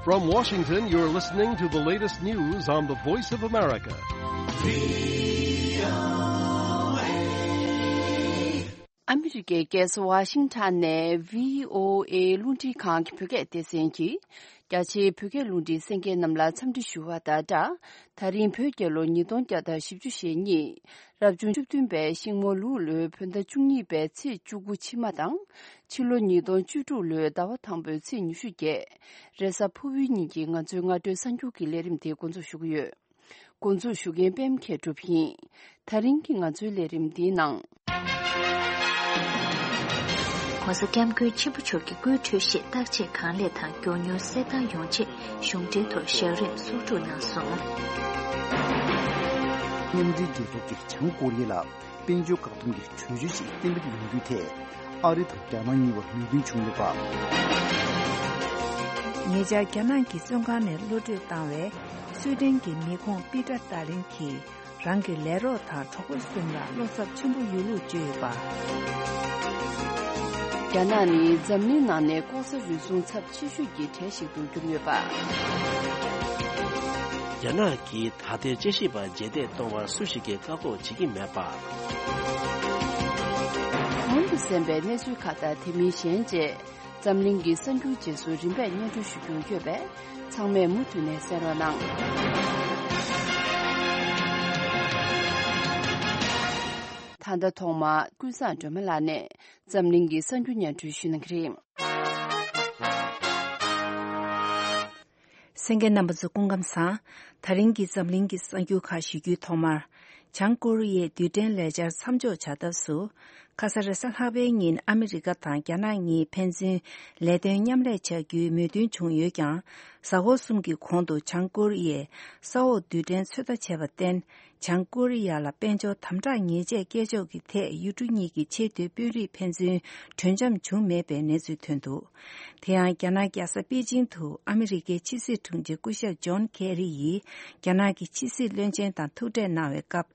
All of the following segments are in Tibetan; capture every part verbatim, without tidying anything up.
From Washington, you're listening to the latest news on the Voice of America. ཨ་མི་རི་ཀའི་རྒྱལ་ས་ཝ་ཤིང་ཊོན་ནས་བྷི་ཨོ་ཨེ་རླུང་འཕྲིན་ཁང་གི་བོད་སྐད་སྡེ་ཚན་གྱིས། རྒྱ་ཆེའི་བོད་སྐད་རླུང་འཕྲིན་གསན་མཁན་རྣམས་ལ་འཚམས་འདྲི་ཞུ་བ་དང་སྦྲགས། ད་རིང་བོད་རྒྱལ་ལོ་ཉིས་སྟོང་བརྒྱ་དང་བཞི་བཅུ་ཞེ་གཉིས། རབ་བྱུང་བཅུ་བདུན་པའི་ཤིང་མོ་ལུག་ལོའི་བོད་ཟླ་བཅུ་གཉིས་པའི་ཚེས་བཅུ་དགུ་ཕྱི་མ་དང་། ཕྱི་ལོ་ཉིས་སྟོང་བཅུ་དྲུག་ལོའི་ཟླ་བ་དང་པོའི་ཚེས་ཉི་ཤུ་བརྒྱད། རེས་གཟའ་ཕུར་བུའི་ཉིན་གྱི་ང་ཚོའི་སྔ་དྲོའི་གསར་འགྱུར་གྱི་ལས་རིམ་དེ་འགོ་འཛུགས་ཞུ་གི་ཡོད། འགོ་འཛུགས་ཞུ་མཁན་པད་མ་མཁས་གྲུབ་ཡིན། ད་རིང་གི་ང་ཚོའི་ལས་རིམ་འདིའི་ནང་།༸གོང་ས་༸སྐྱབས་མགོན་ཆེན་པོ་མཆོག་གི་སྐུའི་འཕྲོད་བཞེས་བརྟག་དཔྱད་གང་ལེགས་དང་མགྱོགས་མྱུར་གསལ་ཐང་ཡོང་ཆེད་གཞུང་འབྲེལ་ཐོག་བཞག་རིམ་གསོག་སྒྲུབ་གནང་སོང་། མཉམ་འབྲེལ་རྒྱལ་ཚོགས་ཀྱིས་བྱང་ཀོ་རི་ཡ་ལ། དཔལ་འབྱོར་བཀག་སྡོམ་གྱི་གྲོས་ཆོད་ཞིག་གཏན་འབེབས་ཡོང་རྒྱུའི་ཐད། ཨ་རི་དང་རྒྱ་ནག་གཉིས་བར་མོས་མཐུན་བྱུང་ཡོད་པ། ཉེ་ཆར་རྒྱ་ནག་གི་བཙོན་ཁང་ནས་གློད་གྲོལ་བཏང་བའི་སུའེ་ཏེན་གྱི་མི་ཁོང་པི་ཏྲ་ཏཱ་ལིན་གྱིས་རང་གི་ལས་རོགས་དང་གྲོགས་པོ་གསུམ་ལ་བློ་འཚབ་ཆེན་པོ་ཡོད་ལུགས་བརྗོད་ཡོད་པ། རྒྱ་ནག་ནི་འཛམ་གླིང་ནང་ནས་ལྐོག་ཟ་རུལ་སུངས་ཚབས་ཆེ་ཤོས་ཀྱི་གྲས་ཤིག་ཏུ་གྱུར་ཡོད་པ། རྒྱ་ནག་གིས་ད་ལྟའི་དཔྱད་ཞིབ་པ་རྗེས་འདེད་གཏོང་བར་སུ་ཞིག་གིས་བཀག་འགོག་བྱེད་ཀྱི་མེད་པ། གོང་དུ་གསན་པའི་གནས་ཚུལ་ཁག་དང་དེ་མིན་གཞན་བཅས་འཛམ་གླིང་གི་གསར་འགྱུར་རྗེས་སུ་རིམ་པས་སྙན་སྒྲོན་ཞུ་རྒྱུ་ཡོད་པས་ཚང་མས་མུ་མཐུད་ནས་གསན་རོགས་གནང་། ད་ལྟ་ཐོག་མར་ཀུན་བཟང་སྒྲོལ་མ་ལགས་ནས་འཛམ་གླིང་གི་གསར་འགྱུར་སྙན་སྒྲོན་ཞུ་གནང་གི་རེད། གསན་མཁན་རྣམ་པ་ཚོ་སྐུ་ཁམས་བཟང་། ད་རིང་གི་འཛམ་གླིང་གི་གསར་འགྱུར་ཁག་ཞུ་རྒྱུའི་ཐོག་མར། བྱང་ཀོ་རི་ཡའི་རྡུལ་ཕྲན་ལས་འཆར་མཚམས་འཇོག་བྱ་ཐབས་སུ། ཁ་ས་རེས་གཟའ་ལྷག་པའི་ཉིན་ཨ་མི་རི་ཀ་དང་རྒྱ་ནག་གཉིས་ཕན་ཚུན་ལས་དོན་མཉམ་ལས་བྱ་རྒྱུའི་མོས་མཐུན་བྱུང་ཡོད་ཀྱང་། གཟའ་འཁོར་གསུམ་གྱི་གོང་དུ་བྱང་ཀོ་རི་ཡས་ས་འོག་རྡུལ་ཕྲན་ཚོད་ལྟ་བྱས་པར་བརྟེན། བྱང་ཀོ་རི་ཡ་ལ་དཔལ་འབྱོར་དམ་དྲག་ཉེས་ཆད་བཀལ་ཕྱོགས་ཀྱི་ཐད་ཡུལ་གྲུ་གཉིས་ཀྱི་ཆེས་མཐོའི་དཔོན་རིགས་ཕན་ཚུན་གྲོས་འཆམ་བྱུང་མེད་པའི་གནས་ཚུལ་ཐོན་འདུག་དེ་ཡང་རྒྱ་ནག་རྒྱལ་ས་པེ་ཅིང་དུ་ཨ་མི་རི་ཀའི་ཕྱི་སྲིད་དྲུང་ཆེ་སྐུ་ཞབས་ཇོན་ཁེ་རི་ཡིས་རྒྱ་ནག་གི་ཕྱི་སྲིད་བློན་ཆེན་དང་ཐུག་འཕྲད་གནང་བའི་སྐབས།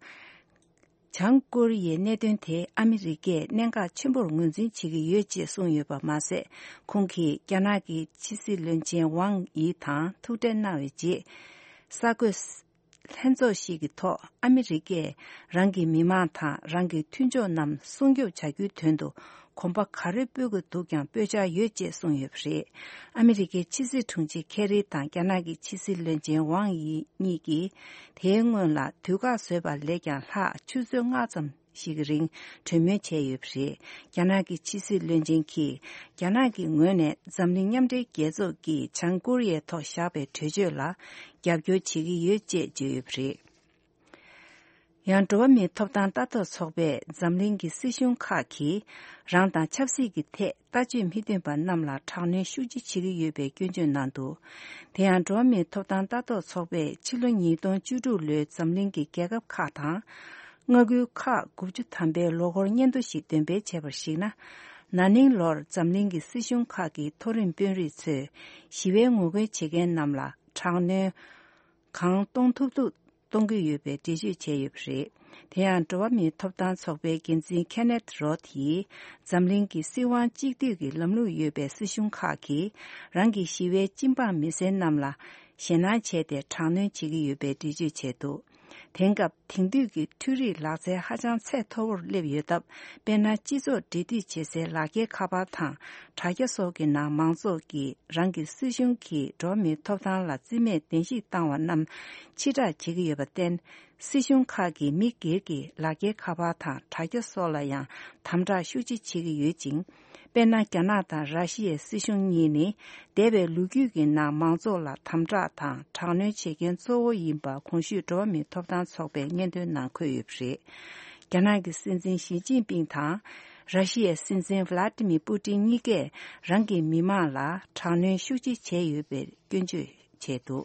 བྱང་ཀོ་རི་ཡའི་གནད་དོན་དེ་ཨ་མི་རི་ཀས་གནད་འགག་ཆེན་པོར་ངོས་འཛིན་བྱེད་ཀྱི་ཡོད་ཅེས་གསུངས་ཡོད་པ་མ་ཟད། ཁོང་གིས་རྒྱ་ནག་གི་ཕྱི་སྲིད་བློན་ཆེན་ཝང་ཡི་དང་ཐུག་འཕྲད་གནང་བའི་རྗེས། གསར་འགོད་ལྷན་ཚོགས་ཤིག་གི་ཐོག་ཨ་མི་རི་ཀས་རང་གི་མི་མང་དང་རང་གི་མཐུན་ཕྱོགས་རྣམས་སྲུང་སྐྱོབ་བྱ་རྒྱུའི་དོན་དུ་གོམ་པ་ག་རེ་སྤོ་དགོས་འདུག་ཀྱང་སྤོ་འཆར་ཡོད་ཅེས་གསུངས་ཡོད་པ་རེད། ཨ་མི་རི་ཀའི་ཕྱི་སྲིད་དྲུང་ཆེ་ཁེ་རི་དང་རྒྱ་ནག་གི་ཕྱི་སྲིད་བློན་ཆེན་ཝང་ཡི་གཉིས་ཀྱིས་དེའི་སྔོན་ལ་དུས་བཀག་བཟོས་པ་ལས་ཀྱང་ལྷག་ཆུ་ཚོད་ལྔ་ཙམ་ཞིག་གི་རིང་གྲོས་མོལ་བྱས་ཡོད་པ་རེད། རྒྱ་ནག་གི་ཕྱི་སྲིད་བློན་ཆེན་གྱིས་རྒྱ་ནག་གི་ངོས་ནས་འཛམ་གླིང་མཉམ་འབྲེལ་རྒྱལ་ཚོགས་ཀྱིས་བྱང་ཀོ་རི་ཡའི་ཐོག་བཞག་པའི་གྲོས་ཆོད་ལ་རྒྱབ་སྐྱོར་བྱེད་ཀྱི་ཡོད་ཅེས་བརྗོད་ཡོད་པ་རེད། ཡང་འགྲོ་བ་མིའི་ཐོབ་ཐང་ལྟ་རྟོག་ཚོགས་པས་འཛམ་གླིང་གི་སྲིད་གཞུང་ཁག་གིས་རང་དང་ཆབ་སྲིད་ཀྱི་ཐད་ལྟ་སྤྱོད་མི་མཐུན་པ་རྣམས་ལ་དྲག་གནོན་ཤུགས་ཆེ་བྱེད་ཀྱི་ཡོད་པའི་སྐྱོན་བརྗོད་གནང་འདུག་དེ་ཡང་འགྲོ་བ་མིའི་ཐོབ་ཐང་ལྟ་རྟོག་ཚོགས་པས་ཕྱི་ལོ་ཉིས་སྟོང་བཅུ་དྲུག་ལོའི་འཛམ་གླིང་གི་རྒྱལ་ཁབ་ཁག་དང་། མངའ་ཁུལ་ཁག་དགུ་བཅུ་ཐམ་པའི་ལོ་འཁོར་སྙན་ཐོ་ཞིག་འདོན་སྤེལ་བྱས་པར་གཞིགས་ན། ན་ནིང་ལོར་འཛམ་གླིང་གི་སྲིད་གཞུང་ཁག་གི་མཐོ་རིམ་དཔོན་རིགས་ཚོས་ཞི་བའི་ངོ་རྒོལ་བྱེད་མཁན་རྣམས་ལ་དྲག་གནོན་གང་གཏོང་ཐུབ་ཐུབ་གཏོང་གི་ཡོད་པའི་འགྲེལ་བརྗོད་བྱས་ཡོད་པ་རེད། དེ་ཡང་འགྲོ་བ་མིའི་ཐོབ་ཐང་ཚོགས་པའི་འགན་འཛིན་ཁེ་ནེད་རོད་ཡིས་འཛམ་གླིང་གི་སྲིད་དབང་གཅིག་སྡུད་ཀྱི་ལམ་ལུགས་ཡོད་པའི་སྲིད་གཞུང་ཁག་གིས་རང་གི་ཞི་བའི་སྤྱི་འབངས་མི་སེར་རྣམས་ལ་ཞེད་སྣང་བྱས་ཏེ་དྲག་གནོན་བྱེད་ཀྱི་ཡོད་པའི་འགྲེལ་བརྗོད་བྱས་འདུག་དེང་སྐབས་དེང་དུས་ཀྱི་འཕྲུལ་རིག་ལག་རྩལ་ཧ་ཅང་ཚད་མཐོ་བོར་སླེབས་ཡོད་སྟབས། དཔེར་ན། སྤྱི་ཚོགས་འབྲེལ་མཐུད་བྱེད་སའི་ལག་འཁྱེར་ཁ་པར་དང་དྲ་རྒྱ་སོགས་ཀྱི་ནང་མང་ཚོགས་ཀྱིས་རང་གི་སྲིད་གཞུང་གིས་འགྲོ་བ་མིའི་ཐོབ་ཐང་ལ་རྩིས་མེད་བདེན་བཞི་བཏང་བ་རྣམས་ཕྱིར་བསྒྲགས་བྱེད་ཀྱི་ཡོད་པར་བརྟེན། སྲིད་གཞུང་ཁག་གིས་མི་སྒེར་གྱི་ལག་འཁྱེར་ཁ་པར་དང་དྲ་རྒྱ་སོགས་ལ་ཡང་དམ་དྲག་ཤུགས་ཆེ་བྱེད་ཀྱི་ཡོད་ཅིང་། དཔེར་ན། རྒྱ་ནག་དང་ར་ཤི་ཡའི་སྲིད་གཞུང་གཉིས་ནི་འདས་པའི་ལོ་རྒྱུས་ཀྱི་ནང་མང་ཚོགས་ལ་དམ་དྲག་དང་དྲག་གནོན་བྱེད་མཁན་གཙོ་བོ་ཡིན་པ་གོང་ཞུས་འགྲོ་བ་མིའི་ཐོབ་ཐང་ཚོགས་པས་སྙན་ཐོའི་ནང་འཁོད་ཡོད་པ་རེད། རྒྱ་ནག་གི་སྲིད་འཛིན་ཞི་ཅིན་ཕིང་དང་ར་ཤི་ཡའི་སྲིད་འཛིན་ཝ་ལ་ཏི་མིར་པུ་ཏིན་གཉིས་ཀས་རང་གི་མི་མང་ལ་དྲག་གནོན་ཤུགས་ཆེ་བྱས་ཡོད་པའི་སྐྱོན་བརྗོད་བྱས་འདུག་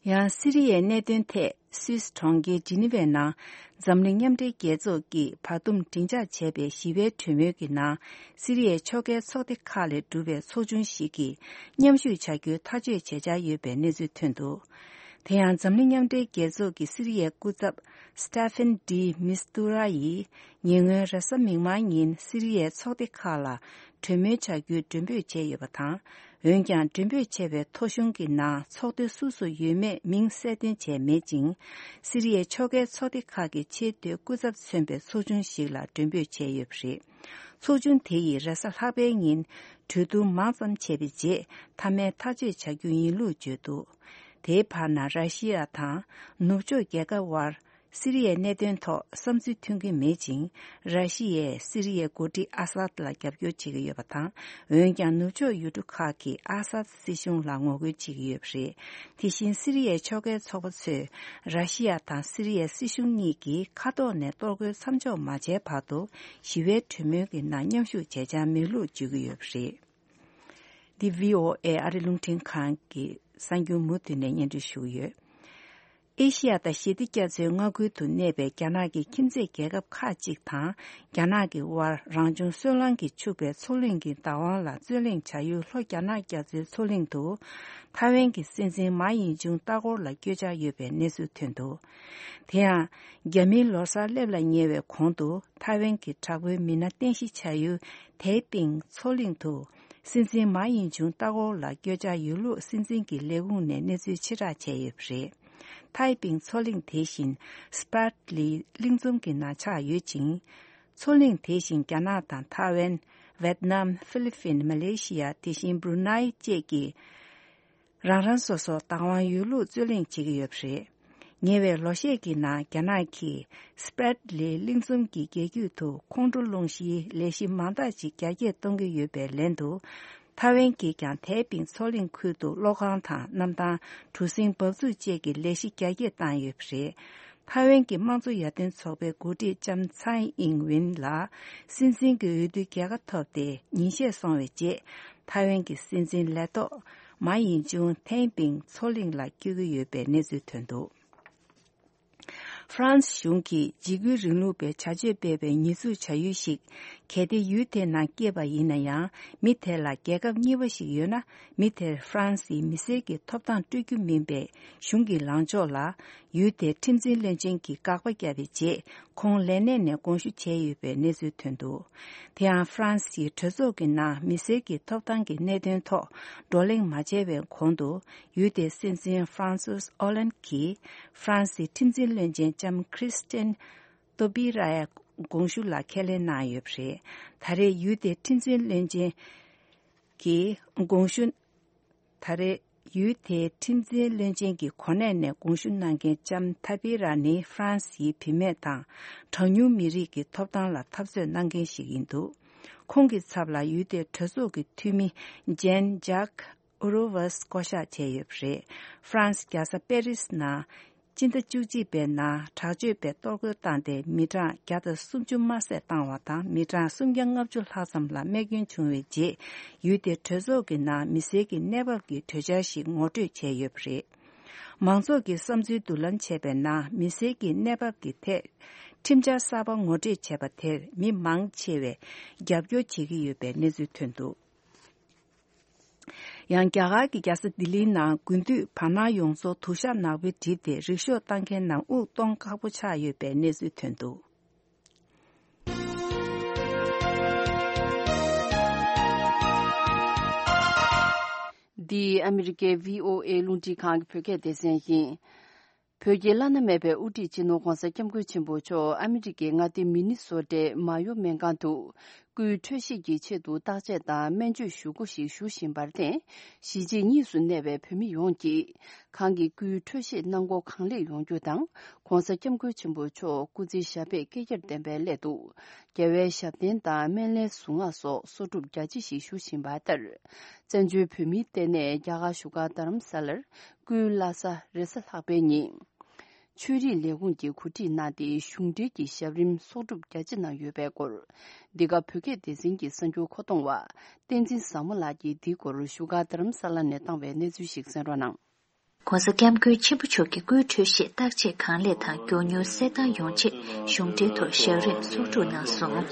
ཡང་སི་རི་ཡའི་གནད་དོན་ཐད་སུད་སི་གྲོང་ཁྱེར་ཇི་ནི་ཝའི་ནང་འཛམ་གླིང་མཉམ་འབྲེལ་རྒྱལ་ཚོགས་ཀྱིས་བར་འདུམ་སྒྲིག་འཇགས་བྱས་པའི་ཞི་བའི་གྲོས་མོལ་གྱི་ནང་སི་རི་ཡའི་ཕྱོགས་འགལ་ཚོགས་སྡེ་ཁག་ལས་གྲུབ་པའི་ཚོགས་ཆུང་ཞིག་གིས་མཉམ་ཞུགས་བྱ་རྒྱུའི་ཐག་གཅོད་བྱེད་འཆར་ཡོད་པའི་གནས་ཚུལ་ཐོན་འདུག་དེ་ཡང་འཛམ་གླིང་མཉམ་འབྲེལ་རྒྱལ་ཚོགས་ཀྱི་སི་རི་ཡའི་སྐུ་ཚབ་Staffan de Mistura་ཡིས་ཉེ་སྔོན་རེས་གཟའ་མིག་དམར་ཉིན་སི་རི་ཡའི་ཚོགས་སྡེ་ཁག་ལ་གྲོས་མོལ་བྱ་རྒྱུའི་མགྲོན་འབོད་བྱས་ཡོད་པ་དང་། འོན་ཀྱང་མགྲོན་འབོད་བྱས་པའི་ཐོ་གཞུང་གི་ནང་ཚོགས་སྡེ་སུ་སུ་ཡོད་མེད་མིང་གསལ་སྟོན་བྱས་མེད་ཅིང་། སི་རི་ཡའི་ཕྱོགས་འགལ་ཚོགས་སྡེ་ཁག་གི་ཆེས་མཐོའི་སྐུ་ཚབ་མཚོན་པའི་ཚོགས་ཆུང་ཞིག་ལ་མགྲོན་འབོད་བྱས་ཡོད་པ་རེད། ཚོགས་ཆུང་དེ་ཡིས་རེས་གཟའ་ལྷག་པའི་ཉིན་གྲོས་བསྡུར་མང་ཙམ་བྱས་པའི་རྗེས་མཐའ་མའི་ཐག་གཅོད་བྱ་རྒྱུ་ཡིན་ལུགས་བརྗོད་འདུག་དེའི་བར་ན་ར་ཤི་ཡ་དང་ནུབ་ཕྱོགས་རྒྱལ་ཁབ་དབར་སི་རི་ཡའི་གནད་དོན་ཐོག་བསམ་ཚུལ་མཐུན་གྱི་མེད་ཅིང་། ར་ཤི་ཡས་སི་རི་ཡའི་འགོ་ཁྲིད་ཨ་སཱད་ལ་རྒྱབ་སྐྱོར་བྱེད་ཀྱི་ཡོད་པ་དང་། འོན་ཀྱང་ནུབ་ཕྱོགས་ཡུལ་གྲུ་ཁག་གིས་ཨ་སཱད་སྲིད་གཞུང་ལ་ངོ་རྒོལ་བྱེད་ཀྱི་ཡོད་པ་རེད། དེ་བཞིན་སི་རི་ཡའི་ཕྱོགས་འགལ་ཚོགས་པ་ཚོས་ར་ཤི་ཡ་དང་སི་རི་ཡའི་སྲིད་གཞུང་གཉིས་ཀྱིས་མཁའ་ཐོག་ནས་གཏོར་རྒོལ་མཚམས་འཇོག་མ་བྱས་བར་དུ་ཞི་བའི་གྲོས་མོལ་གྱི་ནང་མཉམ་ཞུགས་བྱེད་འཆར་མེད་ལུགས་བརྗོད་ཀྱི་ཡོད་པ་རེད། འདི་བྷི་ཨོ་ཨེ་ཨ་རི་རླུང་འཕྲིན་ཁང་གི་གསར་འགྱུར་མུ་མཐུད་ནས་སྙན་སྒྲོན་ཞུ་གི་ཡོད། ཨེ་ཤི་ཡ་དང་ཞི་བདེ་རྒྱ་མཚོའི་མངའ་ཁུལ་དུ་གནས་པའི་རྒྱ་ནག་གི་ཁྱིམ་མཚེས་རྒྱལ་ཁབ་ཁག་ཅིག་དང་རྒྱ་ནག་གི་དབར་རང་བྱུང་སོལ་རླངས་ཀྱིས་ཕྱུག་པའི་མཚོ་གླིང་གི་བདག་དབང་ལ་རྩོད་གླེང་བྱ་ཡུལ་ལྷོ་རྒྱ་ནག་རྒྱ་མཚོའི་མཚོ་གླིང་དུ་ཐའེ་ཝན་གྱི་སྲིད་འཛིན་མཱ་ཡིན་ཅུང་ལྟ་སྐོར་ལ་བསྐྱོད་འཆར་ཡོད་པའི་གནས་ཚུལ་ཐོན་འདུག་དེ་ཡང་རྒྱ་མིའི་ལོ་གསར་སླེབས་ལ་ཉེ་བའི་གོང་དུ་ཐའེ་ཝན་གྱི་དྲག་པོའི་མི་སྣ་རྟེན་གཞི་བྱ་ཡུལ་ཐའེ་པིང་མཚོ་གླིང་དུ་སྲིད་འཛིན་མཱ་ཡིན་ཅུང་ལྟ་སྐོར་ལ་བསྐྱོད་འཆར་ཡོད་ལུགས་སྲིད་འཛིན་གྱི་ལས་ཁུངས་ནས་གནས་ཚུལ་ཕྱིར་བསྒྲགས་བྱས་ཡོད་པ་རེད། ཐའེ་པིང་མཚོ་གླིང་དེ་བཞིན་སྤྲད་ལི་གླིང་ཚོམ་གྱི་ནང་ཆགས་ཡོད་ཅིང་། མཚོ་གླིང་དེ་བཞིན་རྒྱ་ནག་དང་ཐའེ་ཝན། ཝེད་ནམ། ཧྥི་ལི་ཕིན། མ་ལེ་ཤི་ཡ། དེ་བཞིན་བྷུ་རུ་ནའི་བཅས་ཀྱི་རང་རང་སོ་སོར་བདག་དབང་ཡོད་ལུགས་རྩོད་གླེང་བྱེད་ཀྱི་ཡོད་པ་རེད། ཉེ་བའི་ལོ་ཤས་ཀྱི་ནང་རྒྱ་ནག་གིས་སྤྲད་ལི་གླིང་ཚོམ་གྱི་རྒྱལ་རྒྱུད་དུ་ཁོང་ཁྲོ་སློང་གཞིའི་ལས་གཞི་མང་དག་ཅིག་རྒྱ་སྐྱེད་གཏོང་གི་ཡོད་པའི་ལན་དུ། ཐའེ་ཝན་གྱིས་ཀྱང་ཐའེ་པིང་མཚོ་གླིང་ཁུལ་དུ་གློག་ཁང་དང་གནམ་ཐང་། གྲུ་གཟིངས་འབབ་ཚུགས་བཅས་ཀྱི་ལས་གཞི་རྒྱ་སྐྱེད་བཏང་ཡོད་པ་རེད། ཐའེ་ཝན་གྱི་དམངས་གཙོ་ཡར་ཐོན་ཚོགས་པའི་འགོ་ཁྲིད་ལྕམ་ཚའེ་ཨིང་ཝིན་ལ་སྲིད་འཛིན་གྱི་འོས་བསྡུའི་རྒྱལ་ཁ་ཐོབ་སྟེ་ཉིན་ཤས་སོང་བའི་རྗེས། ཐའེ་ཝན་གྱི་སྲིད་འཛིན་ལས་ཐོག་མཱ་ཡིན་ཅུང་ཐའེ་པིང་མཚོ་གླིང་ལ་བསྐྱོད་ཀྱི་ཡོད་པའི་གནས་ཚུལ་ཐོན་འདུག་ཧྥ་རན་སི་གཞུང་གིས་འཇིགས་སྐུལ་རིང་ལུགས་པའི་བྱ་སྤྱོད་སྤེལ་བའི་ཉེས་འཛུགས་བྱ་ཡུལ་ཞིག་གལ་ཏེ་ཡུལ་དེའི་ནང་སྐྱེས་པ་ཡིན་ན་ཡང་། མི་དེ་ལ་རྒྱལ་ཁབ་གཉིས་པ་ཞིག་ཡོད་ན། མི་དེར་ཧྥ་རན་སིའི་མི་སེར་གྱི་ཐོབ་ཐང་སྤྲོད་རྒྱུ་མིན་པའི་གཞུང་གི་ལངས་ཕྱོགས་ལ། ཡུལ་དེའི་ཁྲིམས་འཛིན་བློན་ཆེན་གྱིས་དགག་པ་བརྒྱབ་པའི་རྗེས། ཁོང་ལས་གནས་ནས་དགོངས་ཞུ་བྱས་ཡོད་པའི་གནས་ཚུལ་ཐོན་འདུག་དེ་ཡང་ཧྥ་རན་སིའི་གྲོས་ཚོགས་ཀྱི་ནང་མི་སེར་གྱི་ཐོབ་ཐང་གི་གནད་དོན་ཐོག་བགྲོ་གླེང་མ་བྱས་པའི་གོང་དུ། ཡུལ་དེའི་སྲིད་འཛིན་ཧྥ་རན་སུས་ཨོ་ལན་གྱིས་ཧྥ་རན་སིའི་ཁྲིམས་འཛིན་བློན་ཆེན་ལྕམ་ཁྲིས་ཏན་ཏོ་པི་རའི་དགོངས་ཞུ་ལ་ཁས་ལེན་གནང་ཡོད་པ་རེད། ད་རེས་ཡུལ་དེའི་ཁྲིམས་འཛིན་བློན་ཆེན་གྱི་དགོངས་ཞུ། ད་རེས་ཡུལ་དེའི་ཁྲིམས་འཛིན་བློན་ཆེན་གྱི་གོ་གནས་ནས་དགོངས་ཞུ་གནང་མཁན་ལྕམ་ཐ་པི་ར་ནི་ཧྥ་རན་སིའི་བུད་མེད་དང་གྲངས་ཉུང་མི་རིགས་ཀྱི་ཐོབ་ཐང་ལ་འཐབ་རྩོད་གནང་མཁན་ཞིག་ཡིན་འདུག་ཁོང་གི་ཚབ་ལ་ཡུལ་དེའི་གྲོས་ཚོགས་ཀྱི་འཐུས་མི་ཇན་ཇག་ཨུ་རོ་ཝས་བསྐོ་གཞག་བྱས་ཡོད་པ་རེད། ཧྥ་རན་སི་རྒྱལ་ས་པེ་རིས་ནང་སྤྱི་ཟླ་བཅུ་གཅིག་པའི་ནང་དྲག་སྤྱོད་པས་གཏོར་རྒོལ་བཏང་སྟེ་མི་གྲངས་བརྒྱ་དང་སུམ་ཅུ་དམར་བསད་བཏང་བ་དང་། མི་གྲངས་སུམ་བརྒྱ་ལྔ་བཅུ་ལྷག་ཙམ་ལ་རྨས་སྐྱོན་བྱུང་བའི་རྗེས། ཡུལ་དེའི་གྲོས་ཚོགས་ཀྱི་ནང་མི་སེར་གྱི་གནས་བབ་ཀྱི་གྲོས་འཆར་ཞིག་ངོ་སྤྲོད་བྱས་ཡོད་པ་རེད། མང་ཚོགས་ཀྱི་བསམ་ཚུལ་བསྡུ་ལེན་བྱས་པའི་ནང་། མི་སེར་གྱི་གནས་བབ་ཀྱི་ཐད་ཁྲིམས་འཆར་གསར་པ་ངོ་སྤྲོད་བྱས་པ་དེར་མི་མང་ཆེ་བས་རྒྱབ་སྐྱོར་བྱེད་ཀྱི་ཡོད་པའི་གནས་ཚུལ་ཐོན་འདུག་ཡང་རྒྱ་གར་གྱི་རྒྱལ་ས་ལྡི་ལིའི་ནང་དགུན་དུས་བར་སྣང་ཡོངས་རྫོགས་དུ་ཞག་ནག་པོས་བསྒྲིབས་ཏེ། རིག་ཤོག་བཏང་མཁན་རྣམས་དབུགས་གཏོང་ཁག་པོ་ཆགས་ཡོད་པའི་གནས་ཚུལ་ཐོན་འདུག་འདི་ཨ་མི་རི་ཀའི་བྷི་ཨོ་ཨེ་རླུང་འཕྲིན་ཁང་གི་བོད་སྐད་སྡེ་ཚན་ཡིན། བོད་ཀྱི་བླ་ན་མེད་པའི་དབུ་ཁྲིད་སྤྱི་ནོར་༧གོང་ས་༧སྐྱབས་མགོན་ཆེན་པོ་མཆོག་ཨ་མི་རི་ཀའི་མངའ་སྡེ་མི་ནི་སོ་ཊའི་མ་ཡོ་སྨན་ཁང་དུ་སྐུའི་འཕྲོད་བཞེས་ཀྱི་ཆེད་དུ་བརྟག་དཔྱད་དང་སྨན་བཅོས་ཞུ་སྒོ་ཞིག་ཞུ་བཞིན་པར་བརྟེན། གཞིས་བྱེས་གཉིས་སུ་གནས་པའི་བོད་མི་ཡོངས་ཀྱིས་ཁོང་གི་སྐུའི་འཕྲོད་བཞེས་གནང་སྒོ་གང་ལེགས་ཡོང་རྒྱུ་དང་། ༧གོང་ས་༧སྐྱབས་མགོན་ཆེན་པོ་མཆོག་སྐུ་ཚེ་ཞབས་པད་བསྐལ་བརྒྱར་བརྟན་པའི་སླད་དུ། རྒྱལ་བའི་ཞབས་བརྟན་དང་སྨན་བླའི་གཟུངས་སྔགས་སོགས་གསོག་སྒྲུབ་རྒྱ་ཆེ་ཞིག་ཞུ་བཞིན་པ་ལྟར། བཙན་བྱོལ་བོད་མིའི་ལྟེ་གནས་རྒྱ་གར་བཞུགས་སྒར་རྡ་རམ་ས་ལར། སྐུའི་བླ་གཟའ་རེས་གཟའ་ལྷག་པའི་ཉིན། ཆོས་རིག་ལས་ཁུངས་ཀྱིས་གོ་སྒྲིག་གནང་སྟེ། གཞུང་འབྲེལ་གྱི་ཞབས་རིམ་གསོག་སྒྲུབ་རྒྱ་ཆེ་གནང་ཡོད་པའི་སྐོར། འདི་ག་བོད་སྐད་སྡེ་ཚན་གྱི་གསར་འགྱུར་མཁོ་གཏོང་བ་བསྟན་འཛིན་བཟང་མོ་ལགས་ཀྱིས་འདིའི་སྐོར་བཞུགས་སྒར་རྡ་རམ་ས་ལ་ནས་བཏང་བའི་གནས་ཚུལ་ཞིག་གསན་རོགས་གནང་། ༧གོང་ས་༧སྐྱབས་མགོན་ཆེན་པོ་མཆོག་གི་སྐུའི་འཕྲོད་བཞེས་བརྟག་དཔྱད་གང་ལེགས་དང་མགྱོགས་མྱུར་གསལ་ཐང་ཡོང་ཆེད་གཞུང་འབྲེལ་ཐོག་ཞབས་རིམ་གསོག་སྒྲུབ་གནང་སོང་།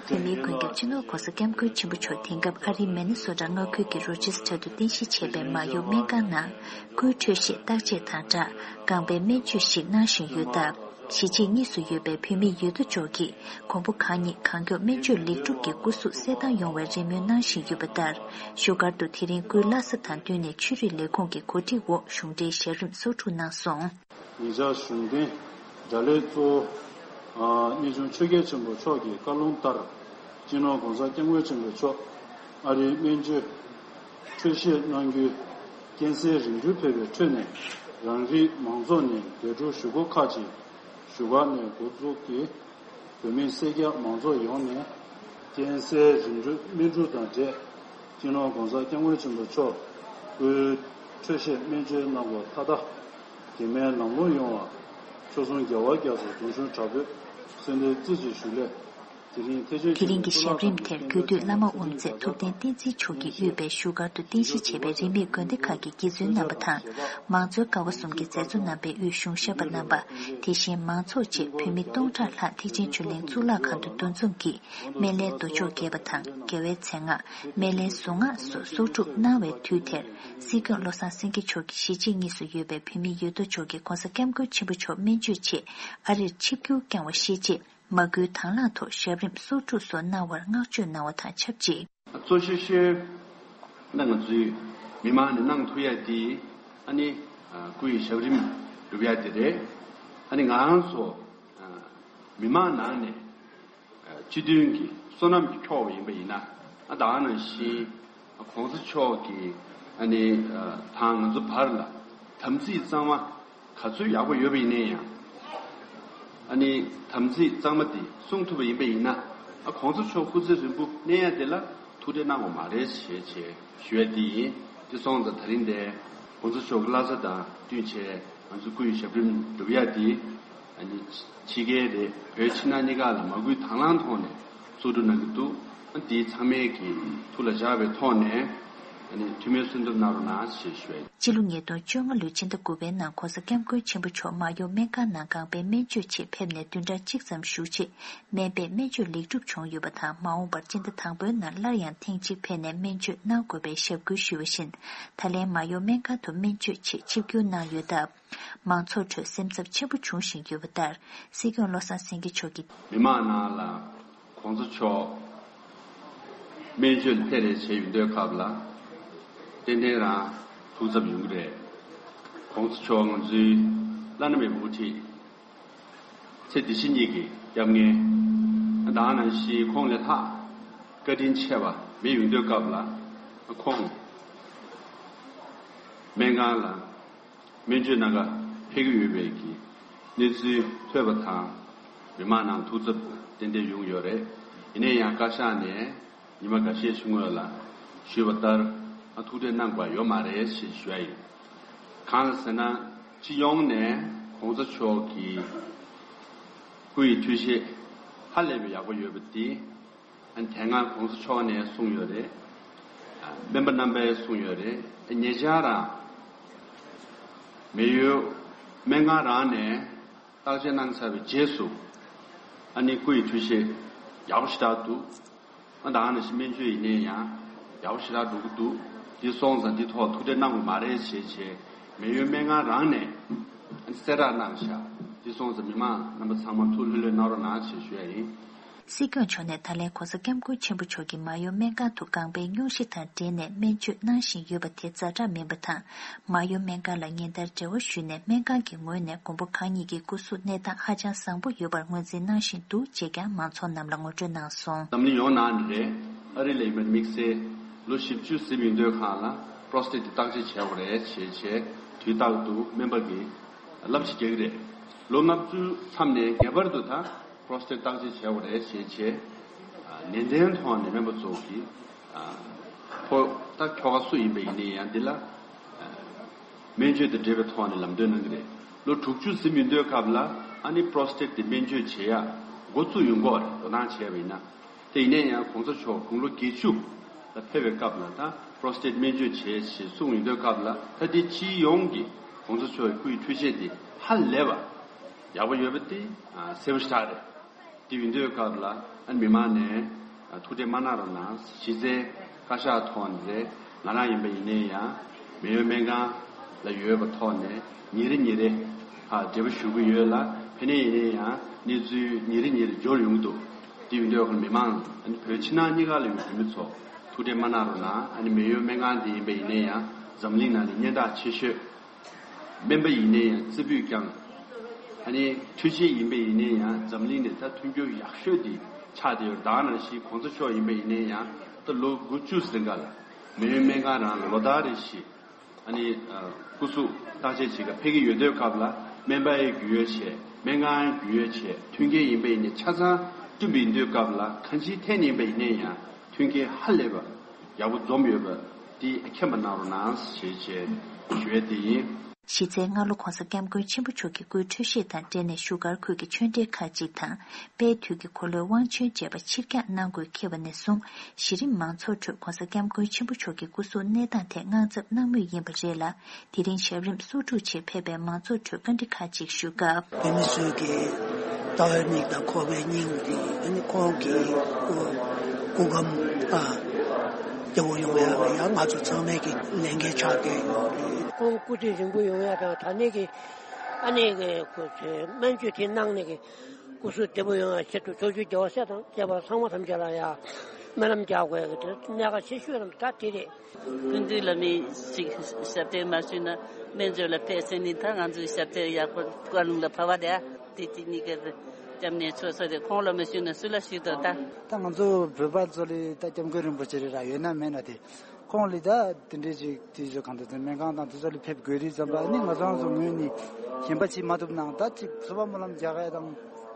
བོད་མིའི་མགོན་སྐྱབས་སྤྱི་ནོར་༧གོང་ས་༧སྐྱབས་མགོན་ཆེན་པོ་མཆོག་དེང་སྐབས་ཨ་རིའི་མི་ནི་སོ་ཊ་མངའ་ཁུལ་གྱི་རོ་ཅེ་སི་ཊར་དུ་རྟེན་གཞི་བྱས་པའི་མ་ཡོ་སྨན་ཁང་ནང་སྐུའི་འཕྲོད་བཞེས་བརྟག་དཔྱད་དང་སྦྲགས་རྐང་པའི་སྨན་བཅོས་ཤིག་གནང་བཞིན་ཡོད་སྟབས། གཞིས་བྱེས་གཉིས་སུ་ཡོད་པའི་བོད་མི་ཡོད་དོ་ཅོག་གིས་མགོན་པོ་གང་ཉིད་གང་མགྱོགས་སྨན་བཅོས་ལེགས་གྲུབ་ཀྱི་སྐུ་གཟུགས་གསལ་ཐང་ཡོང་བའི་རེ་སྨོན་གནང་བཞིན་ཡོད་པ་ལྟར། བཞུགས་སྒར་དུ་དེ་རིང་སྐུའི་བླ་གཟའ་དང་བསྟུན་ནས་ཆོས་རིག་ལས་ཁུངས་ཀྱི་གོ་སྒྲིག་འོག་གཞུང་འབྲེལ་ཞབས་རིམ་གསོག་སྒྲུབ་གནང་སོང་། ཉེ་ཆར་གཞུང་འབྲེལ་གྲྭ་ལས་གཙོ་བོ་གནས་ཆུང་ཆོས་རྒྱལ་ཆེན་པོ་མཆོག་གི་བཀའ་ལུང་ལྟར། སྤྱི་ནོར་༸གོང་ས་༸སྐྱབས་མགོན་ཆེན་པོ་མཆོག་ཨ་རིའི་སྨན་བཅོས་འཕྲོད་བཞེས་གནང་རྒྱུའི་རྐྱེན་སེལ་རིམ་གྲོ་ཕེབས་པའི་ཁྲོད་ནས། རང་རིགས་མང་ཚོགས་ནས་འདས་གྲོངས་ཞུ་སྒོ་ཁག་ཅིག་བཞུགས་སྒར་ནས་འགོ་འཛུགས་ཀྱིས། བོད་མི་སེར་སྐྱ་མང་ཚོགས་ཡོངས་ནས་རྐྱེན་སེལ་རིམ་གྲོ་སྨན་སྒྲུབ་དང་འབྲེལ། སྤྱི་ནོར་༸གོང་ས་༸སྐྱབས་མགོན་ཆེན་པོ་མཆོག་སྐུའི་འཕྲོད་བཞེས་སྨན་བཅོས་གནང་སྒོ་མཐའ་དག་གེགས་མེད་ལམ་ལྷོང་ཡོང་བར་ཆོལ་གསུམ་རྒྱལ་བ་རྒྱ་མཚོ་གདུང་ཤུགས་དྲག་པོས་གསོལ་འདེབས་རྩེ་གཅིག་ཞུ་སླད། དེ་རིང་ཐེག་ཆེན་དེ་རིང་གི་ཞབས་རིམ་དེར་རྒྱུད་སྟོད་བླ་མ་དབུ་མཛད་ཐུབ་བསྟན་བསྟན་འཛིན་མཆོག་གིས་དབུས་པའི་བཞུགས་སྒར་དུ་རྟེན་གཞི་བྱས་པའི་རིས་མེད་དགོན་སྡེ་ཁག་གི་དགེ་བཙུན་རྣམ་པ་དང་། མང་གཙོའི་ཀ་བ་གསུམ་གྱི་མཛད་གཙོ་རྣམ་པས་དབུས་གཞུང་ཞབས་པ་རྣམ་པ། དེ་བཞིན་མང་ཚོགས་བཅས་བོད་མི་སྟོང་ཕྲག་ལྷག་ཐེག་ཆེན་ཆོས་གླིང་གཙུག་ལག་ཁང་དུ་འདུ་འཛོམས་ཀྱིས། སྨན་བླའི་མདོ་ཆོག་རྒྱས་པ་དང་། རྒྱལ་བའི་མཚན་སྔགས། སྨན་བླའི་གཟུངས་སྔགས་སོགས་གསོག་སྒྲུབ་གནང་བའི་དུས་དེར། སྲིད་སྐྱོང་བློ་བཟང་སེང་གེ་མཆོག་གིས་གཞིས་བྱེས་གཉིས་སུ་ཡོད་པའི་བོད་མི་ཡོད་དོ་ཅོག་གིས་༸གོང་ས་༸སྐྱབས་མགོན་ཆེན་པོ་མཆོག་སྨན་བཅོས་ཆེད་ཨ་རིར་ཆིབས་བསྒྱུར་བསྐྱངས་བ་ཤེས་རྗེས། མ་སྐུལ་དང་བླངས་ཐོག་ཞབས་རིམ་གསོག་སྒྲུབ་སོགས་གནང་བར་བསྔགས་བརྗོད་གནང་བ་དང་ཆབས་ཅིག། གཙོ་ཆེ་ཤོས་ནི་ང་ཚོའི་མི་མང་ནས་གནང་ཐུབ་ཡ་དེ་ཨ་ནི་སྐུ་ཡི་ཞབས་རིམ་སྒྲུབ་ཡ་དེ་རེད། ཨ་ནི་ང་རང་ཚོ་མི་མང་ནང་ནས་སྤྱི་མཐུན་གྱི་བསོད་ནམས་ཀྱིས་འཁྱོག་པ་ཡིན་པ་ཡིན་ན། ཨ་ད་ག་ནང་བཞིན་༸གོང་ས་མཆོག་གིས་ཨ་ནི་དང་ང་ཚོ་བར་ལ་དམ་ཚིག་གཙང་མ་ག་ཚོད་ཡག་པོ་ཡོད་པ་ཡིན་ནའི་ཡང་། ཨ་ནི་དམ་ཚིག་གཙང་མ་དེ་སྲུང་ཐུབ་པ་ཡིན་པ་ཡིན་ན། ཨ་༸གོང་ས་མཆོག་སྐུ་ཚེ་རིང་པོ་གནས་ཡ་དེ་ལ་ཐུགས་ཁྲལ་གནང་དགོས་མ་རེད་ཞེས་བྱས་ཞུ་ཡ་དེ་ཡིན། དེ་སོང་ཙང་ད་རིང་འདིར་༸གོང་ས་མཆོག་གི་བླ་གཟའ་དང་བསྟུན་བྱས་ང་ཚོ་སྐུ་ཡི་ཞབས་རིམ་སྒྲུབ་ཡ་དེ་ཨ་ནི་ཕྱི་རྒྱལ་རེད། བོད་ཕྱི་ནང་གཉིས་ཀ་ལ་མ་སྐུལ་དང་བླངས་ཐོག་ནས་གསོག་སྒྲུབ་གནང་གི་འདུག། ཨ་དེ་ཚང་མས་ཀྱི་ཐུགས་ལ་བཞག་པའི་ཐོག་ནས་ཨ་ནི་འཐུས་མིའི་གསོལ་འདེབས་གནང་རོགས་གནང་ཞེས་ཞུ་ཡ་ཡིན། སྤྱི་ལོ་ཉིས་སྟོང་བཅོ་ལྔ་ལོའི་ཕྱི་ཟླ་དགུ་པའི་ནང་༸གོང་ས་༸སྐྱབས་མགོན་ཆེན་པོ་མཆོག་མར་ཡོང་སྨན་ཁང་ནང་རྐང་པའི་སྨན་བཅོས་ཆེད་ཕེབས་ནས་བདུན་ཕྲག་གཅིག་ཙམ་བཞུགས་རྗེས། སྨན་པས་སྨན་བཅོས་ལེགས་གྲུབ་བྱུང་ཡོད་པ་དང་། མ་འོངས་པར་སྤྱི་ཟླ་དང་པོའི་ནང་སླར་ཡང་ཐེངས་གཅིག་ཕེབས་ནས་སྨན་བཅོས་གནང་དགོས་པའི་ཞབས་སྐུལ་ཞུས་པ་བཞིན། ད་ལན་མར་ཡོང་སྨན་ཁང་དུ་སྨན་བཅོས་ཆེད་ཆིབས་བསྒྱུར་གནང་ཡོད་སྟབས། མང་ཚོགས་ཁྲོད་སེམས་འཚབ་ཆེན་པོ་འབྱུང་བཞིན་ཡོད་པ་ལྟར། སྲིད་སྐྱོང་བློ་བཟང་སེང་གེ་མཆོག་གིས། མི་མང་ནང་ལ་༸གོང་ས་མཆོག་སྨན་བཅོས་ལ་ཕེབས་རེས་བྱས་ཡོང་དུས་སྐབས་ལ་ཏན་ཏན་རང་ཐུགས་འཚབ་ཡོང་གི་རེད། ༸གོང་ས་མཆོག་ང་ཚོའི་བླ་ན་མེད་པའི་དབུ་ཁྲིད། ཚེ་འདི་ཕྱི་གཉིས་ཀྱི་སྐྱབས་མགོན། ད་ག་ནང་བཞིན་ཁོང་ལས་ལྷག་བཀའ་དྲིན་ཆེ་བ་མེད་ཡོང་དུས་སྐབས་ལ་ཁོང་སྨན་ཁང་ལ་སྨན་བཅོས་གནང་ག་ཕེབས་ཀྱི་ཡོད་པའི་གི་གནས་ཚུལ་ཐོས་པ་དང་མི་མང་ནང་ཐུགས་འཚབ་ཏན་ཏན་ཡོང་ཡོད་རེད། ཡིན་ན་ཡང་བཀའ་ཤག་ནས་ཉི་མ་འགའ་ཤས་ཤིག་སྔོན་ལ་ཞུས་པ་ལྟར་ཨ་ཐུགས་ཁྲལ་གནང་དགོས་ཡོད་མ་རེད་ཞེས་ཞུ་ཡ་ཡིན། གང་ལ་ཟེར་ན་སྤྱི་ཡོངས་ནས་༸གོང་ས་མཆོག་གི་སྐུ་ཡི་འཕྲོད་བཞེས་ཧ་ལས་པའི་ཡག་པོ་ཡོད་པ་དེ། ཨ་ནི་དེ་སྔ་༸གོང་ས་མཆོག་ནས་གསུངས་ཡོད་རེད། ཨ་སྨན་པ་རྣམ་པས་གསུངས་ཡོད་རེད། ཨ་ཉེ་ཆར་རང་མེ་ཡོད་སྨན་ཁང་རང་ནས་བརྟག་དཔྱད་གནང་ཚར་བའི་རྗེས་སུ་ཨ་ནི་སྐུ་ཡི་འཕྲོད་བཞེས་ཡག་པོ་ཞེ་དྲག་འདུག། ཨ་ད་ག་ནང་བཞིན་སྨན་བཅོས་ཡིན་ནའི་ཡང་ཡག་པོ་ཞེ་དྲག་འགྲོ་གི་འདུག། འདི་སོང་ཙང་འདི་ཐོག་ཐུགས་ཁྲལ་གནང་དགོས་མ་རེད་ཞེས་བྱས་མེ་ཡོད་སྨན་ཁང་རང་ནས་ཨ་ནི་གསལ་བསྒྲགས་གནང་ཤག། འདི་སོང་ཙང་མི་མང་རྣམ་པ་ཚང་མ་ཐུགས་ལྷོད་ལྷོད་གནང་རོགས་གནང་ཞེས་ཞུ་ཡ་ཡིན། སྲིད་སྐྱོང་མཆོག་ནས་ད་ལན་༸གོང་ས་༸སྐྱབས་མགོན་ཆེན་པོ་མཆོག་གིས་མར་ཡོང་སྨན་ཁང་དུ་རྐང་པའི་སྙུང་གཞི་དང་འབྲེལ་ནས་སྨན་བཅོས་གནང་བཞིན་ཡོད་པ་དེ་ཛ་དྲག་མིན་པ་དང་། མར་ཡོང་སྨན་ཁང་ལ་ཉིན་ལྟར་འབྲེལ་བ་ཞུས་ནས་སྨན་ཁང་གི་ངོས་ནས་མགོན་པོ་གང་ཉིད་ཀྱི་སྐུ་གཟུགས་གནས་སྟངས་ཧ་ཅང་བཟང་པོ་ཡོད་པར་ངོས་འཛིན་གནང་བཞིན་འདུག་ཅེས་ཀྱང་མང་ཚོགས་རྣམས་ལ་ངོ་སྤྲོད་གནང་སོང་། འཛམ་གླིང་ཡོངས་ནང་ནས་རེད། ཨ་རི་ལ་ཡིན་པ་དམིགས་བསལ་ལོ་བཞི་བཅུ་ཟིན་ཡོང་དུས་སྒང་ལ་པྲོ་སི་ཊེཊ་དེ་བརྟག་དཔྱད་བྱས་པ་རེད་ཞེས་བྱས་དུས་རྟག་ཏུ་སྨན་པ་གིས་བསླབ་བྱ་རྒྱག་གི་རེད། ལོ་ལྔ་བཅུ་མཚམས་ནས་ངེས་པར་དུ་ད། པྲོ་སི་ཊེཊ་བརྟག་དཔྱད་བྱས་པ་རེད་ཞེས་བྱས། ནན་ཏན་ཐོག་ནས་སྨན་པ་ཚོ་གིས་ཕོ་ད་ཁྱོ་ག་སུ་ཡིན་པ་ཡིན་ནའི་ཡང་འདི་ལ་སྨན་བཅོས་དང་འབྲེལ་བའི་ཐོག་ནས་ལམ་སྟོན་གནང་གི་རེད། ལོ་དྲུག་ཅུ་ཟིན་མི་འདོད་སྐབས་ལ་ཨ་ནི་པྲོ་སི་ཊེཊ་དེ་སྨན་བཅོས་བྱེད་ཡ་འགོ་བཙུགས་ཡོང་གི་རེད། དོ་སྣང་བྱས་པ་ཡིན་ན། དེ་ཡིན་ནའི་ཡང་གོང་ས་མཆོག་དགུང་ལོ་བརྒྱད་ཅུ་ལ་ཕེབས་པའི་སྐབས་ལ་ད་པྲོ་སི་ཊེཊ་སྨན་བཅོས་བྱེད་ཞེས་གསུངས་ཡོང་དུས་སྐབས་ལ་ད་དེ་སྤྱི་ཡོངས་ཀྱི་གོང་ས་མཆོག་གི་སྐུ་ཡི་འཕྲོད་བཞེས་དེ་ཧ་ལས་པ་ཡག་པོ་ཡོད་པ་དེ་གསལ་པོ་ཞེ་དྲག་རེད། དེ་ཡིན་དུས་སྐབས་ལ་ཨ་མི་མང་ནས་ཐུགས་ཁྲལ་མ་གནང་རོགས་གནང་། གཞི་རྩའི་བཀའ་ཤག་ཐོག་ནས་རེད། ང་རང་ཡིན་པ་ཡིན་ནའི་ཡང་མེ་ཡོད་སྨན་ཁང་ལ་ཡོད་པ་ཐོག་ནས་ཉིན་རེ་ཉིན་རེ་ཧ་འབྲེལ་བ་ཞུ་གི་ཡོད་ལ། ཕ་ནས་ཡིན་ནའི་ཡང་གནས་ཚུལ་ཉིན་རེ་ཉིན་རེ་འབྱོར་ཡོང་གི་འདུག་དེ་ཡིན་དུས་ཁོ་མི་མང་ཨ་ནི་བོད་ཕྱི་ནང་གཉིས་ཀ་ལ་ཡོད་བོད་མི་ཚོ་ཐུགས་ཁྲལ་མ་གནང་རོགས་གནང་། ཨ་ནི་མེ་ཡོད་སྨན་ཁང་དེ་ཡིན་པ་ཡིན་ནའི་ཡང་འཛམ་གླིང་ནང་ནས་སྙན་གྲགས་ཆེ་ཤོས། སྨན་པ་ཡིན་ནའི་ཡང་རྩེ་ཕུད་བསྐྱངས། ཨ་ནི་འཕྲུལ་ཆས་ཡིན་པ་ཡིན་ནའི་ཡང་འཛམ་གླིང་ནས་ད་མཐུན་འགྱུར་ཡག་ཤོས་དེ་ཆགས་བསྡད་ཡོད། ད་ནང་བཞིན་གོང་ས་མཆོག་ཡིན་པ་ཡིན་ནའི་ཡང་ད་ལོ་དགུ་བཅུ་ཟིན་ག་ལ་མེ་ཡོད་སྨན་ཁང་རང་ལ་ལོ་ལྟར་རེ་བཞིན་ཨ་ནི་སྐུ་གཟུགས་བརྟག་དཔྱད་བྱེད་ག་ཕེབས་ཀྱི་ཡོད་དུས་སྐབས་ལ་སྨན་པ་ཡི་རྒྱུས་ཡོད་བྱས། སྨན་ཁང་ཡི་རྒྱུས་ཡོད་བྱས། མཐུན་རྐྱེན་ཡིན་པ་ཡིན་ནའི་ཆ་ཚང་བསྐྲུན་པ་ཡིན་དུས་སྐབས་ལ་གང་ཅིའི་ཐད་ནས་ཡིན་པ་ཡིན་ནའི་ཡང་མཐུན་རྐྱེན་ཧ་ལས་པ་ཡག་པོ་འཛོམས་ཡོད་པ་དེ་མཁྱེན་པ་གནང་རོགས་གནང་ཞེས་བྱས་ཞུ་ཡས་དེ་ཡིན། གཞི་རྩའི་སྔ་ལོ་གོང་ས་སྐྱབས་མགོན་ཆེན་པོ་མཆོག་གི་སྐུའི་འཕྲོད་བཞེས་དང་འབྲེལ་ནས་བཞུགས་སྒར་ཁུལ་གྱི་ཆོས་འབྲེལ་ཁག་ཅིག་དང་དཔལ་དུས་ཀྱི་འཁོར་ལོའི་དབང་ཆེན་བཅས་པ་ཕྱིར་འགྱངས་གནང་དགོས་འཁེལ་བ་ནས་བཟུང་གཞི་རིམ་མང་ཚོགས་ཁྲོད་གོང་ས་སྐྱབས་མགོན་ཆེན་པོ་མཆོག་གི་སྐུ་གཟུགས་གནས་སྟངས་ཐད་དངངས་འཚབ་གནང་མུས་ཡིན་པ་རེད་ལ། དེ་རིང་ཞབས་རིམ་གསོག་སྒྲུབ་ཆེད་ཕེབས་པའི་མང་ཚོགས་ཁྲོད་བཀའ་འདྲི་ཁག་ཅིག་ཞུ་སྐབས། བོད་མི་ཚོས་ཀྱི་ལྟ་བའི་མིག་དང་གོ་བའི་སྙིང་དེ་ཨ་ནི་ཁོང་གི་སྐུ་སྐུ་ཁམས་ཨ་སྐྱིད་པོ་ཡོང་ཡག་ལ་ཡང་ང་ཚོ་ཚང་མས་ཀྱི་ལས་འགན་ཆགས་བསྡད་ཡོད་རེད། ཁོང་སྐུ་ཚེ་རིང་པོ་ཡོང་ཡག་དང་ད་ནས་ཀྱི་ཨ་ནི་ཀྱི་སྨན་བཅོས་དེ་གནང་ནས་ཀྱི་སྐུ་གཟུགས་བདེ་པོ་ཡོང་ཡག་ཆེད་དུ་ཕྱོགས་བཅུའི་རྒྱལ་བ་སྲས་དང་བཅས་པ་ཚང་མ་ཐམས་ཅད་ལ་ཡང་སྨོན་ལམ་རྒྱག་དགོས་ཀྱི་དེ་གནད་འགག་ཆེ་ཤོས་རང་ད་དེ་རེད། སྐུ་མདུན་ལ་མི་ཞིག་ཞབས་བརྟན་མ་ཞུས་ན་སྨན་བཅོས་ལ་ཕེབས་ཟེར་ནི་ད་ང་ཚོའི་ཞབས་བརྟན་ཡག་པོ་བཀའ་ལུང་ལ་བབས་པ་དེ་དེ་གཅིག་གཉིས་ཀ་སྐྱབས་གནས་ཆོག་ས་རེད། ཁོང་ལ་མ་ཞུས་ན་སུ་ལ་ཞུས་དོ་ད། ད་ང་ཚོ་བོད་པ་ཚོ་ལ་ད་སྐྱབས་མགོན་རིན་པོ་ཆེ་རེད་ར་ཡོད་ན་མེད་ན་དེ་ཁོང་ལ་ད་དེ་འདྲའི་ཞིག་དེ་ཞིག་གང་ལྟར་དེ་སྨན་ཁང་དང་དེ་ཚོ་ལ་ཕེབས་དགོས་རིགས་ཙམ་པ་ནི་ང་ཚོ་རང་ཚོ་ངོས་ནས་གཞན་པ་བྱེད་མ་ཐུབ་ནའང་ད་ཅིག་གསོལ་བ་སྨོན་ལམ་རྒྱག་ཡ་དང་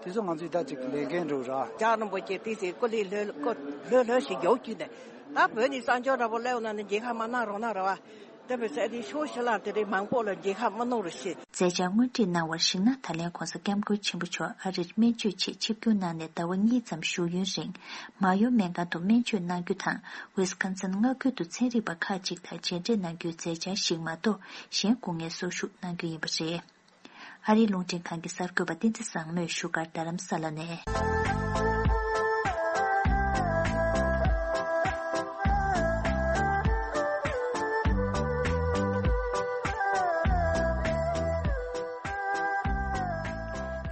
དེ་ཚོ་ང་ཚོའི་ད་ཅིག་ལས་འགན་རེད་ར། རྒྱལ་བ་རིན་པོ་ཆེ་དེ་ཚེ་སྐུ་ལས་ལྷོད་སྐུ་ལྷོད་ལྷོད་ཞིག་ཡོད་ཀྱི་ནས། ད་བོད་ནས་གསང་སྤྱོད་འདྲ་པོ་སླེབས་ན་ནི་མཇལ་ཁ་མ་གནང་རོགས་གནང་ར་བ། དེ་བས་ཚེ་འདི་ཤོག་ཤི་ལ་དེ་རིང་མང་པོ་ལ་མཇལ་ཁ་མ་གནང་རོགས་ཞེས། མཛད་འཆར་དངོས་བྲིས་གནང་བར་གཞིགས་ན་ད་ལན་གོང་ས་སྐྱབས་མགོན་ཆེན་པོ་མཆོག་ཨ་རིར་སྨན་བཅོས་ཆེད་ཆིབས་བསྒྱུར་གནང་ནས་ཟླ་བ་གཉིས་ཙམ་བཞུགས་ཡུན་རིང་མ་ཡོ་སྨན་ཁང་དུ་སྨན་བཅོས་གནང་རྒྱུ་དང་ཝི་སི་ཀོན་སིན་མངའ་ཁུལ་དུ་ཚན་རིག་པ་ཁག་ཅིག་དང་མཇལ་འཕྲད་གནང་རྒྱུའི་མཛད་འཆར་ཞིག་མ་གཏོགས་གཞན་སྐུ་ངལ་གསོ་བཞུགས་གནང་རྒྱུ་ཡིན་པ་རེད། ཨ་རིའི་རླུང་འཕྲིན་ཁང་གི་གསར་འགོད་པ་བསྟན་འཛིན་བཟང་མོས་བཞུགས་སྒར་རྡ་རམ་ས་ལ་ནས།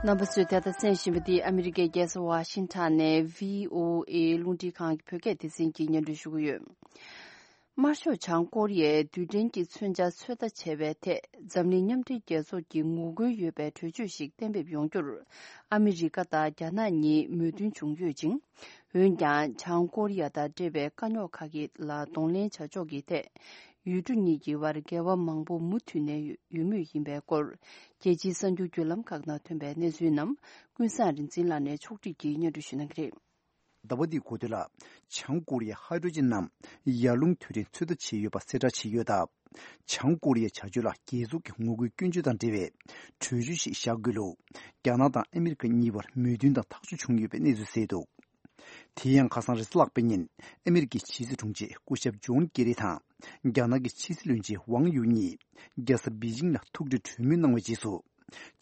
རྣམ་པ་ཚོས་ད་ལྟ་གསན་བཞིན་པ་འདི་ཨ་མི་རི་ཀའི་རྒྱལ་ས་ཝ་ཤིང་ཊོན་ནས་བྷི་ཨོ་ཨེ་རླུང་འཕྲིན་ཁང་གི་བོད་སྐད་སྡེ་ཚན་གྱིས་སྙན་སྒྲོན་ཞུ་གི་ཡོད། དམར་ཤོག་བྱང་ཀོ་རི་ཡས་རྡུལ་ཕྲན་གྱི་མཚོན་ཆ་ཚོད་ལྟ་བྱས་པའི་ཐད་འཛམ་གླིང་མཉམ་འབྲེལ་རྒྱལ་ཚོགས་ཀྱི་ངོ་རྒོལ་ཡོད་པའི་གྲོས་ཆོད་ཞིག་གཏན་འབེབས་ཡོང་རྒྱུར་ཨ་མི་རི་ཀ་དང་རྒྱ་ནག་གཉིས་མོས་མཐུན་བྱུང་ཡོད་ཅིང་། འོན་ཀྱང་བྱང་ཀོ་རི་ཡ་དང་འབྲེལ་བའི་དཀའ་རྙོག་ཁག་གི་ལ་གདོང་ལེན་བྱ་ཕྱོགས་ཀྱི་ཐད་ཡུལ་གྲུ་གཉིས་ཀྱི་བར་འགལ་བ་མང་པོ་མུ་མཐུད་ནས་ཡོད་མུས་ཡིན་པའི་སྐོར་རྒྱལ་སྤྱིའི་གསར་འགྱུར་བརྒྱུད་ལམ་ཁག་ནང་ཐོན་པའི་གནས་ཚུལ་རྣམས་ཀུན་བཟང་རིག་འཛིན་ལགས་ནས་ཕྱོགས་སྒྲིག་གིས་སྙན་སྒྲོན་ཞུ་གནང་གི་རེད། ཟླ་བ་འདིའི་འགོ་སྟོད་ལ། བྱང་ཀོ་རི་ཡས་ཧའི་ཌྲོ་ཇིན་ནམ་ཡར་རླུང་དུད་ཁྲིད་ཚོད་ལྟ་བྱས་ཡོད་པ་གསལ་བསྒྲགས་བྱས་ཡོད་སྟབས། བྱང་ཀོ་རི་ཡའི་བྱ་སྤྱོད་ལ་རྒྱལ་ཚོགས་ཀྱི་ངོ་རྒོལ་སྐྱོན་བརྗོད་དང་འབྲེལ་བའི་གྲོས་ཆོད་ཞིག་བཞག་དགོས་ལུགས། རྒྱ་ནག་དང་ཨ་མི་རི་ཀ་གཉིས་བར་མོས་མཐུན་དང་ཐག་གཅོད་བྱུང་ཡོད་པའི་གནས་ཚུལ་གསལ་འདུག་དེ་ཡང་ཁ་སང་རེས་གཟའ་ལྷག་པའི་ཉིན་ཨ་མི་རི་ཀའི་ཕྱི་སྲིད་དྲུང་ཆེ་སྐུ་ཞབས་ཇོན་ཀེ་རི་དང་རྒྱ་ནག་གི་ཕྱི་སྲིད་བློན་ཆེན་ཝང་ཡུ་གཉིས་རྒྱལ་ས་པེ་ཅིང་ལ་ཐུག་འཕྲད་གྲོས་མོལ་གནང་བའི་རྗེས་སུ།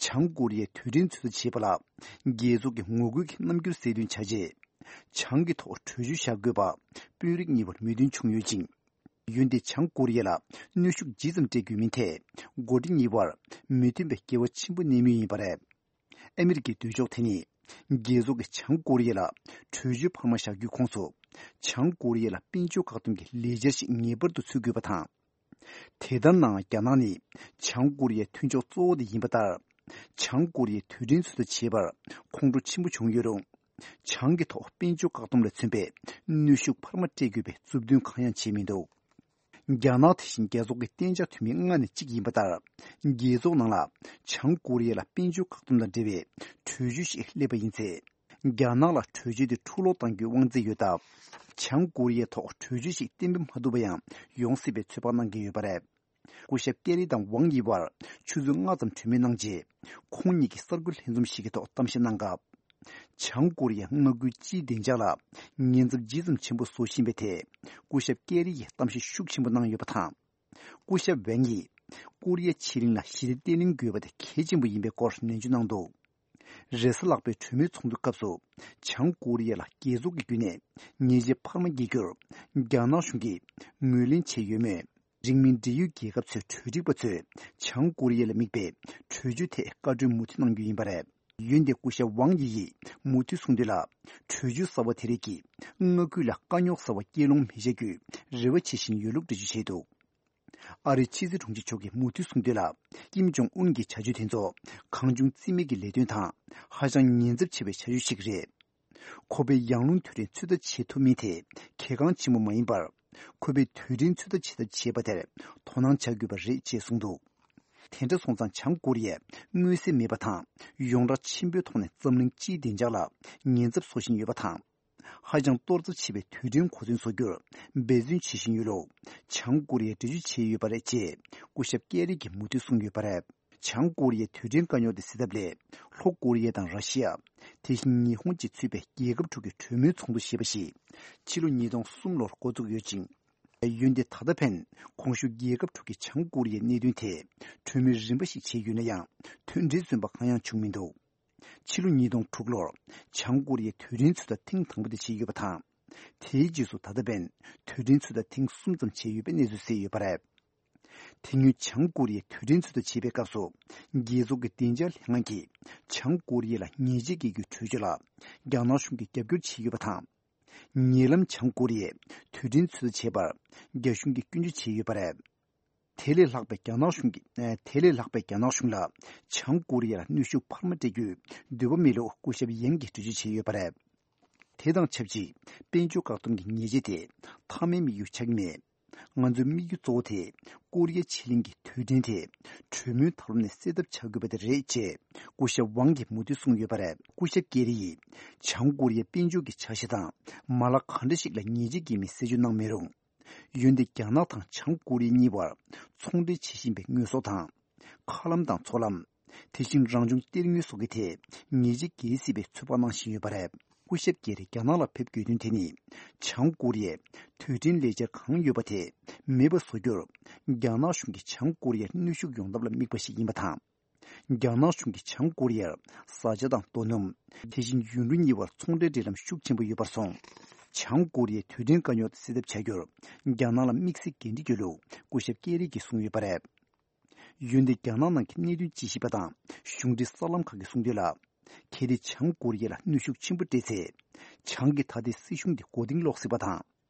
བྱང་ཀོ་རི་ཡས་དུས་དྲན་ཚོད་ལྟ་བྱེད་པ་ལ་རྒྱལ་ཚོགས་ཀྱི་ངོ་རྒོལ་གྱི་རྣམ་འགྱུར་གསལ་སྟོན་བྱ་ཆེད། བྱང་གི་ཐོག་གྲོས་ཆོད་བཞག་དགོས་པ་དཔོན་རིགས་གཉིས་བར་མོས་མཐུན་བྱུང་ཡོད་ཅིང་། ཡུལ་འདིས་བྱང་ཀོ་རི་ཡ་ལ་གནོན་ཤུགས་ཇི་ཙམ་སྤྲད་དགོས་མིན་ཐད་འགོ་ཁྲིད་གཉིས་བར་མོས་མཐུན་པའི་འགལ་བ་ཆེན་པོ་གནས་མུས་ཡིན་པ་རེད། ཨ་མི་རི་ཀའི་འདོད་ཕྱོགས་དེ་ནི་རྒྱལ་ཚོགས་ཀྱིས་བྱང་ཀོ་རི་ཡ་ལ་གྲོས་ཆོད་འཕར་མ་བཞག་རྒྱུའི་ཁོངས་སུ་བྱང་ཀོ་རི་ཡ་ལ་དཔལ་འབྱོར་བཀག་སྡོམ་གྱི་ལས་འཆར་ཞིག་ངེས་པར་དུ་འཚོལ་དགོས་པ་དང་། དེ་ལྟར་ན་རྒྱ་ནག་ནི་བྱང་ཀོ་རི་ཡའི་མཐུན་ཕྱོགས་གཙོ་བོ་དེ་ཡིན་པ་ལྟར། བྱང་ཀོ་རི་ཡས་དུས་དྲན་ཚོད་ལྟ་བྱེད་པར་ཁོང་ཁྲོ་ཆེན་པོ་བྱུང་ཡོད་རུང་། བྱང་གི་ཐོག་དཔལ་འབྱོར་བཀག་སྡོམ་ལ་མཚོན་པའི་གནོན་ཤུགས་འཕར་མ་སྤྲད་དགོས་པའི་མཛུབ་སྟོན་གང་ཡང་བྱས་མི་འདུག་རྒྱ་ནག་དེ་བཞིན་རྒྱལ་ཚོགས་ཀྱི་གཏན་འཇགས་འཐུས་མི་ལྔ་ནས་གཅིག་ཡིན་པ་ལྟར། རྒྱལ་ཚོགས་ནང་ལ་བྱང་ཀོ་རི་ཡ་ལ་དཔལ་འབྱོར་བཀག་སྡོམ་དང་འབྲེལ་བའི་གྲོས་ཆོད་ཞིག་སླེབས་པ་ཡིན་ཚེ། རྒྱ་ནག་ལ་གྲོས་ཆོད་དེ་འཁྲུག་སློང་གཏང་རྒྱུའི་དབང་ཚད་ཡོད་སྟབས། བྱང་ཀོ་རི་ཡའི་ཐོག་གྲོས་ཆོད་ཞིག་གཏན་འབེབས་མ་ཐུབ་པ་ཡང་ཡོང་སྲིད་པའི་ཚོད་དཔག་གནང་གི་ཡོད་པ་རེད། སྐུ་ཞབས་ཀེ་རི་དང་ཝང་ཡི་བར་ཆུ་ཚོད་ལྔ་ཙམ་གྲོས་མོལ་གནང་རྗེས། ཁོང་གཉིས་ཀྱིས་གསར་འགོད་ལྷན་འཛོམས་ཤིག་གི་ཐོག་གཏམ་བཤད་གནང་སྐབས། བྱང་ཀོ་རི་ཡས་མངའ་ཁུལ་སྤྱིའི་བདེ་འཇགས་ལ་ཉེན་ཚབས་ཇི་ཙམ་ཆེན་པོ་བཟོ་བཞིན་པའི་ཐད། སྐུ་ཞབས་ཀེ་རི་ཡིས་གཏམ་བཤད་ཤུགས་ཆེན་པོ་གནང་ཡོད་པ་དང་། སྐུ་ཞབས་ཝང་ཡིས་ཀོ་རི་ཡ་ཕྱེད་གླིང་ལ་ཞི་བདེ་བརྟན་ལྷིང་དགོས་པ་དེ་གལ་ཆེན་པོ་ཡིན་པའི་སྐོར་ནན་བརྗོད་གནང་འདུག་རེས་གཟའ་ལྷག་པའི་གྲོས་མོལ་ཚོགས་འདུའི་སྐབས་སུ། བྱང་ཀོ་རི་ཡ་ལ་རྒྱལ་ཚོགས་ཀྱི་བརྒྱུད་ནས་ཉེས་ཆད་འཕར་མ་འགེལ་རྒྱུར་རྒྱ་ནག་གཞུང་གིས་ངོས་ལེན་བྱས་ཡོད་མོད། རིང་མིན་འབྲེལ་ཡོད་རྒྱལ་ཁབ་ཚོའི་གྲོས་སྒྲིག་པ་ཚོས་བྱང་ཀོ་རི་ཡ་ལ་དམིགས་པའི་གྲོས་ཆོད་ཐད་བཀའ་འཁྲོལ་མུ་མཐུད་གནང་རྒྱུ་ཡིན་པ་རེད། ཡོན་ཏན་སྐུ་ཞབས་ཝང་ཡི་ཡིས་མུ་མཐུད་གསུངས་དོན་ལ། གྲོས་ཆོད་གསར་བ་དེ་རིགས་ཀྱིས་མངའ་ཁུལ་ལ་དཀའ་རྙོག་གསར་བ་སྐྱེལ་ལོང་མི་བྱ་རྒྱུའི་རེ་བ་བྱེད་བཞིན་ཡོད་ལུགས་འགྲེལ་བརྗོད་བྱས་འདུག་ཨ་རིའི་ཕྱི་སྲིད་དྲུང་ཆེ་མཆོག་གིས་མུ་མཐུད་གསུངས་དོན་ལ། ཀིམ་ཇོང་ཨུན་གྱི་བྱ་སྤྱོད་དེ་ཚོ་གང་བྱུང་རྩིས་མེད་ཀྱི་ལས་དོན་དང་ཧ་ཅང་ཉེན་ཚབས་ཆེ་བའི་བྱ་སྤྱོད་ཞིག་རེད། ཁོ་པས་ཡང་རླུང་དུས་དྲན་ཚོད་ལྟ་བྱེད་ཐུབ་མིན་དེ་གལ་འགངས་ཆེན་པོ་མ་ཡིན་པར། ཁོ་པས་དུས་དྲན་ཚོད་ལྟ་བྱེད་ཐབས་བྱེད་པ་དེར་དོ་སྣང་བྱ་དགོས་པ་རེད་ཅེས་གསུངས་འདུག་དེ་འདྲ་སོང་ཙང་བྱང་ཀོ་རི་ཡས་མངོན་གསལ་མེད་པ་དང་ཡོངས་གྲགས་ཆེན་པོའི་ཐོག་ནས་འཛམ་གླིང་སྤྱིའི་བདེ་འཇགས་ལ་ཉེན་ཚབས་བཟོ་བཞིན་ཡོད་པ་དང་། ཧ་ཅང་གཏོར་ཚབས་ཆེ་བའི་དུས་དྲན་གོ་མཚོན་བཟོ་རྒྱུར་འབད་བརྩོན་བྱེད་བཞིན་ཡོད་ལུགས་བྱང་ཀོ་རི་ཡས་འགྲེལ་བརྗོད་བྱས་ཡོད་པ་རེད་ཅེས་སྐུ་ཞབས་ཀེ་རི་གིས་མུ་མཐུད་གསུངས་ཡོད་པ་རེད། བྱང་ཀོ་རི་ཡའི་དུས་དྲན་དཀའ་རྙོག་དེ་སེལ་ཐབས་སླད། ལྷོ་ཀོ་རི་ཡ་དང་ར་ཤི་ཡ། དེ་བཞིན་ཉི་ཧོང་བཅས་ཚུད་པའི་རྒྱལ་ཁབ་དྲུག་གི་གྲོས་མོལ་ཚོགས་འདུ་ཞེས་པ་ཞིག་ཕྱི་ལོ་ཉིས་སྟོང་གསུམ་ལོར་འགོ་བཙུགས་ཡོད་ཅིང་། ཡོན་ཏན་ད་ལྟ་ཕན་གོང་ཞུས་རྒྱལ་ཁབ་དྲུག་གིས་བྱང་ཀོ་རི་ཡའི་གནད་དོན་ཐད་གྲོས་མོལ་རིམ་པ་ཞིག་བྱས་ཡོད་ན་ཡང་། མཐུན་སྒྲིལ་བཟོས་པ་གང་ཡང་བྱུང་མི་འདུག་ཕྱི་ལོ་ཉིས་སྟོང་དྲུག་ལོར་བྱང་ཀོ་རི་ཡའི་དུས་དྲན་ཚོད་ལྟ་ཐེངས་དང་པོ་དེ་བྱས་ཡོད་པ་དང་། དེའི་རྗེས་སུ་ད་ལྟ་ཕན་དུས་དྲན་ཚོད་ལྟ་ཐེངས་གསུམ་ཙམ་བྱས་ཡོད་པའི་གནས་ཚུལ་གསལ་ཡོད་པ་རེད། དེ་སྔོན་བྱང་ཀོ་རི་ཡའི་དུས་དྲན་ཚོད་ལྟ་བྱེད་པའི་སྐབས་སུ། རྒྱལ་ཚོགས་ཀྱི་བདེ་འཇགས་ལྷན་ཁང་གིས་བྱང་ཀོ་རི་ཡ་ལ་ཉེས་ཆད་འགེལ་རྒྱུའི་གྲོས་ཆོད་ལ་རྒྱ་ནག་གཞུང་གིས་རྒྱབ་སྐྱོར་བྱས་ཡོད་པ་དང་། ཉེ་ལམ་བྱང་ཀོ་རི་ཡས་དུས་དྲན་ཚོད་ལྟ་བྱེད་པར་རྒྱ་གཞུང་གིས་སྐྱོན་བརྗོད་བྱས་ཡོད་པ་རེད། དེ་ལས་ལྷག་པའི་རྒྱ་ནག་གཞུང་གིས། དེ་ལས་ལྷག་པའི་རྒྱ་ནག་གཞུང་ལ་བྱང་ཀོ་རི་ཡ་ལ་གནོན་ཤུགས་འཕར་མ་སྤྲད་རྒྱུའི་འདོད་པ་མེད་ལུགས་སྐུ་ཞབས་ཡན་གྱིས་འགྲེལ་བརྗོད་བྱས་ཡོད་པ་རེད། དེ་དང་ཆབས་ཅིག་དཔལ་འབྱོར་བཀག་སྡོམ་གྱི་ཉེས་ཆད་དེ་མཐའ་མའི་དམིགས་ཡུལ་ཆགས་ཀྱི་མེད། ང་ཚོའི་དམིགས་ཡུལ་གཙོ་བོ་དེ་ཀོ་རི་ཡའི་ཕྱེད་གླིང་གི་དུས་དྲན་དེ་གྲོས་མོལ་ཐབས་ལམ་ནས་སེལ་ཐབས་བྱ་དགོས་པ་དེ་རེད་ཅེས་སྐུ་ཞབས་ཝང་གིས་མུ་མཐུད་གསུངས་ཡོད་པ་རེད། སྐུ་ཞབས་ཀེ་རི་ཡིས་བྱང་ཀོ་རི་ཡའི་དཔལ་འབྱོར་གྱི་འཆར་གཞི་དང་མ་ལག་གང་འདྲ་ཞིག་ལ་ཉེས་ཆད་འགེལ་མིན་གསལ་བརྗོད་གནང་མེད་རུང་། ཡོན་ཏན་རྒྱ་ནག་དང་བྱང་ཀོ་རི་ཡ་གཉིས་བར་ཚོང་འབྲེལ་བྱེད་བཞིན་པའི་དངོས་ཟོག་དང་། མཁའ་ལམ་དང་མཚོ་ལམ། དེ་བཞིན་རང་བྱུང་གཏེར་དངོས་སོགས་ཀྱི་ཐད་ཉེས་ཆད་འགེལ་སྲིད་པའི་ཚོད་དཔག་གནང་བཞིན་ཡོད་པ་རེད། སྐུ་ཞབས་ཀེ་རི་རྒྱ་ནག་ལ་ཕེབས་དགོས་དོན་དེ་ནི། བྱང་ཀོ་རི་ཡས་དུས་དྲན་ལས་འཆར་གང་ཡོད་པ་དེ་མེད་པ་བཟོ་རྒྱུར། རྒྱ་ནག་གཞུང་གིས་བྱང་ཀོ་རི་ཡར་གནོན་ཤུགས་ཡོང་ཐབས་ལ་དམིགས་པ་ཞིག་ཡིན་པ་དང་། རྒྱ་ནག་གཞུང་གིས་བྱང་ཀོ་རི་ཡར་བཟའ་བཅའ་དང་རྡོ་སྣུམ། དེ་བཞིན་ཡུན་རིང་གཉིས་བར་ཚོང་འབྲེལ་འབྲེལ་ལམ་ཤུགས་ཆེན་པོ་ཡོད་པར་སོང་། བྱང་ཀོ་རི་ཡའི་དུས་དྲན་དཀའ་རྙོག་དེ་སེལ་ཐབས་བྱ་རྒྱུར། རྒྱ་ནག་ལ་དམིགས་བསལ་འགན་འཁྲི་ཡོད་ལུགས་སྐུ་ཞབས་ཀེ་རི་གིས་གསུངས་ཡོད་པ་རེད། ཡོན་ཏན་རྒྱ་ནག་ནང་གི་གནད་དོན་དཔྱད་ཞིབ་པ་དང་གཞུང་འབྲེལ་གསར་ལམ་ཁག་གིས་གསུངས་དོན་ལ། གལ་ཏེ་བྱང་ཀོ་རི་ཡ་ལ་གནོན་ཤུགས་ཆེན་པོ་སྤྲད་ཚེ། བྱང་གི་ད་ལྟའི་སྲིད་གཞུང་དེ་མགོ་རྟིང་སློག་སྲིད་པ་དང་།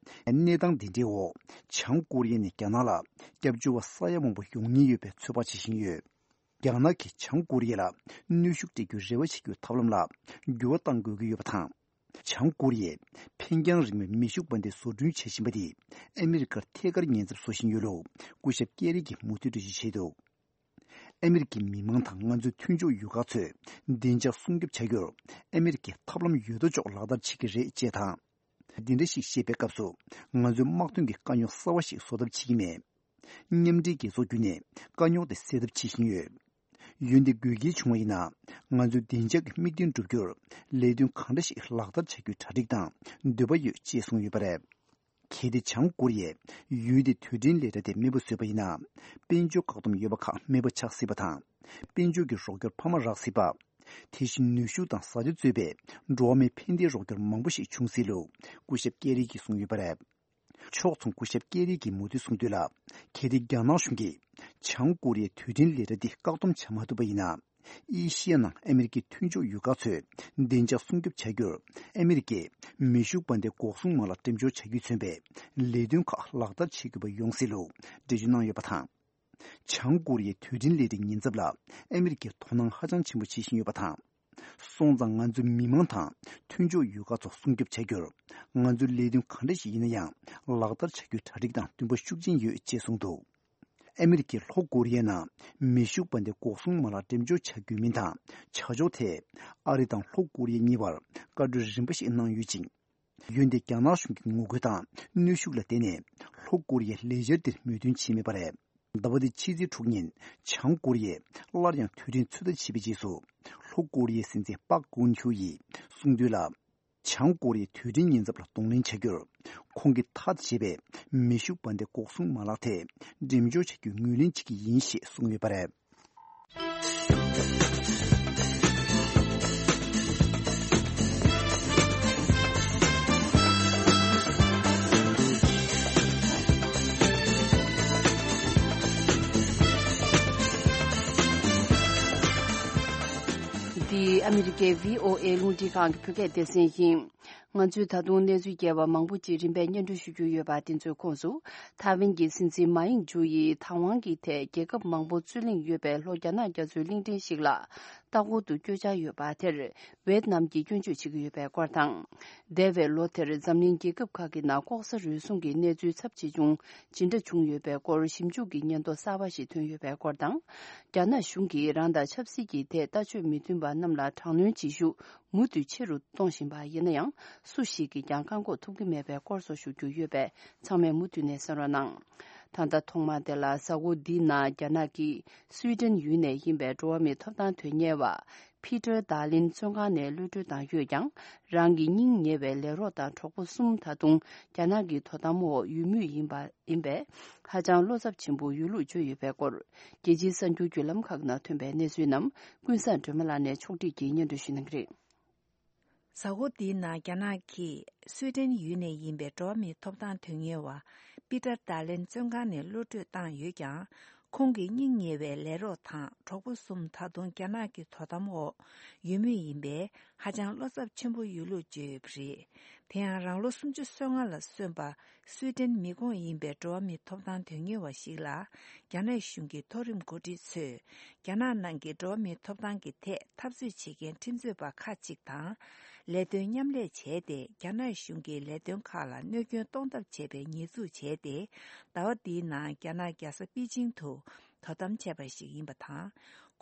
གནས་སྟངས་འདི་འདྲའི་འོག་བྱང་ཀོ་རི་ཡ་ནས་རྒྱ་ནག་ལ་སྐྱབས་བཅོལ་བ་ས་ཡ་མང་པོ་ཡོང་ཉེན་ཡོད་པའི་ཚོད་དཔག་བྱེད་བཞིན་ཡོད། རྒྱ་ནག་གིས་བྱང་ཀོ་རི་ཡ་ལ་གནོན་ཤུགས་སྤྲད་རྒྱུའི་རེ་བ་བྱེད་རྒྱུའི་ཐབས་ལམ་ལ་འགྱུར་བ་གཏང་དགོས་ཀྱི་ཡོད་པ་དང་། བྱང་ཀོ་རི་ཡས་འཕེན་རྒྱང་རིང་བའི་མེ་ཤུགས་འབར་མདེལ་བཟོ་སྐྲུན་བྱེད་བཞིན་པ་དེས་ཨ་མི་རི་ཀར་ཐད་ཀར་ཉེན་ཚབས་བཟོ་བཞིན་ཡོད་ལུགས་སྐུ་ཞབས་ཀེ་རི་གིས་མུ་མཐུད་འགྲེལ་བརྗོད་བྱས་འདུག་ཨ་མི་རི་ཀའི་མི་མང་དང་ང་ཚོའི་མཐུན་ཕྱོགས་ཡུལ་ཁག་ཚོས་བདེ་འཇགས་སྲུང་སྐྱོབ་བྱ་རྒྱུར་ཨ་མི་རི་ཀས་ཐབས་ལམ་ཡོད་དོ་ཅོག་ལག་བསྟར་བྱེད་ཀྱི་རེད་ཅེས་དང་། འདི་འདྲ་ཞིག་བཤད་པའི་སྐབས་སུ་ང་ཚོའི་དམག་དོན་གྱི་དཀའ་རྙོག་གསར་བ་ཞིག་བཟོ་ཐབས་བྱེད་ཀྱི་མེད། མཉམ་འབྲེལ་རྒྱལ་ཚོགས་བརྒྱུད་ནས་དཀའ་རྙོག་དེ་སེལ་ཐབས་བྱེད་བཞིན་ཡོད། ཡོན་ཏན་དགོས་གལ་བྱུང་བ་ཡིན་ན། ང་ཚོའི་བདེ་འཇགས་ཀྱི་དམིགས་དོན་བསྒྲུབ་རྒྱུར་ལས་དོན་གང་འདྲ་ཞིག་ལག་བསྟར་བྱ་རྒྱུའི་གྲ་སྒྲིག་དང་འདོད་པ་ཡོད་ཅེས་གསུངས་ཡོད་པ་རེད། གལ་ཏེ་བྱང་ཀོ་རི་ཡས་ཡུལ་དེའི་དུས་དྲན་ལས་གྲྭ་དེ་མེད་པ་བཟོས་པ་ཡིན་ན། དཔལ་འབྱོར་བཀག་སྡོམ་ཡོད་པ་ཁག་མེད་པ་ཆགས་སྲིད་པ་དང་། དཔལ་འབྱོར་གྱི་རོགས་སྐྱོར་འཕར་མ་རག་སྲིད་པ། དེ་བཞིན་ནུས་ཤུགས་དང་བཟའ་བཅའ་གཙོས་པའི་འགྲོ་བ་མིའི་ཕན་བདེའི་རོགས་སྐྱོར་མང་པོ་ཞིག་འབྱུང་སྲིད་ལུགས་སྐུ་ཞབས་ཀེ་རི་གིས་གསུངས་ཡོད་པ་རེད། ཕྱོགས་མཚུངས་སྐུ་ཞབས་ཀེ་རི་གིས་མུ་མཐུད་གསུངས་དོན་ལ། གལ་ཏེ་རྒྱ་ནག་གཞུང་གིས་བྱང་ཀོ་རི་ཡའི་དུས་དྲན་ལས་གྲྭ་འདི་བཀག་སྡོམ་བྱ་མ་ཐུབ་པ་ཡིན་ན། ཨེ་ཤི་ཡ་ནང་ཨ་མི་རི་ཀའི་མཐུན་ཕྱོགས་ཡུལ་ཁག་ཚོས་བདེ་འཇགས་སྲུང་སྐྱོབ་བྱ་རྒྱུར་ཨ་མི་རི་ཀས་མེ་ཤུགས་འབར་མདེལ་འགོག་སྲུང་མ་ལག་འགྲེམས་འཇོག་བྱ་རྒྱུས་མཚོན་པའི་ལས་དོན་ཁག་ལག་བསྟར་བྱེད་དགོས་པ་ཡོང་སྲིད་ལུགས་འགྲེལ་བརྗོད་གནང་ཡོད་པ་དང་། བྱང་ཀོ་རི་ཡའི་དུས་དྲན་ལས་གྲྭའི་ཉེན་ཚབས་ལ་ཨ་མི་རི་ཀས་དོ་སྣང་ཧ་ཅང་ཆེན་པོ་བྱེད་བཞིན་ཡོད་པ་དང་། སོང་ཙང་ང་ཚོའི་མི་མང་དང་མཐུན་ཕྱོགས་ཡུལ་ཁག་ཚོ་སྲུང་སྐྱོབ་བྱ་རྒྱུར། ང་ཚོའི་ལས་དོན་ག་འདྲ་ཞིག་ཡིན་ན་ཡང་ལག་བསྟར་བྱ་རྒྱུའི་གྲ་སྒྲིག་དང་འདུན་པ་ཤུགས་ཆེན་ཡོད་ཅེས་གསུངས་འདུག་ཨ་མི་རི་ཀས་ལྷོ་ཀོ་རི་ཡའི་ནང་མེ་ཤུགས་འབར་མདེལ་འགོག་སྲུང་མ་ལག་འགྲེམས་འཇོག་བྱ་དགོས་མིན་དང་བྱ་ཕྱོགས་ཐད། ཨ་རི་དང་ལྷོ་ཀོ་རི་ཡ་གཉིས་བར་བཀའ་གྲོས་རིམ་པ་ཞིག་གནང་ཡོད་ཅིང་། ཡོན་ཏན་རྒྱ་ནག་གཞུང་གི་ངོ་རྒོལ་དང་གནོན་ཤུགས་ལ་བརྟེན་ནས་ལྷོ་ཀོ་རི་ཡས་ལས་འཆར་འདིར་མོས་མཐུན་བྱས་མེད་པ་རེད། ཟླ་བ་འདིའི་ཕྱི་ཚེས་དྲུག་ཉིན་བྱང་ཀོ་རི་ཡས་སླར་ཡང་དུས་དྲན་ཚོད་ལྟ་བྱས་པའི་རྗེས་སུ། ལྷོ་ཀོ་རི་ཡའི་སྲིད་འཛིན་པག་ཀུན་ཧུ་ཡིས་གསུངས་དོན་ལ། བྱང་ཀོ་རི་ཡའི་དུས་དྲན་ཉེན་ཚབས་ལ་གདོང་ལེན་བྱ་རྒྱུར། ཁོང་གིས་ཐག་བཅད་པའི་མེ་ཤུགས་འབར་མདེལ་འགོག་སྲུང་མ་ལག་དེ་འགྲེམས་འཇོག་བྱ་རྒྱུའི་ངོས་ལེན་བྱེད་ཀྱི་ཡིན་ཞེས་གསུངས་ཡོད་པ་རེད། འདི་ཨ་ ཨ་མི་རི་ཀའི་བྷི་ཨོ་ཨེ་རླུང་འཕྲིན་ཁང་གི་བོད་སྐད་སྡེ་ཚན་ཡིན། ང་ཚོས་ད་དུང་གནས་ཚུལ་རྒྱས་པ་མང་པོ་ཅིག་རིམ་པས་སྙན་སྒྲོན་ཞུ་རྒྱུ་ཡོད་པ་དེ་ཚོའི་ཁོངས་སུ། ཐའེ་ཝན་གྱི་སྲིད་འཛིན་མཱ་ཡིང་ཇུ་ཡིས་དང་ཝང་གི་ཐད་རྒྱལ་ཁབ་མང་པོ་རྩོད་གླེང་ཡོད་པའི་ལྷོ་རྒྱ་ནག་རྒྱ་མཚོའི་གླིང་ཕྲན་ཞིག་ལ་ལྟ་སྐོར་དུ་བསྐྱོད་འཆར་ཡོད་པ་དེར། ཝེད་ནམ་གྱིས་སྐྱོན་བརྗོད་བྱེད་ཀྱི་ཡོད་པའི་སྐོར་དང་། འདས་པའི་ལོ་དེར་འཛམ་གླིང་རྒྱལ་ཁབ་ཁག་གི་ནང་ལྐོག་ཟ་རུལ་སུངས་ཀྱི་གནས་ཚུལ་ཚབས་ཆེ་ཆུང་ཇི་འདྲ་བྱུང་ཡོད་པའི་སྐོར་ཞིབ་འཇུག་གི་སྙན་ཐོ་གསར་པ་ཞིག་ཐོན་ཡོད་པའི་སྐོར་དང་། རྒྱ་ནག་གཞུང་གིས་རང་དང་ཆབ་སྲིད་ཀྱི་ཐད་ལྟ་སྤྱོད་མི་མཐུན་པ་རྣམས་ལ་དྲག་གནོན་བྱེད་ཤུགས་མུ་མཐུད་ཆེ་རུ་གཏོང་བཞིན་པ་ཡིན་ན་ཡང་། སུ་ཞིག་གིས་ཀྱང་བཀག་འགོག་ཐུབ་ཀྱི་མེད་པའི་སྐོར་སོགས་ཞུ་རྒྱུ་ཡོད་པས། ཚང་མས་མུ་མཐུད་ནས་གསན་རོགས་གནང་། ད་ལྟ་ཐོག་མ་དེ་ལ་གཟའ་འཁོར་འདིའི་ནང་རྒྱ་ནག་གི་སུའི་ཏན་ཡུལ་ནས་ཡིན་པའི་འགྲོ་བ་མིའི་ཐོབ་ཐང་དོན་གཉེར་བ། ཕི་ཏར་དཱ་ལིན་བཙོན་ཁང་ནས་གློད་གྲོལ་བཏང་ཡོད་ཀྱང་། རང་གི་སྙིང་ཉེ་བའི་ལས་རོགས་དང་གྲོགས་པོ་གསུམ་ད་དུང་རྒྱ་ནག་གི་དོ་དམ་འོག་ཡོད་མུས་ཡིན་པ་ཡིན་པས། ཧ་ཅང་བློ་འཚབ་ཆེན་པོ་ཡོད་ལུགས་བརྗོད་ཡོད་པའི་སྐོར། རྒྱལ་སྤྱིའི་གསར་འགྱུར་བརྒྱུད་ལམ་ཁག་ནང་ཐོན་པའི་གནས་ཚུལ་རྣམས་ཀུན་བཟང་སྒྲོལ་མ་ལགས་ནས་ཕྱོགས་སྒྲིག་གིས་སྙན་སྒྲོན་ཞུ་གནང་གི་རེད། གཟའ་འཁོར་འདིའི་ནང་རྒྱ་ནག་གིས་སུའི་ཏན་ཡུལ་ནས་ཡིན་པའི་འགྲོ་བ་མིའི་ཐོབ་ཐང་དོན་གཉེར་བ་པི་ཏར་ཏཱ་ལེན་བཙོན་ཁང་ནས་གློད་གྲོལ་བཏང་ཡོད་ཀྱང་། ཁོང་གི་སྙིང་ཉེ་བའི་ལས་རོགས་དང་གྲོགས་པོ་གསུམ་ད་དུང་རྒྱ་ནག་གི་དོ་དམ་འོག་ཡོད་མུས་ཡིན་པས། ཧ་ཅང་བློ་འཚབ་ཆེན་པོ་ཡོད་ལུགས་བརྗོད་ཡོད་པ་རེད། དེ་ཡང་རང་ལོ་སུམ་ཅུ་སོ་ལྔ་ལ་སོན་པ་སུའི་ཏན་མི་ཁོངས་ཡིན་པའི་འགྲོ་བ་མིའི་ཐོབ་ཐང་དོན་གཉེར་བ་ཞིག་ལ། རྒྱ་ནག་གཞུང་གི་མཐོ་རིམ་འགོ་ཁྲིད་ཚོས། རྒྱ་ནག་ནང་གི་འགྲོ་བ་མིའི་ཐོབ་ཐང་གི་ཐད་འཐབ་རྩོད་བྱེད་མཁན་ཁྲིམས་རྩོད་པ་ཁག་ཅིག་དང་། ལས་དོན་མཉམ་ལས་བྱས་ཏེ། རྒྱ་ནག་གཞུང་གི་ལས་དོན་ཁག་ལ་གནོད་སྐྱོན་གཏོང་ཐབས་བྱས་པའི་ཉེས་འཛུགས་བྱས་ཏེ། ཟླ་བ་འདིའི་ནང་རྒྱ་ནག་རྒྱལ་ས་པེ་ཅིང་དུ་དོ་དམ་བྱས་པ་ཞིག་ཡིན་པ་དང་།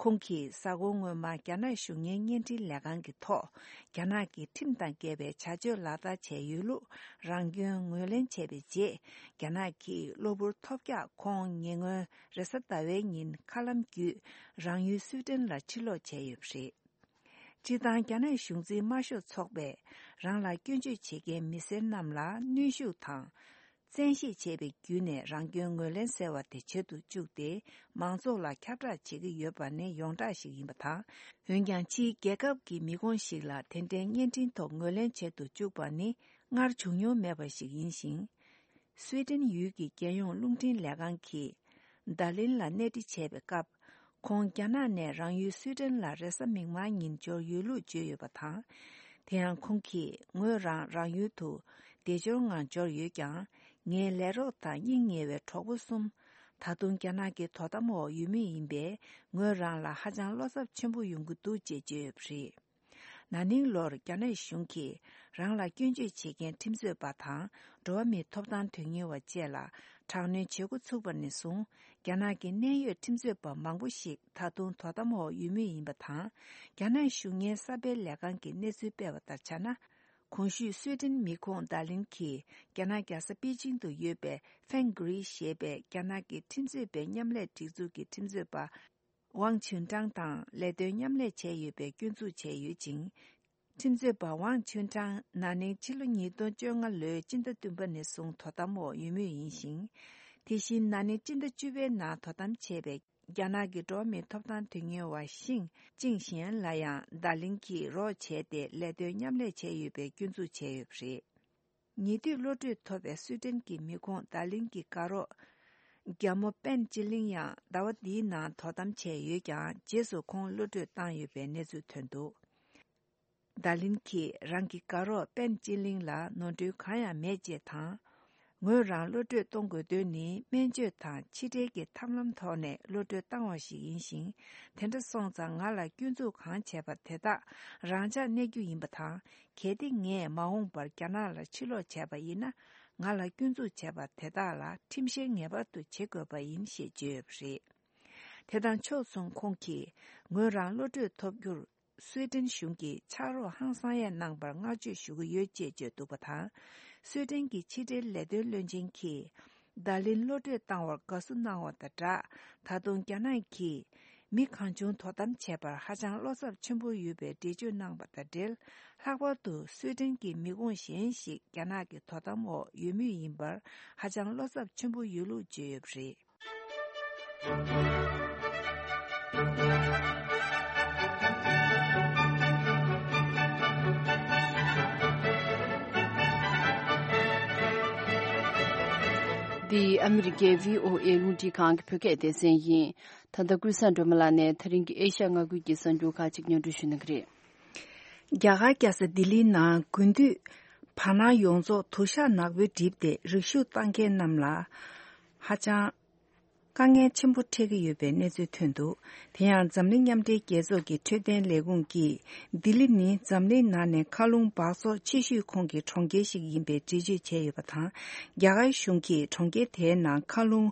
ཁོང་གིས་གཟའ་འཁོར་སྔོན་མ་རྒྱ་ནག་གཞུང་གཉེར་བརྙན་འཕྲིན་ལས་ཁང་གི་ཐོག་རྒྱ་ནག་གི་ཁྲིམས་དང་འགལ་བའི་བྱ་སྤྱོད་ལག་བསྟར་བྱས་ཡོད་ལུགས་རང་སྐྱོན་ངོས་ལེན་བྱས་པའི་རྗེས། རྒྱ་ནག་གིས་གློ་བུར་ཐོལ་རྒྱག་ཁོང་ཉེ་སྔོན་རེས་གཟའ་ཟླ་བའི་ཉིན་མཁའ་ལམ་བརྒྱུད་རང་ཡུལ་སུའི་ཏན་ལ་ཕྱིར་ལོག་བྱས་ཡོད་པ་རེད། སྤྱིར་བཏང་རྒྱ་ནག་གཞུང་འཛིན་དམར་ཤོག་ཚོགས་པས་རང་ལ་སྐྱོན་བརྗོད་བྱེད་མཁན་མི་སེར་རྣམས་ལ་གནོན་ཤུགས་དང་། བཙན་ཤེད་བྱས་པའི་བརྒྱུད་ནས་རང་སྐྱོན་ངོས་ལེན་ཟེར་བ་དེ་བྱེད་དུ་བཅུག་སྟེ། མང་ཚོགས་ལ་ཁྱབ་བསྒྲགས་བྱེད་ཀྱི་ཡོད་པ་ནི་ཡོངས་གྲགས་ཤིག་ཡིན་པ་དང་། འོན་ཀྱང་ཕྱིའི་རྒྱལ་ཁབ་ཀྱི་མི་ཁོངས་ཤིག་ལ་དེ་འདྲའི་བརྙན་འཕྲིན་ཐོག་ངོས་ལེན་བྱེད་དུ་བཅུག་པ་ནི་སྔར་བྱུང་མྱོང་མེད་པ་ཞིག་ཡིན་ཞིང་། སུའེ་ཏེན་ཡུལ་གྱི་རྒྱལ་ཡོངས་རླུང་འཕྲིན་ལས་ཁང་གིས་ཌར་ལིན་ལ་གནས་འདྲི་བྱས་པའི་སྐབས། ཁོང་རྒྱ་ནག་ནས་རང་ཡུལ་སུའེ་ཏེན་ལ་རེས་གཟའ་མིག་དམར་ཉིན་འབྱོར་ཡོད་ལུགས་བརྗོད་ཡོད་པ་དང་། དེ་ཡང་ཁོང་གིས་ངོས་རང་རང་ཡུལ་དུ་བདེ་འབྱོར་ངང་འབྱོར་ཡོད་ཀྱང་། ངའི་ལས་རོགས་དང་སྙིང་ཉེ་བའི་གྲོགས་པོ་གསུམ། ད་དུང་རྒྱ་ནག་གི་དོ་དམ་འོག་ཡོད་མུས་ཡིན་པས། ངོས་རང་ལ་ཧ་ཅང་བློ་འཚབ་ཆེན་པོ་ཡོང་གི་འདུག་ཅེས་བརྗོད་ཡོད་པ་རེད། ན་ནིང་ལོར་རྒྱ་ནག་གཞུང་གིས་རང་ལ་སྐྱོན་བརྗོད་བྱེད་མཁན་ཁྲིམས་རྩོད་པ་དང་འགྲོ་བ་མིའི་ཐོབ་ཐང་དོན་གཉེར་བ་བཅས་ལ་དྲག་གནོན་བྱེད་འགོ་ཚུགས་པ་ནས་བཟུང་། རྒྱ་ནག་གི་གནད་ཡོད་ཁྲིམས་རྩོད་པ་མང་པོ་ཞིག་ད་དུང་དོ་དམ་འོག་ཡོད་མུས་ཡིན་པ་དང་། རྒྱ་ནག་གཞུང་གཉེར་གསར་སྤེལ་ལས་ཁང་གིས་གནས་ཚུལ་སྤེལ་བ་ལྟར་བྱས་ན། གོང་ཞུས་སུའེ་ཏེན་མི་ཁོངས་ཌར་ལིན་གྱིས་རྒྱ་ནག་རྒྱལ་ས་པེ་ཅིང་དུ་ཡོད་པའི་ཧྥེང་གྷི་རི་ཞེས་པའི་རྒྱ་ནག་གི་ཁྲིམས་རྩོད་པའི་མཉམ་ལས་སྒྲིག་འཛུགས་ཀྱི་ཁྲིམས་རྩོད་པ། ཝང་ཆུན་ཀྲང་དང་ལས་དོན་མཉམ་ལས་བྱས་ཡོད་པའི་སྐྱོན་འཛུགས་བྱས་ཡོད་ཅིང་། ཁྲིམས་རྩོད་པ་ཝང་ཆུན་ཀྲང་ན་ནིང་ཕྱི་ལོ་ཉིས་སྟོང་བཅོ་ལྔ་ལོའི་སྤྱི་ཟླ་བདུན་པ་ནས་བཟུང་དོ་དམ་འོག་ཡོད་མུས་ཡིན་ཞིང་། དེ་བཞིན་ན་ནིང་སྤྱི་ཟླ་བཅུ་པའི་ནང་དོ་དམ་བྱས་པའི་རྒྱ་ནག་གི་འགྲོ་བ་མིའི་ཐོབ་ཐང་དོན་གཉེར་བ་ཤིང་ཅིང་ཞན་ལ་ཡང་ཌར་ལིན་གྱིས་རོགས་བྱས་ཏེ་ལས་དོན་མཉམ་ལས་བྱས་ཡོད་པའི་སྐྱོན་འཛུགས་བྱས་ཡོད་པ་རེད། ཉེ་དུས་གློད་གྲོལ་ཐོབ་པའི་སུའེ་ཏེན་གྱི་མི་ཁོངས་ཌར་ལིན་གྱི་དགའ་རོགས་རྒྱ་མོ་པན་ཅི་ལིང་ཡང་ཟླ་བ་འདིའི་ནང་དོ་དམ་བྱས་ཡོད་ཀྱང་། རྗེས་སུ་ཁོང་གློད་གྲོལ་བཏང་ཡོད་པའི་གནས་ཚུལ་ཐོན་འདུག་ཌར་ལིན་གྱིས་རང་གི་དགའ་རོགས་པན་ཅི་ལིང་ལ་ནོར་འཁྲུལ་གང་ཡང་མེད་ཅེས་དང་། ངོས་རང་གློད་གྲོལ་གཏོང་དགོས་དོན་ནི་སྨན་བཅོས་དང་ཕྱི་འབྲེལ་གྱི་ཐབས་ལམ་ཐོག་ནས་གློད་གྲོལ་བཏང་བ་ཞིག་ཡིན་ཞིང་། དེ་འདྲ་སོང་ཙང་ང་ལ་སྐྱོན་འཛུགས་གང་བྱས་པ་དེ་དག་རང་འཇགས་གནས་རྒྱུ་ཡིན་པ་དང་། གལ་ཏེ་ངས་མ་འོངས་པར་རྒྱ་ནག་ལ་ཕྱིར་ལོག་བྱས་པ་ཡིན་ན། ང་ལ་སྐྱོན་འཛུགས་བྱས་པ་དེ་དག་ལ་ཁྲིམས་བཤེར་ངེས་པར་དུ་བྱེད་དགོས་པ་ཡིན་ཞེས་བརྗོད་ཡོད་པ་རེད། དེ་དང་ཕྱོགས་མཚུངས་ཁོང་གིས་ངོས་རང་གློད་གྲོལ་ཐོབ་རྒྱུར་སུའེ་ཏེན་གཞུང་གིས་ཕྱག་རོགས་ཧང་སང་ཡས་གནང་བར་བསྔགས་བརྗོད་ཞུ་གི་ཡོད་ཅེས་བརྗོད་འདུག་པ་དང་། སུའེ་ཏེན་གྱི་ཕྱི་འབྲེལ་ལས་དོན་བློན་ཆེན་གྱིས། ཌར་ལིན་གློད་གྲོལ་བཏང་བར་དགའ་བསུ་གནང་བ་དང་སྦྲགས། ད་དུང་རྒྱ་ནག་གིས་མི་གང་བྱུང་དོ་དམ་བྱེད་པར་ཧ་ཅང་བློ་འཚབ་ཆེན་པོ་ཡོད་པའི་འགྲེལ་བརྗོད་གནང་བ་དང་འབྲེལ། ལྷག་པར་དུ་སུའེ་ཏེན་གྱི་མི་ཁོངས་གཞན་ཞིག་རྒྱ་ནག་གི་དོ་དམ་འོག་ཡོད་མུས་ཡིན་པར་ཧ་ཅང་བློ་འཚབ་ཆེན་པོ་ཡོད་ལུགས་བརྗོད་ཡོད་པ་རེད། འདི་ཨ་མི་རི་ཀའི་བྷི་ཨོ་ཨེ་རླུང་འཕྲིན་ཁང་གི་བོད་སྐད་སྡེ་ཚན་ཡིན། ད་ལྟ་ཀུན་བཟང་སྒྲོལ་མ་ལགས་ནས་ད་རིང་གི་ཨེ་ཤ་ཡ་མངའ་ཁུལ་གྱི་གསར་འགྱུར་ཁག་ཅིག་སྙན་སྒྲོན་ཞུ་གནང་གི་རེད། རྒྱ་གར་རྒྱལ་ས་ལྡི་ལིའི་ནང་དགུན་དུས་བར་སྣང་ཡོངས་རྫོགས་དུ་ཞག་ནག་པོས་བསྒྲིབས་ཏེ། རིག་ཞུགས་བཏང་མཁན་རྣམས་ལ་ཧ་ཅང་དཀའ་ངལ་ཆེན་པོ་འཕྲད་ཀྱི་ཡོད་པའི་གནས་ཚུལ་ཐོན་འདུག་དེ་ཡང་འཛམ་གླིང་མཉམ་འབྲེལ་རྒྱལ་ཚོགས་ཀྱི་འཕྲོད་བསྟེན་ལས་ཁུངས་ཀྱིས། ལྡི་ལི་ནི་འཛམ་གླིང་ནང་ནས་མཁའ་རླུང་འབག་བཙོག་ཆེ་ཤོས་ཁོངས་ཀྱི་གྲོང་ཁྱེར་ཞིག་ཡིན་པའི་འགྲེལ་བརྗོད་བྱས་ཡོད་པ་དང་། རྒྱ་གར་གཞུང་གིས་གྲོང་ཁྱེར་དེའི་ནང་མཁའ་རླུང་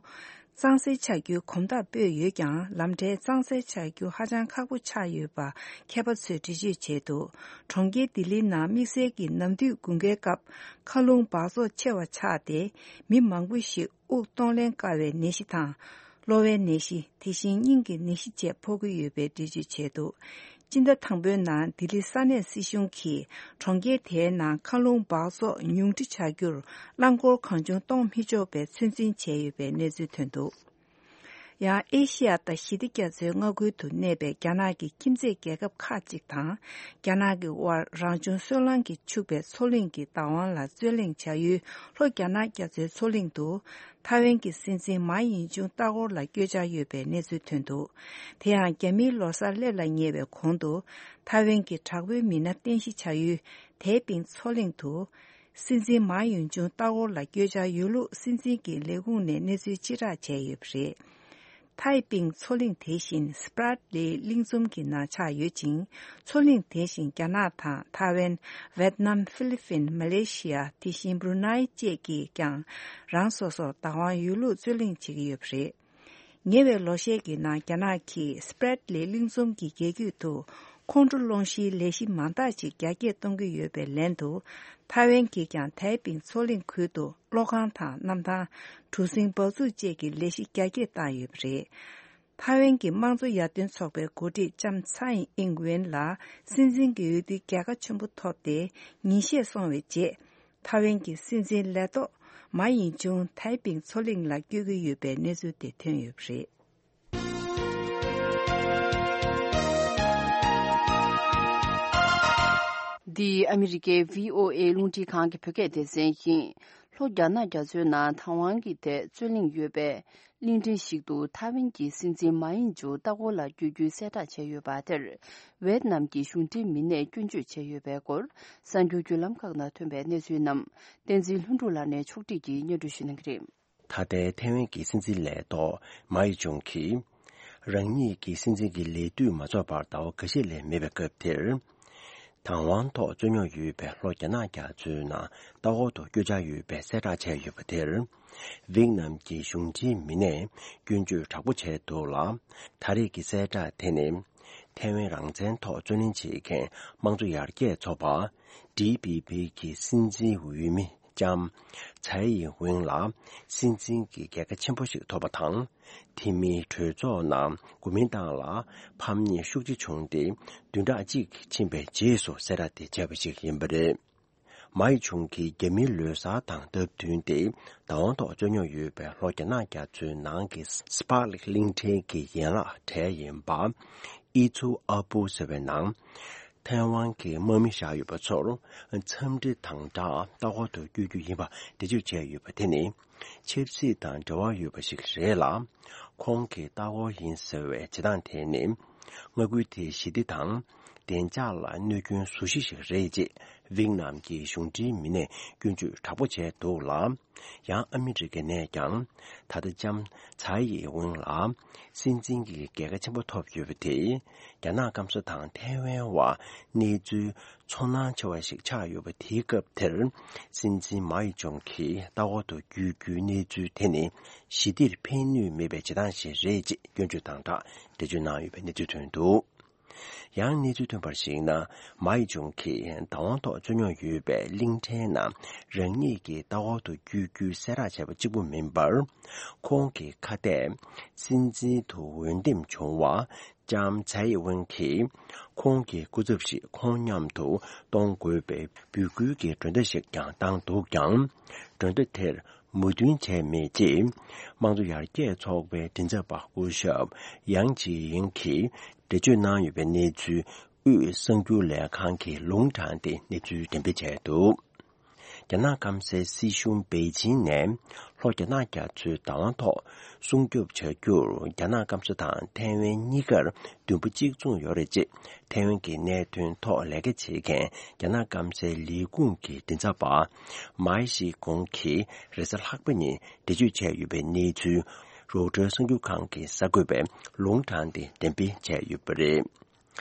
གཙང་སེལ་བྱ་རྒྱུའི་གོམ་སྟབས་སྤོས་ཡོད་ཀྱང་། ལམ་བྲལ་གཙང་སེལ་བྱ་རྒྱུ་ཧ་ཅང་ཁག་པོ་ཆགས་ཡོད་པ་མཁས་པ་ཚོས་འགྲེལ་བརྗོད་བྱས་འདུག་གྲོང་ཁྱེར་ལྡི་ལིའི་ནང་དམིགས་བསལ་གྱི་ནམ་དུས་དགུན་ཁའི་སྐབས་མཁའ་རླུང་འབག་བཙོག་ཆེ་བ་ཆགས་ཏེ། མི་མང་པོ་ཞིག་དབུགས་གཏོང་ལེན་དཀའ་བའི་ནད་གཞི་དང་། གློ་བའི་ནད་གཞི། དེ་བཞིན་སྙིང་གི་ནད་གཞི་བཅས་ཕོག་གི་ཡོད་པའི་འགྲེལ་བརྗོད་བྱས་འདུག་སྤྱི་ཟླ་དང་པོའི་ནང་ལྡི་ལི་ས་གནས་སྲིད་གཞུང་གིས་གྲོང་ཁྱེར་དེའི་ནང་མཁའ་རླུང་འབག་བཙོག་ཉུང་འཕྲི་བྱ་རྒྱུར་རླངས་འཁོར་གང་བྱུང་གཏོང་མི་ཆོག་པའི་ཚོད་འཛིན་བྱས་ཡོད་པའི་གནས་ཚུལ་ཐོན་འདུག་ཡང་ཨེ་ཤི་ཡ་དང་ཞི་བདེ་རྒྱ་མཚོའི་མངའ་ཁུལ་དུ་གནས་པའི་རྒྱ་ནག་གི་ཁྱིམ་མཚེས་རྒྱལ་ཁབ་ཁག་ཅིག་དང་། རྒྱ་ནག་གི་དབར་རང་བྱུང་སོལ་རླངས་ཀྱིས་ཕྱུག་པའི་མཚོ་གླིང་གི་བདག་དབང་ལ་རྩོད་གླེང་བྱ་ཡུལ་ལྷོ་རྒྱ་ནག་རྒྱ་མཚོའི་མཚོ་གླིང་དུ། ཐའེ་ཝན་གྱི་སྲིད་འཛིན་མཱ་ཡིན་ཅུང་ལྟ་སྐོར་ལ་བསྐྱོད་འཆར་ཡོད་པའི་གནས་ཚུལ་ཐོན་འདུག་དེ་ཡང་རྒྱ་མིའི་ལོ་གསར་སླེབས་ལ་ཉེ་བའི་གོང་དུ། ཐའེ་ཝན་གྱི་དྲག་པོའི་མི་སྣ་རྟེན་གཞི་བྱ་ཡུལ་ཐའེ་པིང་མཚོ་གླིང་དུ། སྲིད་འཛིན་མཱ་ཡིན་ཅུང་ལྟ་སྐོར་ལ་བསྐྱོད་འཆར་ཡོད་ལུགས་སྲིད་འཛིན་གྱི་ལས་ཁུངས་ནས་གནས་ཚུལ་ཕྱིར་བསྒྲགས་བྱས་ཡོད་པ་རེད། ཐའེ་པིང་མཚོ་གླིང་དེ་བཞིན་སྤྲད་ལི་གླིང་ཚོམ་གྱི་ནང་ཆགས་ཡོད་ཅིང་། མཚོ་གླིང་དེ་བཞིན་རྒྱ་ནག་དང་ཐའེ་ཝན། ཝེད་ནམ། ཧྥི་ལི་ཕིན། མ་ལེ་ཤི་ཡ། དེ་བཞིན་བྷུ་རུ་ནའི་བཅས་ཀྱིས་ཀྱང་རང་སོ་སོར་བདག་དབང་ཡོད་ལུགས་རྩོད་གླེང་བྱེད་ཀྱི་ཡོད་པ་རེད། ཉེ་བའི་ལོ་ཤས་ཀྱི་ནང་རྒྱ་ནག་གིས་སྤྲད་ལི་གླིང་ཚོམ་གྱི་རྒྱ་རྒྱུད་དུ་ཁོང་ཁྲོ་སློང་གཞིའི་ལས་གཞི་མང་དག་ཅིག་རྒྱ་སྐྱེད་གཏོང་གི་ཡོད་པའི་ལན་དུ། ཐའེ་ཝན་གྱིས་ཀྱང་ཐའེ་པིང་མཚོ་གླིང་ཁུལ་དུ་གློག་ཁང་དང་གནམ་ཐང་། གྲུ་གཟིངས་འབག་འཛུགས་བཅས་ཀྱི་ལས་གཞི་རྒྱ་སྐྱེད་བཏང་ཡོད་པ་རེད། ཐའེ་ཝན་གྱི་དམངས་གཙོ་ཡར་ཐོན་ཚོགས་པའི་འགོ་ཁྲིད་ལྕམ་ཚའེ་ཨིང་ཝེན་ལ་སྲིད་འཛིན་གྱི་འོས་བསྡུའི་རྒྱལ་ཁ་ཆེན་པོ་ཐོབ་སྟེ་ཉིན་ཤས་སོང་བའི་རྗེས། ཐའེ་ཝན་གྱི་སྲིད་འཛིན་ལས་ཐོག་མཱ་ཡིན་ཅུང་ཐའེ་པིང་མཚོ་གླིང་ལ་བསྐྱོད་ཀྱི་ཡོད་པའི་གནས་ཚུལ་དེ་ཐོན་ཡོད་པ་རེད། འདི་ཨ་མི་རི་ཀའི་བྷི་ཨོ་ཨེ་རླུང་འཕྲིན་ཁང་གི་བོད་སྐད་སྡེ་ཚན་ཡིན། ལྷོ་རྒྱ་ནག་རྒྱ་མཚོའི་ནང་དང་ཝང་གི་ཐད་རྩོད་གླེང་ཡོད་པའི་གླིང་ཕྲན་ཞིག་ཏུ་ཐའེ་ཝན་གྱི་སྲིད་འཛིན་མཱ་ཡིན་ཅུང་ལྟ་སྐོར་ལ་བསྐྱོད་རྒྱུའི་གསལ་བསྒྲགས་བྱས་ཡོད་པ་དེར། ཝེད་ནམ་གྱི་གཞུང་འབྲེལ་མི་སྣས་སྐྱོན་བརྗོད་བྱས་ཡོད་པའི་སྐོར། གསར་འགྱུར་བརྒྱུད་ལམ་ཁག་ནང་ཐོན་པའི་གནས་ཚུལ་རྣམས་བསྟན་འཛིན་ལྷུན་གྲུབ་ལགས་ནས་ཕྱོགས་སྒྲིག་གིས་སྙན་སྒྲོན་ཞུ་གནང་གི་རེད། ད་ལྟའི་ཐའེ་ཝན་གྱི་སྲིད་འཛིན་ལས་ཐོག་མཱ་ཡི་ཅུང་གིས། རང་ཉིད་ཀྱི་སྲིད་འཛིན་གྱི་ལས་དུས་མ་རྫོགས་བར་ཟླ་བ་འགའ་ཤས་ལས་མེད་པའི་སྐབས་དེར། དང་དབང་ཐོག་རྩོད་རྙོག་ཡོད་པའི་ལྷོ་རྒྱ་ནག་རྒྱ་མཚོའི་ནང་ལྟ་སྐོར་དུ་བསྐྱོད་འཆར་ཡོད་པའི་གསལ་བསྒྲགས་བྱས་ཡོད་པ་དེར། ཝེད་ནམ་གྱི་གཞུང་འབྲེལ་མི་སྣས་སྐྱོན་བརྗོད་དྲག་པོ་བྱས་འདུག་ལ། ད་རེས་ཀྱི་གསལ་བསྒྲགས་དེ་ནི། ཐའེ་ཝན་རང་བཙན་ཐོག་རྩོད་ལེན་བྱེད་མཁན་དམངས་གཙོ་ཡར་རྒྱས་ཚོགས་པ། ཌི་པི་པི་གི་སྲིད་འཛིན་འོས་མི་ལྕམ་ཚའེ་ཡིན་ཝེང་ལ་སྲིད་འཛིན་གྱི་རྒྱལ་ཁ་ཆེན་པོ་ཞིག་ཐོབ་པ་དང་། དེ་མིན་གྲོས་ཚོགས་ནང་གོ་མིན་ཏང་ལ་ཕམ་ཉེས་ཤུགས་ཆེ་བྱུང་སྟེ། བདུན་ཕྲག་གཅིག་ཕྱིན་པའི་རྗེས་སུ་གསལ་བསྒྲགས་དེ་བྱས་པ་ཞིག་ཡིན་པ་རེད། མཱ་ཡི་ཅུང་གིས་རྒྱ་མིའི་ལོ་གསར་དང་སྟབས་བསྟུན་ཏེ། དང་དབང་ཐོག་རྩོད་རྙོག་ཡོད་པའི་ལྷོ་རྒྱ་ནག་རྒྱ་མཚོའི་ནང་གི་སྤྲད་ལི་གླིང་ཕྲན་གྱི་ཡན་ལག་གྲས་ཡིན་པ། ཨི་ཙུའུ་ཨ་པུའུ་ཟེར་བའི་ནང་། ཐའེ་ཝན་གྱི་དམག་མི་བཞག་ཡོད་པ་ཚོར་འཚམས་འདྲི་དང་སྦྲགས་ལྟ་སྐོར་དུ་བསྐྱོད་རྒྱུ་ཡིན་པ་འགྲེལ་བརྗོད་བྱས་ཡོད་པ་དེ་ནི། ཆབ་སྲིད་དང་འབྲེལ་བ་ཡོད་པ་ཞིག་རེད་ལ། ཁོང་གི་ལྟ་སྐོར་ཡིན་ཟེར་བའི་བྱེད་སྟངས་དེ་ནི། མངའ་ཁུལ་དེའི་ཞི་བདེ་དང་། བདེ་འཇགས་ལ་གནོད་སྐྱོན་བཟོ་གཞི་ཞིག་རེད་ཅེས་ཝེད་ནམ་གྱི་གཞུང་འབྲེལ་མི་སྣས་སྐྱོན་བརྗོད་དྲག་པོ་བྱས་འདུག་ལ། ཡང་ཨ་མི་རི་ཀ་ནས་ཀྱང་། ད་ལྟ་ལྕམ་ཚའེ་ཡིན་ཝེང་ལ་སྲིད་འཛིན་གྱི་རྒྱལ་ཁ་ཆེན་པོ་ཐོབ་ཡོད་པ་དེས། རྒྱ་ནག་སྐམ་ས་དང་ཐའེ་ཝན་བར་གནས་ཚུལ་ཚོར་སྣང་ཆེ་བ་ཞིག་ཆགས་ཡོད་པ་དེའི་སྐབས་དེར། སྲིད་འཛིན་མཱ་ཡི་ཅུང་གིས་ལྟ་སྐོར་དུ་བསྐྱོད་རྒྱུའི་གནས་ཚུལ་དེ་ནི་ཞི་བདེར་ཕན་ནུས་མེད་པའི་བྱེད་སྟངས་ཤིག་རེད་ཅེས་སྐྱོན་བརྗོད་དང་སྦྲགས་འགྲེལ་བརྗོད་གནང་ཡོད་པའི་གནས་ཚུལ་ཐོན་འདུག་ཡང་གནས་ཚུལ་ཐོན་པར་གཞིགས་ན། མཱ་ཡི་ཅུང་གིས་བདག་དབང་ཐོག་རྩོད་རྙོག་ཡོད་པའི་གླིང་ཕྲན་ནང་རང་ཉིད་ཀྱི་ལྟ་སྐོར་དུ་བསྐྱོད་རྒྱུའི་གསལ་བསྒྲགས་བྱས་པ་གཅིག་པུ་མིན་པར། ཁོང་གི་ཁ་གཏད་སྲིད་འཛིན་དུ་འོས་འདེམས་བྱུང་བ། ལྕམ་ཚའེ་ཝེན་གྱིས་ཁོང་གི་སྐུ་ཚབ་ཞིག་ཁོང་མཉམ་དུ་གཏོང་དགོས་པའི་འབོད་སྐུལ་གྱི་མགྲོན་བརྡ་ཞིག་ཀྱང་བཏང་འདུག་ཀྱང་། མགྲོན་བརྡ་དེར་མོས་མཐུན་བྱས་མེད་ཅེས། དམངས་གཙོ་ཡར་རྒྱས་ཚོགས་པའི་མགྲིན་ཚབ་པ་སྐུ་ཞབས་ཡང་ཅི་ཡིང་གིས་འགྲེལ་བརྗོད་གནང་ཡོད་པའི་གནས་ཚུལ། དབུས་གསར་འགྱུར་ལས་ཁང་གིས་ལུང་དྲངས་ཏེ་གནས་ཚུལ་འགྲེམས་སྤེལ་བྱས་འདུག་རྒྱ་ནག་སྐམ་སའི་སྲིད་གཞུང་པེ་ཅིང་ནས་ལྷོ་རྒྱ་ནག་རྒྱ་མཚོའི་བདག་དབང་ཐོག་སྲུང་སྐྱོབ་བྱ་རྒྱུར་རྒྱ་ནག་སྐམ་ས་དང་ཐའེ་ཝན་གཉིས་ཀར་མདུན་པ་གཅིག་མཚུངས་ཡོད་རེད་ཅེས་ཐའེ་ཝན་གྱི་གནད་དོན་ཐོག་ལས་ཀ་བྱེད་མཁན་རྒྱ་ནག་སྐམ་སའི་ལས་ཁུངས་ཀྱི་མགྲིན་ཚབ་པ་མའེ་ཤི་ཀོང་གིས་རེས་གཟའ་ལྷག་པ་ཉིན་འགྲེལ་བརྗོད་བྱས་ཡོད་པའི་གནས་ཚུལ་རོའི་ཊར་གསར་འགྱུར་ཁང་གི་གསར་འགོད་པས་ལུང་དྲངས་ཏེ་འགྲེམས་སྤེལ་བྱས་ཡོད་པ་རེད།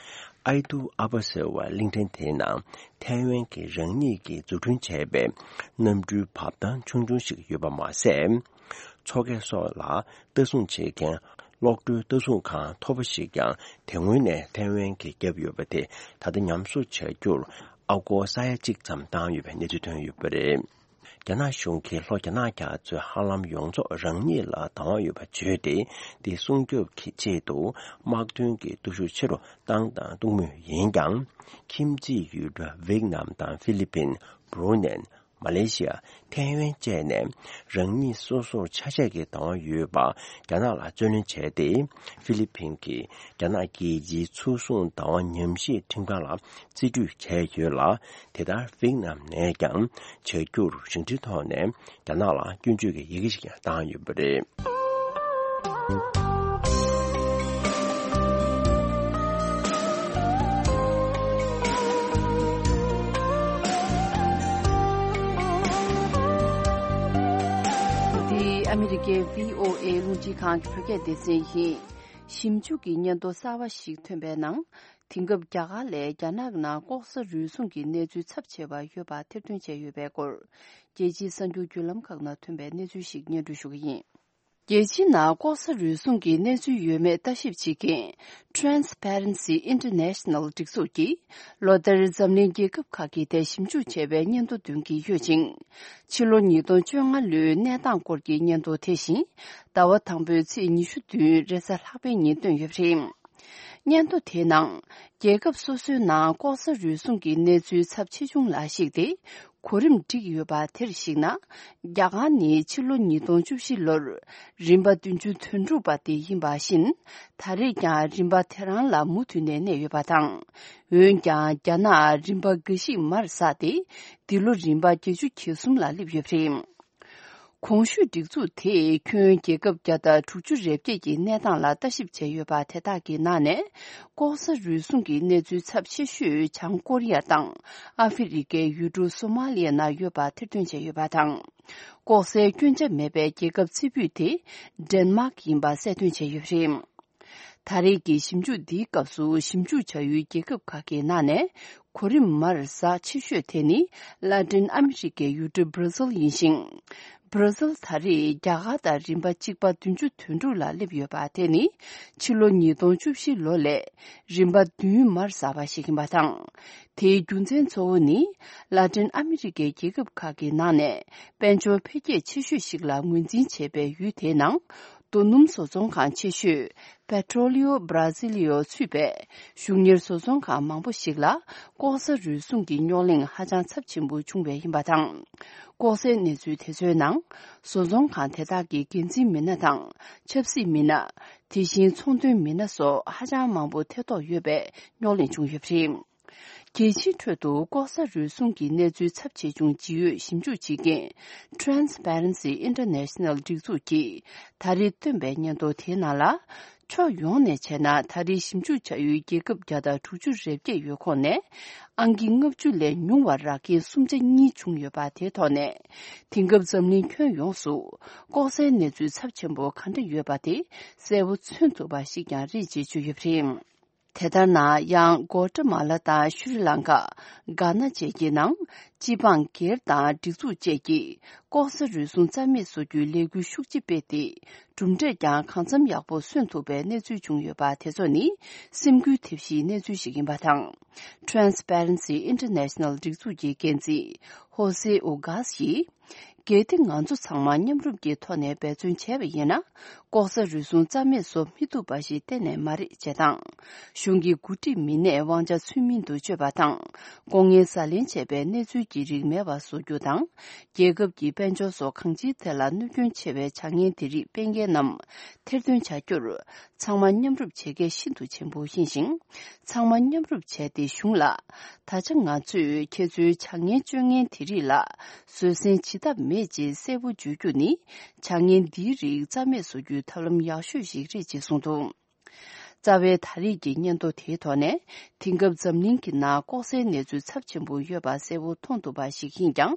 ཨའི་ཏུ་ཨ་པ་ཟེར་བ་གླིང་ཕྲན་དེའི་ནང་ཐའེ་ཝན་གྱི་རང་ཉིད་ཀྱིས་འཛུགས་སྐྲུན་བྱས་པའི་གནམ་གྲུའི་བབས་ཐང་ཆུང་ཆུང་ཞིག་ཡོད་པ་མ་ཟད། མཚོ་སྐྱེས་སོགས་ལ་ལྟ་སྲུང་བྱེད་མཁན་གློག་རྡུལ་ལྟ་སྲུང་ཁང་མཐོ་པོ་ཞིག་ཀྱང་དེ་སྔོན་ནས་ཐའེ་ཝན་གྱིས་བརྒྱབ་ཡོད་པ་དེ་ད་ལྟ་ཉམས་གསོ་བྱ་རྒྱུར་ཨ་སྒོར་ས་ཡ་གཅིག་ཙམ་བཏང་ཡོད་པའི་གནས་ཚུལ་ཐོན་ཡོད་པ་རེད། རྒྱ་ནག་གཞུང་གིས་ལྷོ་རྒྱ་ནག་རྒྱ་མཚོའི་ཧ་ལམ་ཡོངས་རྫོགས་རང་ཉིད་ལ་བདག་དབང་ཡོད་པ་བརྗོད་དེ། དེ་སྲུང་སྐྱོབ་ཀྱི་ཆེད་དུ་དམག་དོན་གྱི་སྟོབས་ཤུགས་ཆེ་རུ་བཏང་དང་གཏོང་མུས་ཡིན་ཀྱང་། ཁྱིམ་མཚེས་ཡུལ་གྲུ་ཝེད་ནམ་དང་ཧྥི་ལི་ཕིན། བྷུ་རུ་ནན། མ་ལེ་ཤི་ཡ། ཐའེ་ཝན་བཅས་ནས་རང་ཉིད་སོ་སོར་ཆ་ཤས་ཀྱི་བདག་དབང་ཡོད་པ་རྒྱ་ནག་ལ་རྩོད་ལེན་བྱས་ཏེ། ཧྥི་ལི་ཕིན་གྱིས་རྒྱ་ནག་རྒྱལ་སྤྱིའི་མཚོ་སྲུང་བདག་དབང་ཉམས་ཞིབ་ཁྲིམས་ཁང་ལ་རྩིས་སྤྲོད་བྱས་ཡོད་ལ། དེ་ལྟར་ཝེད་ནམ་ནས་ཀྱང་བྱ་རྒྱུར་བཞེངས་སྐྲུན་ཐོག་ནས་རྒྱ་ནག་ལ་སྐྱོན་བརྗོད་ཀྱི་ཡི་གེ་ཞིག་ཀྱང་བཏང་ཡོད་པ་རེད། འདི་ཨ་མི་རི་ཀའི་བྷི་ཨོ་ཨེ་རླུང་འཕྲིན་ཁང་གི་བོད་སྐད་སྡེ་ཚན་ཡིན། ཞིབ་འཇུག་གི་སྙན་ཐོ་གསར་བ་ཞིག་ཐོན་པའི་ནང་། དེང་སྐབས་རྒྱ་གར་ལས་རྒྱ་ནག་ནང་ལྐོག་ཟ་རུལ་སུངས་ཀྱི་གནས་ཚུལ་ཚབས་ཆེ་བ་ཡོད་པ་ཐེར་འདོན་བྱས་ཡོད་པའི་སྐོར། རྒྱལ་སྤྱིའི་གསར་འགྱུར་བརྒྱུད་ལམ་ཁག་ནང་ཐོན་པའི་གནས་ཚུལ་ཞིག་སྙན་སྒྲོན་ཞུ་གི་ཡིན། རྒྱལ་སྤྱིའི་ནང་ལྐོག་ཟ་རུལ་སུངས་ཀྱི་གནས་ཚུལ་ཡོད་མེད་ལྟ་ཞིབ་བྱེད་མཁན་Transparency International སྒྲིག་འཛུགས་ཀྱིས་ལོ་ལྟར་འཛམ་གླིང་རྒྱལ་ཁབ་ཁག་གི་ཐད་ཞིབ་འཇུག་བྱས་པའི་སྙན་ཐོ་འདོན་གྱི་ཡོད་ཅིང་། ཕྱི་ལོ་ཉིས་སྟོང་བཅོ་ལྔ་ལོའི་གནས་སྟངས་སྐོར་གྱི་སྙན་ཐོ་དེ་བཞིན་ཟླ་བ་དང་པོའི་ཚེས་ཉི་ཤུ་བདུན་རེས་གཟའ་ལྷག་པའི་ཉིན་བཏོན་ཡོད་པ་རེད། སྙན་ཐོ་དེའི་ནང་། རྒྱལ་ཁབ་སོ་སོའི་ནང་ལྐོག་ཟ་རུལ་སུངས་ཀྱི་གནས་ཚུལ་ཚབས་ཆེ་ཆུང་ལ་གཞིགས་ཏེ། གོ་རིམ་བསྒྲིགས་ཡོད་པ་དེར་གཞིགས་ན། རྒྱ་གར་ནི་ཕྱི་ལོ་ཉིས་སྟོང་བཅུ་བཞི་ལོར་རིམ་པ་བདུན་ཅུ་དོན་དྲུག་པ་དེ་ཡིན་པ་བཞིན། ད་རེས་ཀྱང་རིམ་པ་དེ་རང་ལ་མུ་མཐུད་ནས་གནས་ཡོད་པ་དང་། འོན་ཀྱང་རྒྱ་ནག་རིམ་པ་འགའ་ཞིག་མར་ཟགས་ཏེ། འདི་ལོ་རིམ་པ་བརྒྱད་ཅུ་གྱ་གསུམ་ལ་སླེབས་ཡོད་པ་རེད། གོང་ཞུས་སྒྲིག་འཛུགས་དེས་ཁྱོན་རྒྱལ་ཁབ་བརྒྱ་དང་དྲུག་ཅུ་རེ་བརྒྱད་ཀྱི་གནས་སྟངས་ལ་ལྟ་ཞིབ་བྱས་ཡོད་པ་དེ་དག་གི་ནང་ནས། ལྐོག་ཟ་རུལ་སུངས་ཀྱི་གནས་ཚུལ་ཚབས་ཆེ་ཤོས་བྱང་ཀོ་རི་ཡ་དང་ཨ་ཧྥེ་རི་ཀའི་ཡུལ་གྲུ་སོ་མ་ལི་ཡ་ནང་ཡོད་པ་ཐེར་འདོན་བྱས་ཡོད་པ་དང་། ལྐོག་ཟའི་སྐྱོན་ཆ་མེད་པའི་རྒྱལ་ཁབ་རྩེ་ཕུད་དེ་ཌེན་མཱག་ཡིན་པ་གསལ་སྟོན་བྱས་ཡོད་པ་རེད། ད་རེས་ཀྱི་ཞིབ་འཇུག་འདིའི་སྐབས་སུ་ཞིབ་འཇུག་བྱ་ཡུལ་རྒྱལ་ཁབ་ཁག་གི་ནང་ནས་གོ་རིམ་མར་ཟགས་ཆེ་ཤོས་དེ་ནི་ལ་ཏིན་ཨ་མི་རི་ཀའི་ཡུལ་གྲུ་བྷར་ཟིལ་ཡིན་ཞིང་། བྷར་ཟིལ་ད་རེས་རྒྱ་གར་དང་རིམ་པ་གཅིག་པ་བདུན་ཅུ་དོན་དྲུག་ལ་སླེབས་ཡོད་པ་དེ་ནི་ཕྱི་ལོ་ཉིས་སྟོང་བཅུ་བཞི་ལོ་ལས་རིམ་པ་བདུན་མར་ཟགས་པ་ཞིག་ཡིན་པ་དང་། དེའི་རྒྱུ་མཚན་གཙོ་བོ་ནི་ལ་ཏིན་ཨ་མི་རི་ཀའི་རྒྱལ་ཁབ་ཁག་གི་ནང་ནས་དཔལ་འབྱོར་འཕེལ་རྒྱས་ཆེ་ཤོས་ཤིག་ལ་ངོས་འཛིན་བྱས་པའི་ཡུལ་དེའི་ནང་རྡོ་སྣུམ་བཟོ་ཚོང་ཁང་ཆེ་ཤོས་Petróleo Brasileiro ཚུད་པའི་གཞུང་གཉེར་བཟོ་ཚོང་ཁང་མང་པོ་ཞིག་ལ་ལྐོག་ཟ་རུལ་སུངས་ཀྱི་རྙོག་གླེང་ཧ་ཅང་ཚབས་ཆེན་པོ་བྱུང་བས་ཡིན་པ་དང་། ལྐོག་ཟའི་གནས་ཚུལ་དེ་ཚོའི་ནང་བཟོ་ཚོང་ཁང་དེ་དག་གི་འགན་འཛིན་མི་སྣ་དང་ཆབ་སྲིད་མི་སྣ། དེ་བཞིན་ཚོང་དོན་མི་སྣ་སོགས་ཧ་ཅང་མང་པོ་ཐེ་གཏོགས་ཡོད་པའི་རྙོག་གླེང་བྱུང་ཡོད་པ་རེད། རྒྱལ་སྤྱིའི་ཁྲོད་དུ་ལྐོག་ཟ་རུལ་སུངས་ཀྱི་གནས་ཚུལ་ཚབས་ཆེ་ཆུང་ཇི་ཡོད་ཞིབ་འཇུག་བྱེད་མཁན་Transparency International སྒྲིག་འཛུགས་ཀྱིས་ད་རེས་བཏོན་པའི་སྙན་ཐོ་དེའི་ནང་ལ། ཕྱོགས་ཡོངས་ནས་བྱས་ན་ད་རེས་ཞིབ་འཇུག་བྱ་ཡུལ་རྒྱལ་ཁབ་བརྒྱ་དང་དྲུག་ཅུ་རེ་བརྒྱད་ཡོད་ཁོངས་ནས་ཨང་ཀི་ལྔ་བཅུ་ལས་ཉུང་བ་རག་མཁན་སུམ་ཆ་གཉིས་བྱུང་ཡོད་པ་དེའི་ཐོག་ནས། དེང་སྐབས་འཛམ་གླིང་ཁྱོན་ཡོངས་སུ་ལྐོག་ཟའི་གནས་ཚུལ་ཚབས་ཆེན་པོ་ག་འདྲ་ཡོད་པ་དེ་གསལ་པོ་མཚོན་ཐུབ་པ་ཞིག་ཀྱང་རེད་ཅེས་བརྗོད་ཡོད་པ་རེད། དེ་ལྟར་ན་ཡང་གོ་ཏྲ་མ་ལ་དང་ཤྲི་ལང་ཀ། གྷ་ན་བཅས་ཀྱི་ནང་སྤྱི་འབངས་སྒེར་དང་སྒྲིག་འཛུགས་བཅས་ཀྱིས་ལྐོག་ཟ་རུལ་སུངས་རྩ་མེད་བཟོ་རྒྱུའི་ལས་འགུལ་ཤུགས་ཆེ་སྤེལ་ཏེ། གྲུབ་འབྲས་ཀྱང་གང་འཚམ་ཡག་པོ་སོན་ཐུབ་པའི་གནས་ཚུལ་བྱུང་ཡོད་པ་དེ་ཚོ་ནི་སེམས་འགུལ་ཐེབས་གཞིའི་གནས་ཚུལ་ཞིག་ཡིན་པ་དང་། Transparency International སྒྲིག་འཛུགས་ཀྱི་འགན་འཛིན་ཧོ་སེ་ཨོ་གྷ་སི་ཡིས། གལ་ཏེ་ང་ཚོ་ཚང་མ་མཉམ་རུབ་ཀྱི་ཐོག་ནས་འབད་བརྩོན་བྱས་པ་ཡིན་ན། ལྐོག་ཟ་རུལ་སུངས་རྩ་མེད་བཟོ་མི་ཐུབ་པ་ཞིག་གཏན་ནས་མ་རེད་ཅེས་དང་། གཞུང་གི་འགོ་ཁྲིད་མི་སྣས་དབང་ཆ་ཚུལ་མིན་དུ་སྤྱོད་པ་དང་། ལྐོག་རྔན་ཟ་ལེན་བྱས་པའི་གནས་ཚུལ་ ཀྱི་རིགས་མེད་པ་བཟོ་རྒྱུ་དང་། རྒྱལ་ཁབ་ཀྱི་དཔལ་འབྱོར་སོགས་གང་ཅིའི་ཐད་ལ་གནོད་སྐྱོན་ཆེ་བའི་བྱ་ངན་དེ་རིགས་སྤེལ་མཁན་རྣམས་ཐེར་འདོན་བྱ་རྒྱུར། ཚང་མ་མཉམ་རུབ་བྱེད་གལ་ཤིན་ཏུ་ཆེན་པོ་ཡིན་ཞིང་། ཚང་མ་མཉམ་རུབ་བྱས་ཏེ་གཞུང་ལ། ད་ཆ་ང་ཚོས་ཁྱེད་ཚོའི་བྱ་ངན་སྤྱོད་མཁན་དེ་རིགས་ལ་བཟོད་བསྲན་བྱེད་ཐབས་མེད་ཅེས་གསལ་པོ་བརྗོད་རྒྱུ་ནི། བྱ་ངན་འདིའི་རིགས་རྩ་མེད་བཟོ་རྒྱུའི་ཐབས་ལམ་ཡག་ཤོས་ཤིག་རེད་ཅེས་གསུངས་འདུག། རྩ་བའི་ད་རེས་ཀྱི་སྙན་ཐོ་དེའི་ཐོག་ནས། དེང་སྐབས་འཛམ་གླིང་གི་ནང་ལྐོག་ཟའི་གནས་ཚུལ་ཚབས་ཆེན་པོ་ཡོད་པ་གསལ་པོ་མཐོང་ཐུབ་པ་ཞིག་ཡིན་ཀྱང་།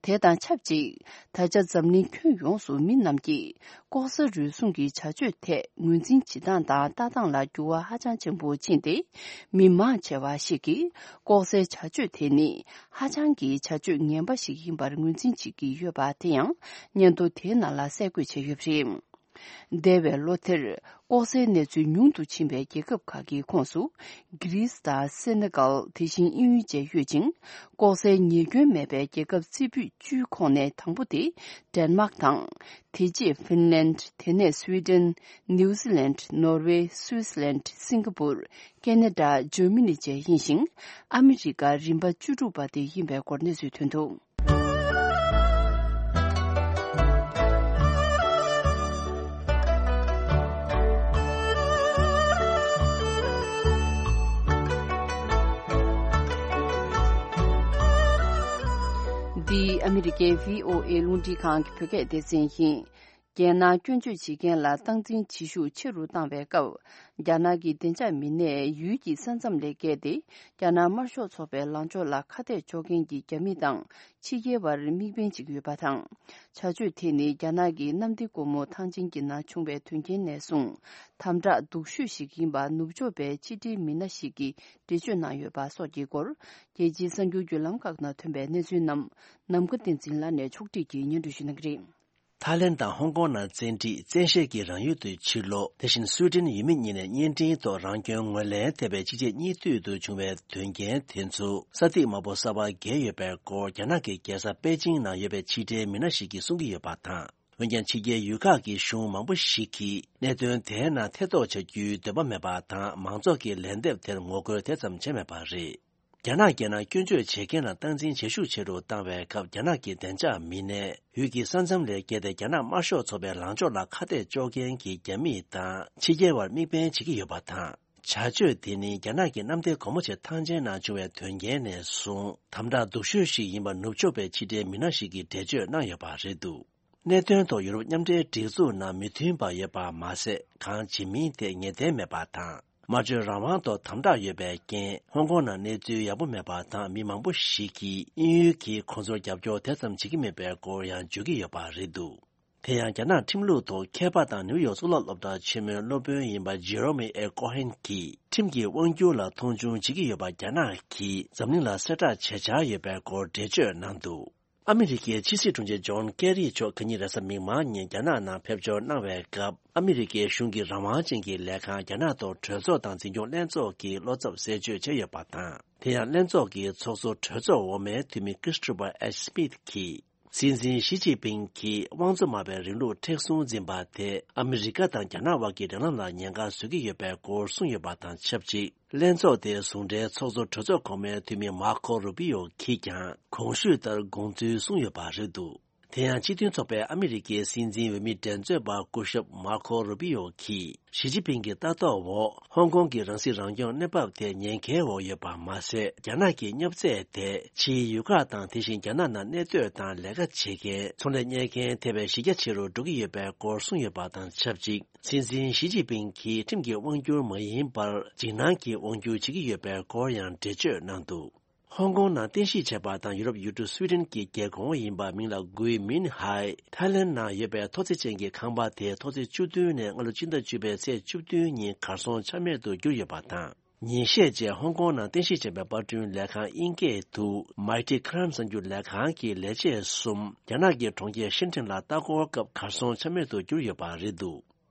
དེ་དང་ཆབས་ཅིག། ད་ཆ་འཛམ་གླིང་ཁྱོན་ཡོངས་སུ་མི་རྣམས་ཀྱིས་ལྐོག་ཟ་རུལ་སུངས་ཀྱི་བྱ་སྤྱོད་ཐད་ངོས་འཛིན་བྱེད་སྟངས་དང་ལྟ་སྟངས་ལ་འགྱུར་བ་ཧ་ཅང་ཆེན་པོ་ཕྱིན་ཏེ། མི་མང་ཆེ་བ་ཞིག་གིས་ལྐོག་ཟའི་བྱ་སྤྱོད་དེ་ནི་ཧ་ཅང་གི་བྱ་སྤྱོད་ངན་པ་ཞིག་ཡིན་པར་ངོས་འཛིན་བྱེད་ཀྱི་ཡོད་པ་དེ་ཡང་སྙན་ཐོ་དེའི་ནང་ལ་གསལ་བཀོད་བྱས་ཡོད་པ་རེད། འདས་པའི་ལོ་དེར་ལྐོག་ཟའི་གནས་ཚུལ་ཉུང་དུ་ཕྱིན་པའི་རྒྱལ་ཁབ་ཁག་གི་ཁོངས་སུ། གྷི་རིས་དང་སེ་ནེ་གལ། དེ་བཞིན་དབྱིན་ཡུལ་བཅས་ཡོད་ཅིང་། ལྐོག་ཟའི་ཉེས་སྐྱོན་མེད་པའི་རྒྱལ་ཁབ་རྩེ་ཕུད་བཅུའི་ཁོངས་ནས་དང་པོ་དེ་ཌེན་མཱག་དང་། དེ་རྗེས་ཧྥིན་ལན། དེ་ནས་སུའེ་ཏེན། ནིའུ་ཛི་ལན། ནོར་ཝེ། སུའི་ཙི་ལན། སིང་ག་པུར། ཁེ་ན་ཌ། འཇར་མ་ནི་བཅས་ཡིན་ཞིང་། ཨ་མི་རི་ཀ་རིམ་པ་བཅུ་དྲུག་པ་དེ་ཡིན་པའི་སྐོར་གནས་ཚུལ་ཐོན་འདུག། འདི་ཨ་མི་རི་ཀའི་བྷི་ཨོ་ཨེ་རླུང་འཕྲིན་ཁང་གི་བོད་སྐད་སྡེ་ཚན་ཡིན། རྒྱལ་ནང་སྐྱོན་བརྗོད་བྱེད་མཁན་ལ་སྟངས་འཛིན་བྱེད་ཤུགས་ཆེ་རུ་བཏང་བའི་སྐབས། རྒྱ་ནག་གི་བདེ་འཇགས་མི་སྣས་ཡུལ་གྱི་ས་མཚམས་ལས་བརྒལ་ཏེ། རྒྱ་ནག་དམར་ཤོག་ཚོགས་པའི་ལངས་ཕྱོགས་ལ་ཁ་གཏད་གཅོག་མཁན་གྱི་རྒྱ་མི་དང་ཕྱི་རྒྱལ་བར་དམིགས་འབེན་བྱེད་ཀྱི་ཡོད་པ་དང་། བྱ་སྤྱོད་དེ་ནི་རྒྱ་ནག་གི་གནམ་བདེ་སྒོ་མོ་ཐང་ཆེན་གྱི་ནང་བྱུང་བའི་དོན་རྐྱེན་ནས་བཟུང་། དམ་དྲག་སྡུག་ཤོས་ཤིག་ཡིན་པ་ནུབ་ཕྱོགས་པའི་ཕྱི་འབྲེལ་མི་སྣ་ཞིག་གིས་འགྲེལ་བརྗོད་གནང་ཡོད་པ་སོགས་ཀྱི་སྐོར། རྒྱལ་སྤྱིའི་གསར་འགྱུར་བརྒྱུད་ལམ་ཁག་ནང་ཐོན་པའི་གནས་ཚུལ་རྣམས། ནམ་མཁའ་བསྟན་འཛིན་ལགས་ནས་ཕྱོགས་སྒྲིག་གིས་སྙན་སྒྲོན་ཞུ་གནང་གི་རེད། ཐའི་ལེན་དང་ཧོང་ཀོང་ནང་བཙན་ཁྲིད། བཙན་ཤེད་ཀྱིས་རང་ཡུལ་དུ་ཕྱིར་ལོག། དེ་བཞིན་སུའི་ཏན་ཡུལ་མི་གཉིས་ནས་གཉེན་འཕྲིན་ཐོག་རང་སྐྱོན་ངོས་ལེན་ཐེབས་པའི་གཅིག་རྗེས་གཉིས་མཐུད་དུ་བྱུང་བའི་དོན་རྐྱེན་དེ་ཚོ་ས་ཐིག་དམར་པོ་གསར་པ་བརྒལ་ཡོད་པའི་སྐོར། རྒྱ་ནག་གི་རྒྱལ་ས་པེ་ཅིང་ནང་ཡོད་པའི་ཕྱི་འབྲེལ་མི་སྣ་ཞིག་གིས་གསུང་གི་ཡོད་པ་དང་། འོན་ཀྱང་ཕྱི་རྒྱལ་ཡུལ་ཁག་གི་གཞུང་མང་པོ་ཞིག་གིས་གནད་དོན་དེའི་ནང་ཐེ་གཏོགས་བྱ་རྒྱུའི་འདོད་པ་མེད་པ་དང་། མང་ཚོགས་ཀྱི་ལན་འདེབས་དེར་ངོ་རྒོལ་དེ་ཙམ་བྱས་མེད་པ་རེད། རྒྱ་ནག་རྒྱལ་ནང་སྐྱོན་བརྗོད་བྱེད་མཁན་ལ་སྟངས་འཛིན་བྱེད་ཤུགས་ཆེ་རུ་བཏང་བའི་སྐབས། རྒྱ་ནག་གི་བདེ་འཇགས་མི་སྣས་ཡུལ་གྱི་ས་མཚམས་ལས་བརྒལ་ཏེ་རྒྱ་ནག་དམར་ཤོག་ཚོགས་པའི་ལངས་ཕྱོགས་ལ་ཁ་གཏད་གཅོག་མཁན་གྱི་རྒྱ་མི་དང་ཕྱི་རྒྱལ་བར་དམིགས་འབེན་བྱེད་ཀྱི་ཡོད་པ་དང་། བྱ་སྤྱོད་དེ་ནི་རྒྱ་ནག་གི་གནམ་བདེ་སྒོ་མོ་ཆེ་ཐང་ཆེན་ནང་བྱུང་བའི་དོན་རྐྱེན་ནས་བཟུང་དམ་དྲག་སྡུག་ཤོས་ཤིག་ཡིན་པ་ནུབ་ཕྱོགས་པའི་ཕྱི་འབྲེལ་མི་སྣ་ཞིག་གིས་འགྲེལ་བརྗོད་གནང་ཡོད་པ་རེད་འདུག། གནད་དོན་ཐོག་ཡུ་རོབ་མཉམ་འབྲེལ་སྒྲིག་འཛུགས་ནང་མི་མཐུན་པ་ཡོད་པ་མ་ཟད། གང་བྱེད་མིན་དེ་ངེས་གཏན་མེད་པ་དང་། སྨྲ་བརྗོད་རང་དབང་ཐོག་དམ་དྲག་ཡོད་པའི་རྐྱེན། ཧོང་ཀོང་ནང་གནས་ཚུལ་ཡག་པོ་མེད་པ་དང་། མི་མང་པོ་ཞིག་གིས་དབྱིན་ཡུལ་གྱིས་ཁོང་ཚོར་རྒྱབ་སྐྱོར་དེ་ཙམ་བྱེད་ཀྱི་མེད་པའི་སྐོར་ཡང་བརྗོད་ཀྱི་ཡོད་པ་རེད་འདུག། དེ་ཡང་རྒྱ་ནག་ཁྲིམས་ལུགས་ཐོག་མཁས་པ་དང་ནིའུ་ཡོག་གཙུག་ལག་སློབ་གྲྭ་ཆེན་མོའི་སློབ་དཔོན་ཡིན་པ་ཇེ་རོ་མི་ཨེ་ཀོ་ཧན་གྱིས། ཁྲིམས་ཀྱི་དབང་སྒྱུར་ལ་མཐོང་ཆུང་བྱེད་ཀྱི་ཡོད་པ། རྒྱ་ནག་གིས་འཛམ་གླིང་ལ་གསལ་བསྒྲགས་བྱེད་འཆར་ཡོད་པའི་སྐོར་འགྲེལ་བརྗོད་གནང་འདུག། ཨ་མི་རི་ཀའི་ཕྱི་སྲིད་དྲུང་ཆེ་ཇོན་ཀེ་རི་མཆོག་གང་ཉིན་རེས་གཟའ་མིག་དམར་ཉིན་རྒྱ་ནག་ནང་ཕེབས་འབྱོར་གནང་བའི་སྐབས། ཨ་མི་རི་ཀའི་གཞུང་གི་རང་དབང་ཅན་གྱི་ལས་ཁང་རྒྱ་ནག་ཐོག་གྲོས་ཚོགས་དང་འཛིན་སྐྱོང་ལྷན་ཚོགས་ཀྱི་བློ་འཚབ་གསལ་བརྗོད་བྱས་ཡོད་པ་དང་། དེ་ཡང་ལྷན་ཚོགས་ཀྱི་ཚོགས་གཙོ་གྲོས་ཚོགས་འོག་མའི་འཐུས་མི་ཀི་རིས་ཊོ་ཕར་ཨེཆ་སི་མིད་ཀྱིས། སྲིད་འཛིན་ཞི་ཅིན་ཕིང་གིས་དབང་འཛོམས་དམག་པའི་རིང་ལུགས་མཁྲེགས་བཟུང་འཛིན་པ་དེ་ཨ་མི་རི་ཀ་དང་རྒྱ་ནག་དབར་གྱི་འབྲེལ་ལམ་ལ་ཉེན་ཁ་བཟོ་གི་ཡོད་པའི་སྐོར་གསུངས་ཡོད་པ་དང་ཆབས་ཅིག། ལྷན་ཚོགས་དེའི་ཟུང་འབྲེལ་ཚོགས་གཙོ་གྲོས་ཚོགས་གོང་མའི་འཐུས་མི་མར་ཁོ་རུ་པི་ཡོ་གིས་ཀྱང་གོང་ཞུས་ལྟར་དགོངས་ཚུལ་གསུངས་ཡོད་པ་རེད་འདུག། དེ་ཡང་སྤྱི་མཐུན་ཚོགས་པའི་ཨ་མི་རི་ཀའི་སྲིད་འཛིན་འོས་མི་འགྲན་རྩོད་པ་སྐུ་ཞབས་མར་ཁོ་རུ་པི་ཡོ་གིས་ཞི་ཅིན་ཕིང་གི་ལྟ་རྟོག་འོག་ཧོང་ཀོང་གི་རང་སྲིད་རང་སྐྱོང་གནས་བབ་དེ་ཉེན་ཁའི་འོག་ཡོད་པ་མ་ཟད། རྒྱ་ནག་གི་བསྙབ་ཚད་དེ་ཕྱིའི་ཡུལ་ཁག་དང་། དེ་བཞིན་རྒྱ་ནག་ནང་གནས་སྡོད་དང་ལས་ཀ་བྱེད་མཁན། ཚོང་ལས་གཉེར་མཁན་ཐེ་བའི་གཞི་རྒྱ་ཆེ་རུ་འགྲོ་གི་ཡོད་པའི་སྐོར་གསུངས་ཡོད་པ་དང་ཆབས་ཅིག། སྲིད་འཛིན་ཞི་ཅིན་ཕིང་གིས་ཁྲིམས་ཀྱི་དབང་སྒྱུར་མ་ཡིན་པར་འཇིགས་སྣང་གི་དབང་སྒྱུར་བྱེད་ཀྱི་ཡོད་པའི་སྐོར་ཡང་འགྲེལ་བརྗོད་གནང་འདུག། ཧོང་ཀོང་ནང་རྟེན་གཞི་བྱས་པ་དང་ཡུ་རོབ་ཡུལ་གྲུ་སུའི་ཏན་གྱི་རྒྱལ་ཁོངས་ཡིན་པ་མིང་ལ་གུའི་མིན་ཧའེ། ཐའི་ལེན་ནང་ཡོད་པའི་མཐོ་ཚད་ཅན་གྱི་ཁང་པ་དེ་མཐོ་ཚད་བཅུ་བདུན་ནས་སྔ་ལོ་སྤྱི་ཟླ་བཅུ་པའི་ཚེས་བཅུ་བདུན་ཉིན་གར་སོང་ཆ་མེད་དུ་གྱུར་ཡོད་པ་དང་། ཉིན་ཤས་རྗེས་ཧོང་ཀོང་ནང་རྟེན་གཞི་བྱས་པའི་པར་སྐྲུན་ལས་ཁང་དབྱིན་སྐད་དུ་Mighty Climb གསར་འགྱུར་ལས་ཁང་གི་ལས་བྱེད་གསུམ་རྒྱ་ནག་གི་གྲོང་ཁྱེར་ཤིན་ཁྲིན་ལ་ལྟ་སྐོར་སྐབས་གར་སོང་ཆ་མེད་དུ་གྱུར་ཡོད་པ་རེད་འདུག།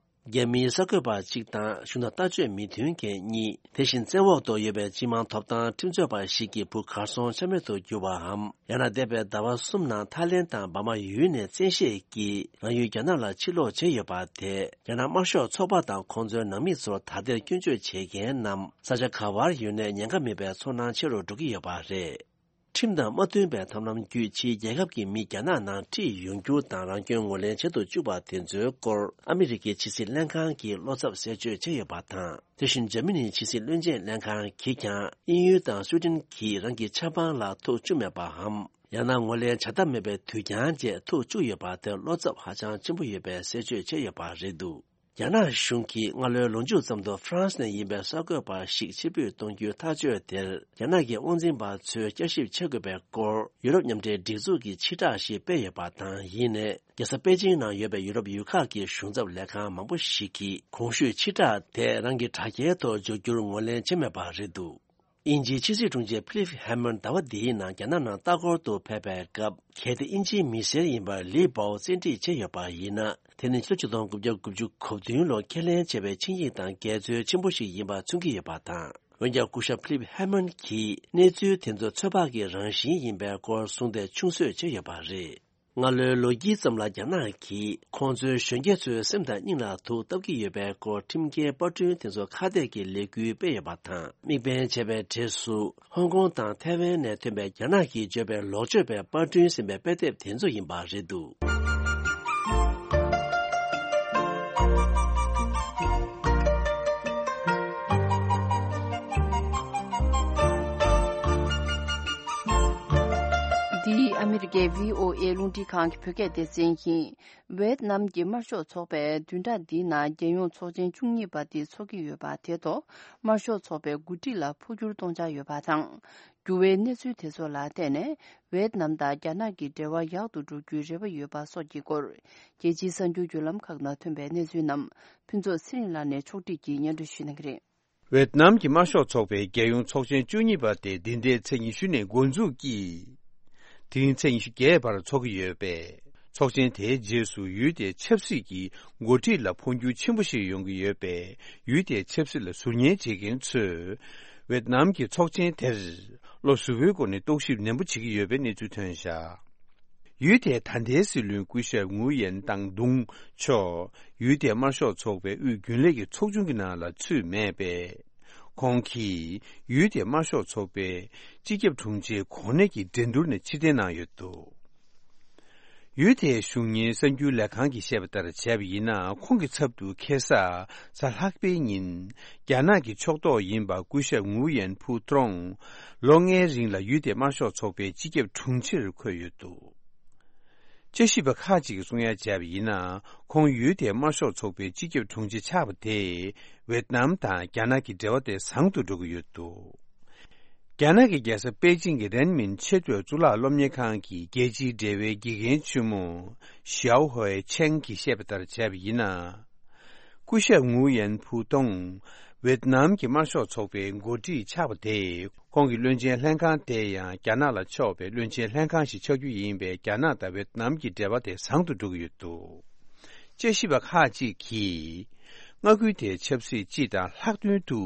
རྒྱ་མིའི་གསར་འགོད་པ་གཅིག་དང་གཞུང་དང་ལྟ་སྤྱོད་མི་མཐུན་མཁན་གཉིས། དེ་བཞིན་བཙན་འོག་ཏུ་ཡོད་པའི་སྤྱི་དམངས་ཐོབ་ཐང་ཁྲིམས་རྩོད་པ་ཞིག་གི་བུ་གར་སོང་ཆ་མེད་དུ་གྱུར་བའམ། ཡང་ན་འདས་པའི་ཟླ་བ་གསུམ་ནང་ཐའི་ལེན་དང་འབར་མ་ཡུལ་ནས་བཙན་ཤེད་ཀྱིས་རང་ཡུལ་རྒྱ་ནག་ལ་ཕྱིར་ལོག་བྱས་ཡོད་པ་དེས། རྒྱ་ནག་དམར་ཤོག་ཚོགས་པ་དང་ཁོང་ཚོའི་ནང་མི་ཚོར་ད་ལྟའི་སྐྱོན་བརྗོད་བྱེད་མཁན་རྣམས་ས་ཆ་ག་བར་ཡོད་ནའི་ཉེན་ཁ་མེད་པའི་ཚོར་སྣང་ཆེ་རུ་འགྲོ་གི་ཡོད་པ་རེད། ཁྲིམས་དང་མ་མཐུན་པའི་ཐབས་ལམ་བརྒྱུད་ཕྱིའི་རྒྱལ་ཁབ་ཀྱི་མི་རྒྱ་ནག་ནང་ཁྲིད་ཡོང་རྒྱུ་དང་རང་སྐྱོན་ངོས་ལེན་བྱེད་དུ་བཅུག་པ་དེ་ཚོའི་སྐོར་ཨ་མི་རི་ཀའི་ཕྱི་སྲིད་ལྷན་ཁང་གིས་བློ་འཚབ་གསལ་བརྗོད་བྱས་ཡོད་པ་དང་། དེ་བཞིན་འཇར་མ་ནིའི་ཕྱི་སྲིད་བློན་ཆེན་ལྷན་ཁང་གིས་ཀྱང་དབྱིན་ཡུལ་དང་སུའེ་ཏེན་གྱིས་རང་གི་ཆབ་འབངས་ལ་ཐུག་བཅུག་མེད་པའམ། ཡང་ན་ངོས་ལེན་བྱ་ཐབས་མེད་པའི་དུས་འགྱངས་བཅས་ཐུག་བཅུག་ཡོད་པ་དེར་བློ་འཚབ་ཧ་ཅང་ཆེན་པོ་ཡོད་པའི་གསལ་བརྗོད་བྱས་ཡོད་པ་རེད་འདུག་རྒྱ་ནག་གཞུང་གིས་སྔ་ལོའི་ལོ་མཇུག་ཙམ་དུ་ཧྥ་རན་སི་ནས་ཡིན་པའི་གསར་འགོད་པ་ཞིག་ཕྱིར་འབུད་གཏོང་རྒྱུའི་ཐག་གཅོད་དེར་རྒྱ་ནག་གི་དབང་འཛིན་པ་ཚོས་བསྐྱར་ཞིབ་བྱེད་དགོས་པའི་སྐོར་ཡུ་རོབ་མཉམ་འབྲེལ་སྒྲིག་འཛུགས་ཀྱིས་ཕྱིར་བསྒྲགས་ཤིག་སྤེལ་ཡོད་པ་དང་། ཡིན་ནའི། རྒྱལ་ས་པེ་ཅིང་ནང་ཡོད་པའི་ཡུ་རོབ་ཡུལ་ཁག་གི་གཞུང་ཚབ་ལས་ཁང་མང་པོ་ཞིག་གིས་གོང་ཞུས་ཕྱིར་བསྒྲགས་དེ་རང་གི་དྲ་རྒྱའི་ཐོག་འཇོག་རྒྱུར་ངོས་ལེན་བྱས་མེད་པ་རེད་འདུག་དབྱིན་ཇིའི་ཕྱི་སྲིད་དྲུང་ཆེ་ཕི་ལིབ་ཧེ་མོན་ཟླ་བ་འདིའི་ནང་རྒྱ་ནག་ནང་ལྟ་སྐོར་དུ་ཕེབས་པའི་སྐབས། གལ་ཏེ་དབྱིན་ཇིའི་མི་སེར་ཡིན་པར་ལི་པའོ་བཙན་ཁྲིད་བྱས་ཡོད་པ་ཡིན་ན། དེ་ནི་ཕྱི་ལོ་ཆིག་སྟོང་དགུ་བརྒྱ་དགུ་བཅུ་གོ་བདུན་ལོར་ཁས་ལེན་བྱས་པའི་ཆིངས་ཡིག་དང་འགལ་འཛོལ་ཆེན་པོ་ཞིག་ཡིན་པ་མཚོན་གྱི་ཡོད་པ་དང་། འོན་ཀྱང་། སྐུ་ཞབས་ཕི་ལིབ་ཧེ་མོན་གྱིས་གནས་ཚུལ་དེ་ཚོ་ཚོད་དཔག་གི་རང་བཞིན་ཡིན་པའི་སྐོར་གསུངས་ཏེ་ཆུང་གསོས་བྱས་ཡོད་པ་རེད། སྔ་ལོའི་ལོ་དཀྱིལ་ཙམ་ལ་རྒྱ་ནག་གིས་ཁོང་ཚོའི་གཞོན་སྐྱེས་ཚོའི་སེམས་དང་སྙིང་ལ་དུག་བཏབ་ཀྱི་ཡོད་པའི་སྐོར་ཁྲིམས་འགལ་པར་སྐྲུན་དེ་ཚོ་ཁ་གཏད་ཀྱི་ལས་འགུལ་སྤེལ་ཡོད་པ་དང་། དམིགས་འབེན་བྱས་པའི་གྲས་སུ་ཧོང་ཀོང་དང་ཐའེ་ཝན་ནས་ཐོན་པའི་རྒྱ་ནག་གིས་བརྗོད་པའི་ལོག་སྤྱོད་པའི་པར་སྐྲུན་ཟིན་པའི་དཔེ་དེབ་དེ་ཚོ་ཡིན་པ་རེད་འདུག་འདི་ཨ་མི་རི་ཀའི་བྷི་ཨོ་ཨེ་རླུང་འཕྲིན་ཁང་གི་བོད་སྐད་སྡེ་ཚན་ཡིན། ཝེད་ནམ་གྱི་དམར་ཤོག་ཚོགས་པས་བདུན་ཕྲག་འདིའི་ནང་རྒྱལ་ཡོངས་ཚོགས་ཆེན་བཅུ་གཉིས་པ་དེ་འཚོགས་ཀྱི་ཡོད་པ་དེ་ཐོག་དམར་ཤོག་ཚོགས་པའི་འགོ་ཁྲིད་ལ་འཕོ་འགྱུར་གཏོང་འཆར་ཡོད་པ་དང་། འགྱུར་བའི་གནས་ཚུལ་དེ་ཚོ་ལ་བལྟས་ནས། ཝེད་ནམ་དང་རྒྱ་ནག་གི་འབྲེལ་བ་ཡག་ཏུ་འགྲོ་རྒྱུའི་རེ་བ་ཡོད་པ་སོགས་ཀྱི་སྐོར། རྒྱལ་སྤྱིའི་གསར་འགྱུར་བརྒྱུད་ལམ་ཁག་ནང་ཐོན་པའི་གནས་ཚུལ་རྣམས་ཕུན་ཚོགས་ཚེ་རིང་ལགས་ནས་ཕྱོགས་སྒྲིག་གིས་སྙན་སྒྲོན་ཞུ་གནང་གི་རེད། ཝེད་ནམ་གྱི་དམར་ཤོག་ཚོགས་པའི་རྒྱལ་ཡོངས་ཚོགས་ཆེན་བཅུ་གཉིས་པ་དེ་འདི་ཟླའི་ཚེས་ཉི་ཤུ་ནས་འགོ་འཛུགས་ཀྱིས། དེ་རིང་ཚེས་ཉི་ཤུ་བརྒྱད་བར་འཚོགས་ཀྱི་ཡོད་པས། ཚོགས་ཆེན་དེའི་རྗེས་སུ་ཡུལ་དེའི་ཆབ་སྲིད་ཀྱི་འགོ་ཁྲིད་ལ་འཕོ་འགྱུར་ཆེན་པོ་ཞིག་ཡོང་གི་ཡོད་པས། ཡུལ་དེའི་ཆབ་སྲིད་ལ་ཟུར་ཉན་བྱེད་མཁན་ཚོས། ཝེད་ནམ་གྱི་ཚོགས་ཆེན་དེར་བློ་གཟུ་བོའི་སྒོ་ནས་རྟོག་ཞིབ་ནན་པོ་བྱེད་ཀྱི་ཡོད་པའི་གནས་ཚུལ་ཐོན་བཞག་ཡུལ་དེའི་ད་ལྟའི་སྲིད་བློན་སྐུ་ཞབས་ངུ་ཡན་ཏང་ཏུང་མཆོག་ཡུལ་དེའི་དམར་ཤོག་ཚོགས་པའི་དབུས་རྒྱུན་ལས་ཀྱི་ཚོགས་ཆུང་གི་ནང་ལ་ཚུད་མེད་པས། ཁོང་གིས་ཡུལ་དེའི་དམར་ཤོག་ཚོགས་པའི་སྤྱི་ཁྱབ་དྲུང་ཆེའི་གོ་གནས་ཀྱི་འགྲན་བསྡུར་ནས་ཕྱིར་འཐེན་གནང་ཡོད་འདུག་ཡུལ་དེའི་གཞུང་གཉེར་གསར་འགྱུར་ལས་ཁང་གིས་བཤད་པ་ལྟར་བྱས་པ་ཡིན་ན། ཁོང་གི་ཚབ་ཏུ་ཁ་སང་གཟའ་ལྷག་པའི་ཉིན། རྒྱ་ནག་གི་ཕྱོགས་གཏོགས་ཡིན་པ་སྐུ་ཞབས་ངུ་ཡན་ཕུའུ་ཏྲོང་ལོ་ལྔའི་རིང་ལ་ཡུལ་དེའི་དམར་ཤོག་ཚོགས་པའི་སྤྱི་ཁྱབ་དྲུང་ཆེར་འཁོད་ཡོད་འདུག་དཔྱད་ཞིབ་པ་ཁག་ཅིག་གིས་གསུང་ཡ་བྱས་པ་ཡིན་ན། ཁོང་ཡུལ་དེའི་དམར་ཤོག་ཚོགས་པའི་སྤྱི་ཁྱབ་དྲུང་ཆེ་ཆགས་པ་དེས་ཝེད་ནམ་དང་རྒྱ་ནག་གི་འབྲེལ་བ་དེ་བཟང་དུ་འགྲོ་གི་ཡོད་འདུག་རྒྱ་ནག་གི་རྒྱལ་ས་པེ་ཅིང་གི་རན་མིན་ཆེས་མཐོའི་གཙུག་ལག་སློབ་གཉེར་ཁང་གི་རྒྱལ་སྤྱིའི་འབྲེལ་བའི་དགེ་རྒན་ཆེན་མོ་ཞའོ་ཧོའེ་ཆེང་གིས་བཤད་པ་ལྟར་བྱས་པ་ཡིན་ན། སྐུ་ཞབས་ངུ་ཡན་ཕུའུ་ཏུང་ཝེད་ནམ་གྱི་དམར་ཤོག་ཚོགས་པའི་འགོ་ཁྲིད་ཆགས་པ་དེས། ཁོང་གི་བློན་ཆེན་ལྷན་ཁང་དེ་ཡང་རྒྱ་ནག་ལ་ཕྱོགས་པའི་བློན་ཆེན་ལྷན་ཁང་ཞིག་ཆགས་རྒྱུ་ཡིན་པས། རྒྱ་ནག་དང་ཝེད་ནམ་གྱི་འབྲེལ་བ་དེ་བཟང་དུ་འགྲོ་གི་ཡོད་འདུག་དཔྱད་ཞིབ་པ་ཁག་ཅིག་གིས། མངའ་ཁུལ་དེའི་ཆབ་སྲིད་སྤྱི་དང་ལྷག་དོན་དུ་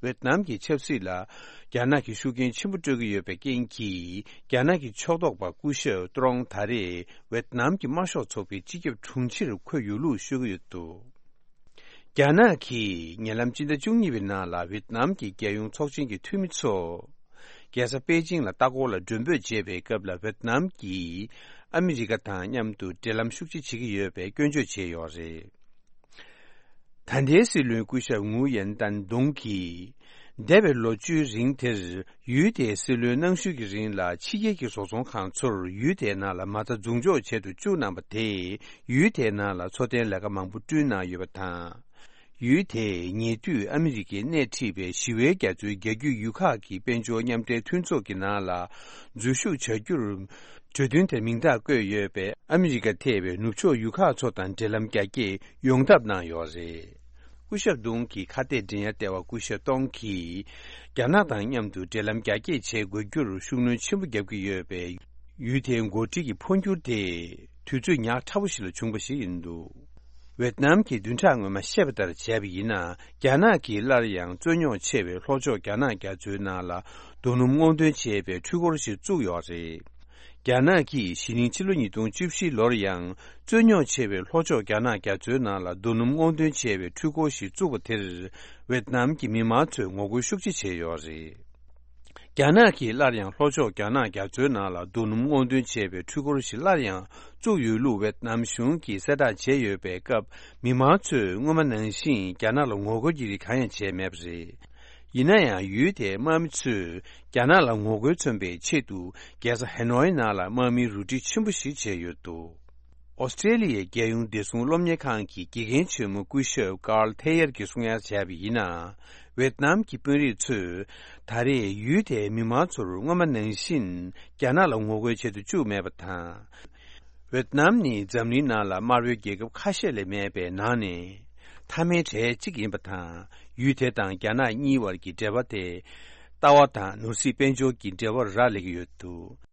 ཝེད་ནམ་གྱི་ཆབ་སྲིད་ལ་རྒྱ་ནག་གིས་ཤུགས་རྐྱེན་ཆེན་པོ་སྤྲོད་ཀྱི་ཡོད་པའི་རྐྱེན་གྱིས། རྒྱ་ནག་གི་ཕྱོགས་གཏོགས་པ་སྐུ་ཞབས་ཏུ་རོང་ད་རེས་ཝེད་ནམ་གྱི་དམར་ཤོག་ཚོགས་པའི་སྤྱི་ཁྱབ་དྲུང་ཆེར་འཁོད་ཡོད་ལུགས་ཤོད་ཀྱི་ཡོད་འདུག་རྒྱ་ནག་གིས་ཉེ་ལམ་སྤྱི་ཟླ་བཅུ་གཉིས་པའི་ནང་ལ་ཝེད་ནམ་གྱི་རྒྱལ་ཡོངས་ཚོགས་ཆེན་གྱི་འཐུས་མི་ཚོ། རྒྱལ་ས་པེ་ཅིང་ལ་ལྟ་སྐོར་ལ་མགྲོན་འབོད་བྱེད་པའི་སྐབས་ལ། ཝེད་ནམ་གྱིས་ཨ་མི་རི་ཀ་དང་མཉམ་དུ་འབྲེལ་ལམ་ཤུགས་ཆེ་བྱེད་ཀྱི་ཡོད་པའི་སྐྱོན་བརྗོད་བྱས་ཡོད་རེད། ད་ལྟའི་སྲིད་བློན་སྐུ་ཞབས་ངུ་ཡན་ཏན་ཏུང་གིས། འདས་པའི་ལོ་བཅུའི་རིང་དེར། ཡུལ་དེའི་སྲིད་བློན་གནང་ཞུ་གི་རིང་ལ། ཕྱི་རྒྱལ་གྱི་བཟོ་ཚོང་ཁང་ཚོར་ཡུལ་དེའི་ནང་ལ་མ་རྩ་འཛུགས་འཇོག་བྱེད་དུ་བཅུག་གནང་པ་དེས། ཡུལ་དེའི་ནང་ལ་འཚོ་རྟེན་ལས་ཀ་མང་པོ་བསྐྲུན་གནང་ཡོད་པ་དང་། ཡུལ་དེས་ཉེ་དུས་ཨ་མི་རི་ཀས་སྣེ་ཁྲིད་པའི་ཞི་བའི་རྒྱ་མཚོའི་རྒྱ་རྒྱུད་ཡུལ་ཁག་གི་དཔལ་འབྱོར་མཉམ་འབྲེལ་མཐུན་ཚོགས་ཀྱི་ནང་ལ་འཛུལ་ཞུགས་བྱ་རྒྱུར། གྲོས་མཐུན་དེར་མིང་རྟགས་བཀོད་ཡོད་པས། ཨ་མི་རི་ཀ་ཐེ་བའི་ནུབ་ཕྱོགས་ཡུལ་ཁག་ཚོ་དང་འབྲེལ་ལམ་རྒྱ་སྐྱེད་ཡོང་ཐབས་གནང་ཡོད་རེད། སྐུ་ཞབས་ཏུང་གི་ཁ་གཏད་འགྲན་ཡ་ལྟེ་བ་སྐུ་ཞབས་ཏོང་གིས། རྒྱ་ནག་དང་མཉམ་དུ་འབྲེལ་ལམ་རྒྱ་སྐྱེད་བྱེད་དགོས་རྒྱུར་ཤུགས་སྣོན་ཆེན་པོ་བརྒྱབ་ཀྱི་ཡོད་པས། ཡུལ་དེའི་འགོ་ཁྲིད་ཀྱི་འཕོ་འགྱུར་དེ། དུས་ཚོད་ཉག་ཕྲ་བོ་ཞིག་ལ་བྱུང་བ་ཞིག་ཡིན་འདུག་ཝེད་ནམ་གྱིས་བདུན་ཕྲག་སྔོན་མ་བཤད་པ་ལྟར་བྱས་པ་ཡིན་ན། རྒྱ་ནག་གིས་སླར་ཡང་རྩོད་རྙོག་ཆེ་བའི་ལྷོ་ཕྱོགས་རྒྱ་ནག་རྒྱ་མཚོའི་ནང་ལ་རྡོ་སྣུམ་སྔོག་འདོན་བྱེད་པའི་འཕྲུལ་འཁོར་ཞིག་བཙུགས་ཡོད་རེད། རྒྱ་ནག་གིས་གཞེས་ནིང་ཕྱི་ལོ་ཉིས་སྟོང་བཅུ་བཞི་ལོར་ཡང་རྩོད་རྙོག་ཆེ་བའི་ལྷོ་ཕྱོགས་རྒྱ་ནག་རྒྱ་མཚོའི་ནང་ལ་རྡོ་སྣུམ་སྔོག་འདོན་བྱེད་པའི་འཕྲུལ་འཁོར་ཞིག་བཙུགས་པ་དེར། ཝེད་ནམ་གྱི་མི་མང་ཚོས་ངོ་རྒོལ་ཤུགས་ཆེ་བྱས་ཡོད་རེད། རྒྱ་ནག་གིས་སླར་ཡང་ལྷོ་ཕྱོགས་རྒྱ་ནག་རྒྱ་མཚོའི་ནང་ལ་རྡོ་སྣུམ་སྔོག་འདོན་བྱས་པའི་འཕྲུལ་འཁོར་ཞིག་སླར་ཡང་བཙུགས་ཡོད་ལུགས་ཝེད་ནམ་གཞུང་གིས་གསལ་བསྒྲགས་བྱས་ཡོད་པའི་སྐབས། མི་མང་ཚོས་སྔོན་མ་ནང་བཞིན་རྒྱ་ནག་ལ་ངོ་རྒོལ་གྱི་རིགས་གང་ཡང་བྱས་མེད་པ་རེད། ཡིན་ན་ཡང་། ཡུལ་དེའི་དམག་མི་ཚོས་རྒྱ་ནག་ལ་ངོ་རྒོལ་མཚོན་པའི་ཆེད་དུ། རྒྱལ་ས་ཧེ་ནོའི་ནང་ལ་དམག་མིའི་རུ་སྒྲིག་ཆེན་པོ་ཞིག་བྱས་ཡོད་འདུག། ཨོ་སི་ཀྲེ་ལི་ཡའི་རྒྱལ་ཡོངས་བདེ་སྲུང་སློབ་གཉེར་ཁང་གི་དགེ་རྒན་ཆེན་མོ་སྐུ་ཞབས་ཀཱརལ་ཐེ་ཡར་གྱིས་གསུང་ཡ་བྱས་པ་ཡིན་ན། ཝེད་ནམ་གྱི་དཔོན་རིགས་ཚོས་ད་རེས་ཡུལ་དེའི་མི་མང་ཚོར་སྔོན་མ་ནང་བཞིན་རྒྱ་ནག་ལ་ངོ་རྒོལ་བྱེད་དུ་བཅུག་མེད་པ་དང་། ཝེད་ནམ་ནི་འཛམ་གླིང་ནང་ལ་དམར་པོའི་རྒྱལ་ཁབ་ཁ་ཤས་ལས་མེད་པའི་ནང་ནས། མཐའ་མའི་གྲས་གཅིག་ཡིན་པ་དང་། ཡུལ་དེ་དང་རྒྱ་ནག་གཉིས་བར་གྱི་འབྲེལ་བ་དེ། ལྟ་བ་དང་ནོར་སྲིད་དཔལ་འབྱོར་གྱི་འབྲེལ་བར་རག་ལས་ཀྱི་ཡོད་འདུག།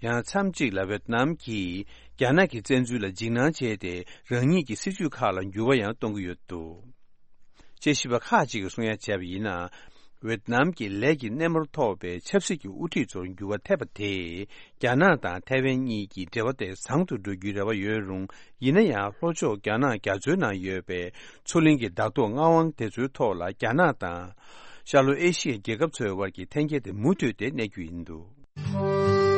ཡང་མཚམས་གཅིག་ལ་ཝེད་ནམ་གྱིས་རྒྱ་ནག་གི་བཙན་འཛུལ་ལ་འཇིགས་སྣང་བྱས་ཏེ། རང་ཉིད་ཀྱི་སྲིད་ཇུས་ཁག་ལ་འགྱུར་བ་ཡང་གཏོང་གི་ཡོད་འདུག། དཔྱད་ཞིབ་པ་ཁག་ཅིག་གིས་གསུང་ཡ་བྱས་པ་ཡིན་ན། ཝེད་ནམ་གྱི་ལས་ཀྱི་སྣེ་མོར་ཐོགས་པའི་ཆབ་སྲིད་ཀྱི་དབུ་ཁྲིད་ཚོར་འགྱུར་བ་ཐེབས་པ་དེས། རྒྱ་ནག་དང་ཐའེ་ཝན་གཉིས་ཀྱི་འབྲེལ་བ་དེ་བཟང་དུ་འགྲོ་རྒྱུའི་རེ་བ་ཡོད་རུང་། ཡིན་ན་ཡང་། ལྷོ་ཕྱོགས་རྒྱ་ནག་རྒྱ་མཚོའི་ནང་ཡོད་པའི་མཚོ་གླིང་གི་བདག་ཐོག་མངའ་དབང་དེ་ཚོའི་ཐོག་ལ་རྒྱ་ནག་དང་། ཤར་ལྷོ་ཨེ་ཤི་ཡའི་རྒྱལ་ཁབ་ཚོའི་དབར་གྱི་འཐེན་འཁྱེར་དེ་མུ་མཐུད་དེ་གནས་རྒྱུ་ཡིན་འདུག།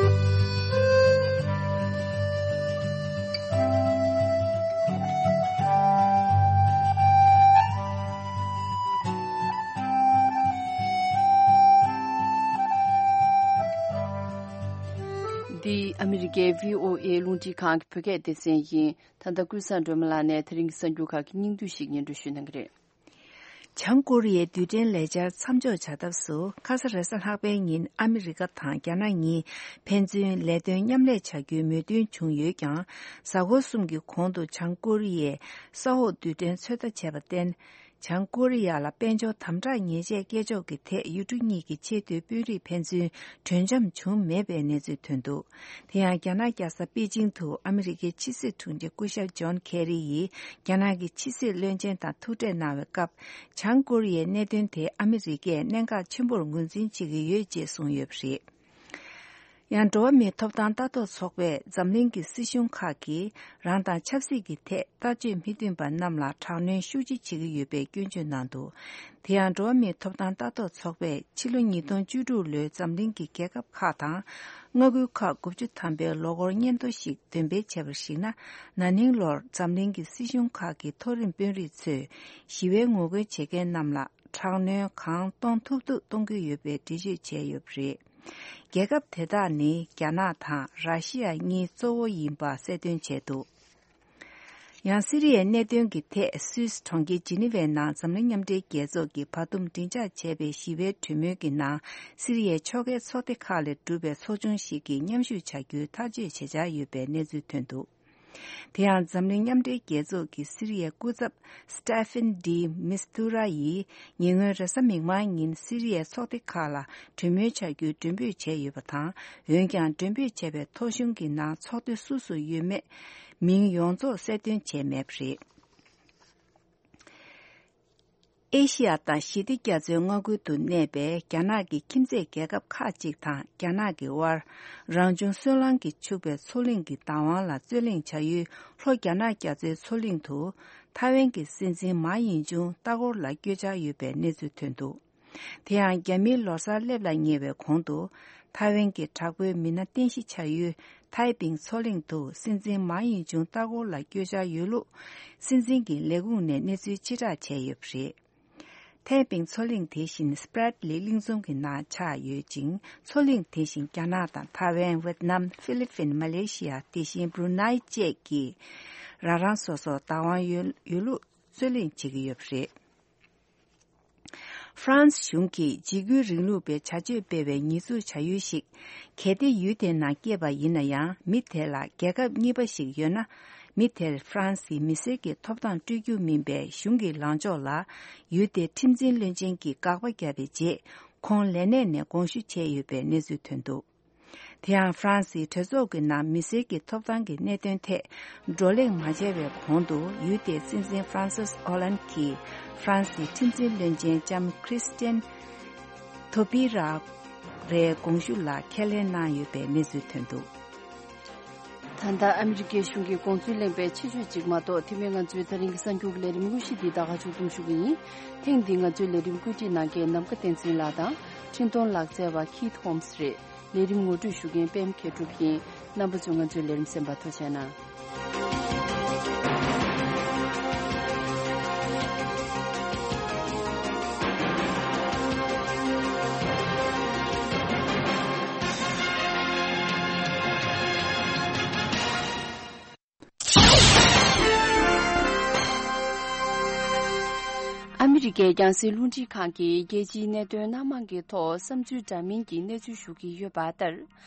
འདི་ཨ་མི་རི་ཀའི་བྷི་ཨོ་ཨེ་རླུང་འཕྲིན་ཁང་གི་བོད་སྐད་སྡེ་ཚན་ཡིན། ད་ལྟ་ཀུན་བཟང་སྒྲོལ་མ་ལགས་ནས་དེ་རིང་གི་གསར་འགྱུར་ཁག་གི་སྙིང་བསྡུས་ཤིག་སྙན་སྒྲོན་ཞུ་གནང་གི་རེད། བྱང་ཀོ་རི་ཡའི་རྡུལ་ཕྲན་ལས་འཆར་མཚམས་འཇོག་བྱ་ཐབས་སུ། ཁ་ས་རེས་གཟའ་ལྷག་པའི་ཉིན་ཨ་མི་རི་ཀ་དང་རྒྱ་ནག་གཉིས་ཕན་ཚུན་ལས་དོན་མཉམ་ལས་བྱ་རྒྱུའི་མོས་མཐུན་བྱུང་ཡོད་ཀྱང་། གཟའ་འཁོར་གསུམ་གྱི་གོང་དུ་བྱང་ཀོ་རི་ཡས་ས་འོག་རྡུལ་ཕྲན་ཚོད་ལྟ་བྱས་པར་བརྟེན། བྱང་ཀོ་རི་ཡ་ལ་དཔལ་འབྱོར་དམ་དྲག་ཉེས་ཆད་བཀལ་ཕྱོགས་ཀྱི་ཐད། ཡུལ་གྲུ་གཉིས་ཀྱི་ཆེས་མཐོའི་དཔོན་རིགས་ཕན་ཚུན་གྲོས་འཆམ་བྱུང་མེད་པའི་གནས་ཚུལ་ཐོན་འདུག། དེ་ཡང་། རྒྱ་ནག་རྒྱལ་ས་པེ་ཅིང་དུ་ཨ་མི་རི་ཀའི་ཕྱི་སྲིད་དྲུང་ཆེ་སྐུ་ཞབས་ཇོན་ཁེ་རི་ཡིས་རྒྱ་ནག་གི་ཕྱི་སྲིད་བློན་ཆེན་དང་ཐུག་འཕྲད་གནང་བའི་སྐབས། བྱང་ཀོ་རི་ཡའི་གནད་དོན་དེ་ཨ་མི་རི་ཀས་གནད་འགག་ཆེན་པོར་ངོས་འཛིན་བྱེད་ཀྱི་ཡོད་ཅེས་གསུངས་ཡོད་པ་རེད། ཡང་། འགྲོ་བ་མིའི་ཐོབ་ཐང་ལྟ་རྟོག་ཚོགས་པས་འཛམ་གླིང་གི་སྲིད་གཞུང་ཁག་གིས་རང་དང་ཆབ་སྲིད་ཀྱི་ཐད་ལྟ་སྤྱོད་མི་མཐུན་པ་རྣམས་ལ་དྲག་གནོན་ཤུགས་ཆེ་བྱེད་ཀྱི་ཡོད་པའི་སྐྱོན་བརྗོད་གནང་འདུག། དེ་ཡང་། འགྲོ་བ་མིའི་ཐོབ་ཐང་ལྟ་རྟོག་ཚོགས་པས་ཕྱི་ལོ་ཉིས་སྟོང་བཅུ་དྲུག་ལོའི་འཛམ་གླིང་གི་རྒྱལ་ཁབ་ཁག་དང་། མངའ་ཁུལ་ཁག་དགུ་བཅུ་ཐམ་པའི་ལོ་འཁོར་སྙན་ཐོ་ཞིག་འདོན་སྤེལ་བྱས་པར་གཞིགས་ན། ན་ནིང་ལོར་འཛམ་གླིང་གི་སྲིད་གཞུང་ཁག་གི་མཐོ་རིམ་དཔོན་རིགས་ཚོས་ཞི་བའི་ངོ་རྒོལ་བྱེད་མཁན་རྣམས་ལ་དྲག་གནོན་གང་གཏོང་ཐུབ་ཐུབ་གཏོང་གི་ཡོད་པའི་འགྲེལ་བརྗོད་བྱས་ཡོད་པ་རེད། རྒྱལ་ཁབ་དེ་དག་ནི་རྒྱ་ནག་དང་ར་ཤི་ཡ་གཉིས་གཙོ་བོ་ཡིན་པ་གསལ་སྟོན་བྱས་འདུག། ཡང་། སི་རི་ཡའི་གནད་དོན་གྱི་ཐད་སུད་སི་གྲོང་ཁྱེར་ཇི་ནི་ཝའི་ནང་འཛམ་གླིང་མཉམ་འབྲེལ་རྒྱལ་ཚོགས་ཀྱིས་བར་འདུམ་སྒྲིག་འཇགས་བྱས་པའི་ཞི་བའི་གྲོས་མོལ་གྱི་ནང་། སི་རི་ཡའི་ཕྱོགས་འགལ་ཚོགས་སྡེ་ཁག་ལས་གྲུབ་པའི་ཚོགས་ཆུང་ཞིག་གིས་མཉམ་ཞུགས་བྱ་རྒྱུའི་ཐག་གཅོད་བྱེད་འཆར་ཡོད་པའི་གནས་ཚུལ་ཐོན་འདུག། དེ་ཡང་། འཛམ་གླིང་མཉམ་འབྲེལ་རྒྱལ་ཚོགས་ཀྱི་སི་རི་ཡའི་སྐུ་ཚབ་སི་ཏེ་ཕན་ཌི་མིས་ཐུ་ར་ཡིས་ཉེ་སྔོན་རེས་གཟའ་མིག་དམར་ཉིན་སི་རི་ཡའི་ཚོགས་སྡེ་ཁག་ལ་གྲོས་མོལ་བྱ་རྒྱུའི་མགྲོན་འབོད་བྱས་ཡོད་པ་དང་། འོན་ཀྱང་། མགྲོན་འབོད་བྱས་པའི་ཐོ་གཞུང་གི་ནང་ཚོགས་སྡེ་སུ་སུ་ཡོད་མེད་མིང་ཡོངས་རྫོགས་གསལ་སྟོན་བྱས་མེད་པ་རེད། ཨེ་ཤི་ཡ་དང་ཞི་བདེ་རྒྱ་མཚོའི་མངའ་ཁུལ་དུ་གནས་པའི་རྒྱ་ནག་གི་ཁྱིམ་མཚེས་རྒྱལ་ཁབ་ཁག་ཅིག་དང་རྒྱ་ནག་གི་དབར། རང་བྱུང་སོལ་རླངས་ཀྱིས་ཕྱུག་པའི་མཚོ་གླིང་གི་བདག་དབང་ལ་རྩོད་གླེང་བྱ་ཡུལ་ལྷོ་རྒྱ་ནག་རྒྱ་མཚོའི་མཚོ་གླིང་དུ། ཐའེ་ཝན་གྱི་སྲིད་འཛིན་མཱ་ཡིན་ཅུང་ལྟ་སྐོར་ལ་བསྐྱོད་འཆར་ཡོད་པའི་གནས་ཚུལ་ཐོན་འདུག། དེ་ཡང་། རྒྱ་མིའི་ལོ་གསར་སླེབས་ལ་ཉེ་བའི་གོང་དུ། ཐའེ་ཝན་གྱི་དྲག་པོའི་མི་སྣ་རྟེན་གཞི་བྱ་ཡུལ་ཐའེ་པིང་མཚོ་གླིང་དུ་སྲིད་འཛིན་མཱ་ཡིན་ཅུང་ལྟ་སྐོར་ལ་བསྐྱོད་འཆར་ཡོད་ལུགས། སྲིད་འཛིན་གྱི་ལས་ཁུངས་ནས་གནས་ཚུལ་ཕྱིར་བསྒྲགས་བྱས་ཡོད་པ་རེད། ཐའེ་པིང་མཚོ་གླིང་དེ་བཞིན་སྤྲད་ལི་གླིང་ཚོམ་གྱི་ནང་ཆགས་ཡོད་ཅིང་། མཚོ་གླིང་དེ་བཞིན་རྒྱ་ནག་དང་ཐའེ་ཝན། ཝེད་ནམ། ཧྥི་ལི་ཕིན། མ་ལེ་ཤི་ཡ། དེ་བཞིན་བྷུ་རུ་ནའི་བཅས་ཀྱིས་རང་རང་སོ་སོར་བདག་དབང་ཡོད་ཡོད་ལུགས་རྩོད་གླེང་བྱེད་ཀྱི་ཡོད་པ་རེད། ཧྥ་རན་སི་གཞུང་གིས་འཇིགས་སྐུལ་རིང་ལུགས་པའི་བྱ་སྤྱོད་སྤེལ་བའི་ཉེས་འཛུགས་བྱ་ཡུལ་ཞིག་གལ་ཏེ་ཡུལ་དེའི་ནང་སྐྱེས་པ་ཡིན་ན་ཡང་། མི་དེ་ལ་རྒྱལ་ཁབ་གཉིས་པ་ཞིག་ཡོད་ན། མི་དེར་ཧྥ་རན་སིའི་མི་སེར་གྱི་ཐོབ་ཐང་སྤྲོད་རྒྱུ་མིན་པའི་གཞུང་གི་ལངས་ཕྱོགས་ལ། ཡུལ་དེའི་ཁྲིམས་འཛིན་བློན་ཆེན་གྱིས་དགག་པ་བརྒྱབ་པའི་རྗེས། ཁོང་ལས་གནས་ནས་དགོངས་ཞུ་བྱས་ཡོད་པའི་གནས་ཚུལ་ཐོན་འདུག། དེ་ཡང་། ཧྥ་རན་སིའི་གྲོས་ཚོགས་ཀྱི་ནང་མི་སེར་གྱི་ཐོབ་ཐང་གི་གནད་དོན་ཐད་བགྲོ་གླེང་མ་བྱས་པའི་གོང་དུ། ཡུལ་དེའི་སྲིད་འཛིན་ཧྥ་རན་སིས་ཨོ་ལན་གྱིས་ཧྥ་རན་སིའི་ཁྲིམས་འཛིན་བློན་ཆེན་ལྕམ་ཁྲི་སི་ཏན་ཐོ་པི་ར་རའི་དགོངས་ཞུ་ལ་ཁས་ལེན་གནང་ཡོད་པའི་གནས་ཚུལ་ཐོན་འདུག། ད་ལྟ་ཨ་མི་རི་ཀའི་གཞུང་གི་དགོངས་ཚུལ་གླེང་བའི་ཆེད་བརྗོད་ཅིག་མ་གཏོགས། དེ་སྔོན་ང་ཚོའི་དེ་རིང་གི་གསར་འགྱུར་གྱི་ལས་རིམ་དངོས་གཞི་འདི་ད་ག་མཇུག་བསྡོམས་ཞུ་གི་ཡིན། ཐེངས་འདིའི་ང་ཚོའི་ལས་རིམ་བཀོད་སྒྲིག་གནང་མཁན་ནམ་མཁའ་བསྟན་འཛིན་ལགས་དང་འཕྲིན་གཏོང་ལག་རྩལ་བ་ཁིད་ཧོམ་སི་རེད། ལས་རིམ་ངོ་སྤྲོད་ཞུ་མཁན་པད་མ་མཁས་གྲུབ་ཡིན། རྣམ་པ་ཚོས་ང་ཚོའི་ལས་རིམ་གསན་པར་ཐུགས་རྗེ་གནང་། ཨ་མི་རི་ཀའི་རྒྱང་སྲིང་རླུང་འཕྲིན་ཁང་གིས་རྒྱལ་སྤྱིའི་གནད་དོན་སྣ་མང་གི་ཐོག་བསམ་ཚུལ་འདྲ་མིན་གྱི་གནས་ཚུལ་ཞུ་གི་ཡོད་པ་ལྟར།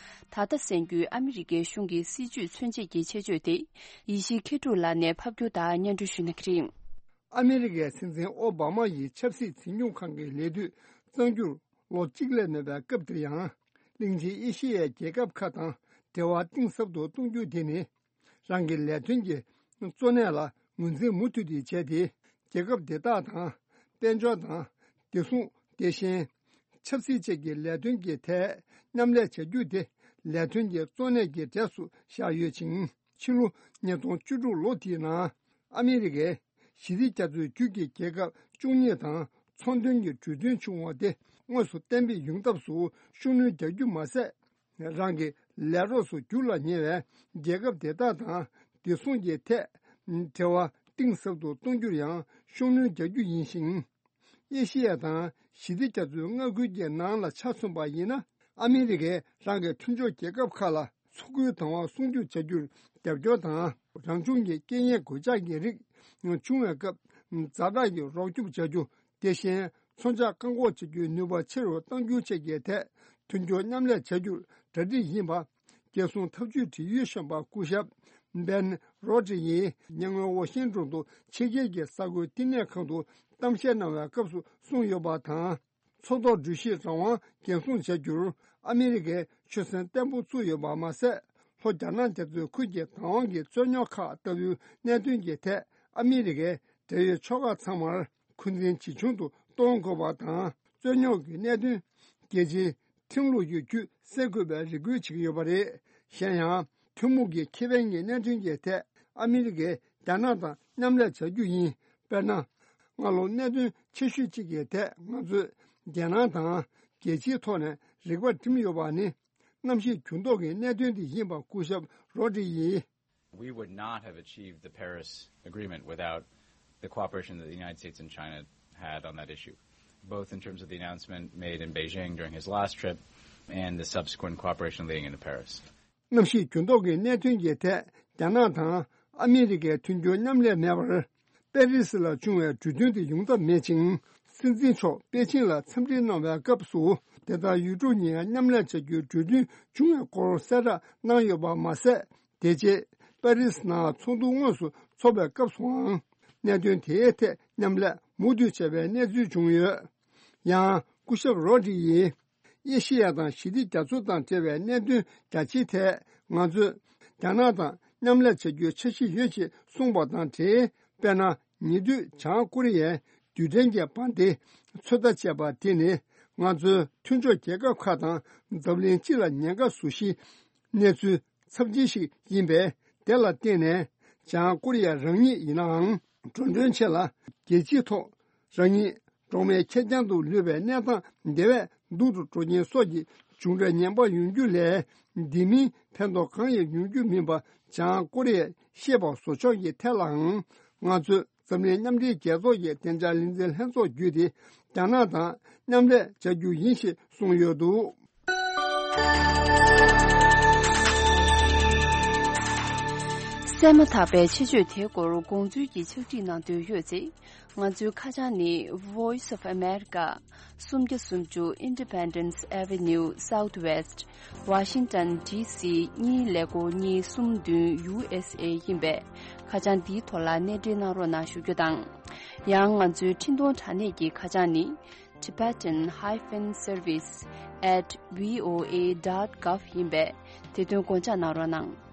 ད་ལྟ་གསན་རྒྱུའི་ཨ་མི་རི་ཀའི་གཞུང་གི་སྲིད་བྱུས་མཚོན་བྱེད་ཀྱི་ཆེད་བརྗོད་དེ། ཡེ་ཤེས་མཁས་གྲུབ་ལགས་ནས་ཕབ་སྒྱུར་དང་སྙན་སྒྲོན་ཞུ་གནང་གི་རེད། ཨ་མི་རི་ཀའི་སྲིད་འཛིན་ཨོ་བྷ་མ་ཡིས་ཆབ་སྲིད་འཛིན་སྐྱོང་ཁང་གི་ལས་དུས་གཙང་སྒྱུར་ལོ་གཅིག་ལས་སྣོན་པའི་སྐབས་དེར་ཡང་། གླིང་ཆེན་ཨེ་ཤེ་ཡའི་རྒྱལ་ཁབ་ཁག་དང་འབྲེལ་བ་གཏིང་ཟབ་ཏུ་གཏོང་རྒྱུ་དེ་ནི། རང་གི་ལས་དོན་གྱི་གཙོ་གནད་ལ་ངོས་འཛིན་མུ་མཐུད་དེ་བྱས་ཏེ། རྒྱལ་ཁབ་དེ་དག་དང་། དཔལ་འབྱོར་དང་། བདེ་སྲུང་། དེ་བཞིན། ཆབ་སྲིད་བཅས་ཀྱི་ལས་དོན་གྱི་ཐད་མཉམ་ལས་བྱ་རྒྱུ་དེ་ལས་དོན་གྱི་གཙོ་གནད་ཀྱི་གྲས་སུ་བཞག་ཡོད་ཅིང་། ཕྱི་ལོ་ཉིས་སྟོང་བཅུ་དྲུག་ལོ་དེའི་ནང་ཨ་མི་རི་ཀས་ཞི་བདེ་རྒྱ་མཚོའི་རྒྱུད་ཀྱི་རྒྱལ་ཁབ་བཅུ་གཉིས་དང་ཚོང་དོན་གྱི་གྲོས་མཐུན་བྱུང་བ་དེ་དངོས་སུ་གཏན་འབེབས་ཡོང་ཐབས་སུ་ཤུགས་སྣོན་རྒྱག་རྒྱུ་མ་ཟད། རང་གི་ལས་རོགས་སུ་འགྱུར་ལ་ཉེ་བའི་རྒྱལ་ཁབ་དེ་དག་དང་བདེ་སྲུང་གི་ཐད་འབྲེལ་བ་གཏིང་ཟབ་ཏུ་གཏོང་རྒྱུར་ཡང་ཤུགས་སྣོན་རྒྱག་རྒྱུ་ཡིན་ཞིང་། ཨེ་ཤེ་ཡ་དང་ཞི་བདེ་རྒྱ་མཚོའི་མངའ་ཁུལ་གྱི་ནང་ལ་ཆ་མཚོན་པ་ཡིན་ན། ཨ་མི་རི་ཀས་རང་གི་མཐུན་ཕྱོགས་རྒྱལ་ཁབ་ཁག་ལ་མཚོ་ཁུལ་དང་བ་སྲུང་སྐྱོབ་བྱ་རྒྱུར་རྒྱབ་སྐྱོར་དང་། རང་བྱུང་གི་རྐྱེན་ངན་གོད་ཆག་གི་རིགས་བྱུང་བའི་སྐབས་ཛ་དྲག་གི་རོགས་སྐྱོབ་བྱ་རྒྱུ། དེ་བཞིན་མཚོན་ཆ་བཀག་འགོག་བྱེད་རྒྱུའི་ནུས་པ་ཆེ་རུ་གཏང་རྒྱུ་བཅས་ཀྱི་ཐད་མཐུན་སྦྱོར་མཉམ་ལས་བྱ་རྒྱུར་གྲ་སྒྲིག་ཡིན་པ། རྒྱལ་སྲུང་ཐབས་ཇུས་འབྲེལ་ཡོད་གཞོན་པ་སྐུ་ཞབས་བན་རོ་ཏྲི་ཡིས་ཉེ་སྔོན་ཝ་ཤིང་ཏོན་དུ་ཕྱི་རྒྱལ་གྱི་གསར་འགོད་བསྟི་གནས་ཁང་དུ་གཏམ་བཤད་གནང་བའི་སྐབས་སུ་གསུངས་ཡོད་པ་དང་། མཚོ་ཐོག་འགྲུལ་བཞུད་རང་དབང་འགན་སྲུང་བྱ་རྒྱུར་ཨ་མི་རི་ཀས་ཆོད་སེམས་བརྟན་པོ་བཙུགས་ཡོད་པ་མ་ཟད། ལྷོ་རྒྱ་ནག་རྒྱ་མཚོའི་ཁུལ་གྱི་བདག་དབང་གི་རྩོད་རྙོག་ཁག་ལྟ་བུའི་གནད་དོན་གྱི་ཐད་ཨ་མི་རི་ཀས་འབྲེལ་ཡོད་ཕྱོགས་ཁག་ཚང་མར་འཁོན་འཛིན་ཇེ་ཆུང་དུ་གཏོང་དགོས་པ་དང་། རྩོད་རྙོག་གི་གནད་དོན་རྒྱལ་སྤྱིའི་ཁྲིམས་ལུགས་ཀྱི་བརྒྱུད་སེལ་དགོས་པའི་རེ་སྐུལ་བྱེད་ཀྱི་ཡོད་པ་རེད། གཞན་ཡང་། ཐུན་མོང་གི་ཁེ་ཕན་གྱི་གནད་དོན་གྱི་ཐད་ཨ་མི་རི་ཀས་རྒྱ་ནག་དང་མཉམ་ལས་བྱ་རྒྱུ་ཡིན། དཔེར་ན། སྔ་ལོ་གནད་དོན་ཆེ་ཤོས་གཅིག་གི་ཐད་ང་ཚོས་རྒྱལ་ནང་དང་རྒྱལ་སྤྱིའི་ཐོག་ནས་རིག་པ་བསྒྲིམས་ཡོད་པ་ནི། གནམ་གཤིས་འགྱུར་ལྡོག་གི་གནད་དོན་དེ་ཡིན་པ་སྐུ་ཞབས་རོ་ཏྲི་ཡིས། We would not have achieved the Paris Agreement without the cooperation that the United States and China had on that issue, both in terms of the announcement made in Beijing during his last trip and the subsequent cooperation leading into Paris. གནམ་གཤིས་འགྱུར་ལྡོག་གི་གནད་དོན་གྱི་ཐད་རྒྱ་ནག་དང་ཨ་མི་རི་ཀའི་མཐུན་འགྱུར་མཉམ་ལས་མེད་པར། པེ་རི་སི་ལ་བྱུང་བའི་གྲོས་མཐུན་དེ་ཡོང་ཐབས་མེད་ཅིང་། སྲིད་འཛིན་མཆོག་པེ་ཅིང་ལ་འཚམས་འདྲི་གནང་བའི་སྐབས་སུ། དེ་ལྟར་ཡུལ་གྲུ་གཉིས་མཉམ་ལས་བྱ་རྒྱུའི་གྲོས་མཐུན་བྱུང་བའི་སྐོར་གསལ་བསྒྲགས་གནང་ཡོད་པ་མ་ཟད། དེ་རྗེས་པེ་རི་སི་ནང་ཚོགས་འདུ་དངོས་སུ་འཚོགས་པའི་སྐབས་སུའང་། གནད་དོན་དེའི་ཐད་མཉམ་ལས་མུ་མཐུད་བྱས་པའི་གནས་ཚུལ་བྱུང་ཡོད། ཡང་སྐུ་ཞབས་རོ་ཏྲི་ཡིས། ཨེ་ཤེ་ཡ་དང་ཞི་བདེ་རྒྱ་མཚོ་དང་འབྲེལ་བའི་གནད་དོན་རྒྱ་ཆེའི་ཐད་ང་ཚོས་རྒྱ་ནག་དང་མཉམ་ལས་བྱ་རྒྱུའི་འཆར་གཞི་ཡོད་ཅེས་གསུངས་པ་དང་འབྲེལ། དཔེར་ན། ཉེ་དུས་བྱང་ཀོ་རི་ཡས་རྡུལ་ཕྲན་གྱི་འབར་མདེལ་ཚོད་ལྟ་བྱས་པ་དེ་ནི་ང་ཚོའི་མཐུན་ཕྱོགས་རྒྱལ་ཁབ་ཁག་དང་འཛམ་གླིང་སྤྱི་ལ་ཉེན་ཁ་བཟོ་གཞིའི་གནས་ཚུལ་ཚབས་ཆེན་ཞིག་ཡིན་པས། དེ་ལ་བརྟེན་ནས་བྱང་ཀོ་རི་ཡ་རང་ཉིད་ཡིན་ནའང་འགྲོ་གྲོན་ཆེ་ལ་རྒྱལ་སྤྱིའི་ཐོག་རང་ཉིད་གྲོགས་མེད་ཁེར་རྐྱང་དུ་ལུས་པའི་གནས་སྟངས་དེ་བས་སྡུག་ཏུ་འགྲོ་རྐྱེན་སོགས་ཀྱི་བྱུང་འབྲས་ངན་པ་ཡོང་རྒྱུ་ལས། དེ་མིན་ཕན་ཐོགས་གང་ཡང་ཡོང་རྒྱུ་མིན་པ་བྱང་ཀོ་རི་ཡས་ཤེས་པ་བཟོ་ཕྱོགས་ཀྱི་ཐད་ལའང་། ང་ཚོས་འཛམ་གླིང་མཉམ་འབྲེལ་རྒྱལ་ཚོགས་ཀྱི་བདེ་འཇགས་ལས་འཛིན་ལྷན་ཚོགས་བརྒྱུད་དེ་རྒྱ་ནག་དང་མཉམ་ལས་བྱ་རྒྱུ་ཡིན་ཞེས་གསུངས་ཡོད་འདུག། གསན་མ་ཐག་པའི་ཆེད་བརྗོད་དེའི་སྐོར་དགོངས་ཚུལ་གྱི་ཕྱག་བྲིས་གནང་འདོད་ཡོད་ཚེ། ང་ཚོའི་ཁ་བྱང་ནི། Voice of America། སུམ་བརྒྱ་སུམ་ཅུ་Independence Avenue Southwest། Washington D C གཉིས་ཀླད་ཀོར་གཉིས་གསུམ་བདུན། U S A ཡིན་པས། ཁ་བྱང་འདིའི་ཐོག་ལ་གནས་འབྲེལ་གནང་རོགས་གནང་ཞུ་རྒྱུ་དང་། ཡང་ང་ཚོའི་འཕྲིན་གཏོང་དྲ་གནས་ཀྱི་ཁ་བྱང་ནི། Tibetan hyphen service at V O A dot gov ཡིན་པས། དེ་དོན་དགོངས་འཇགས་གནང་རོགས་གནང་།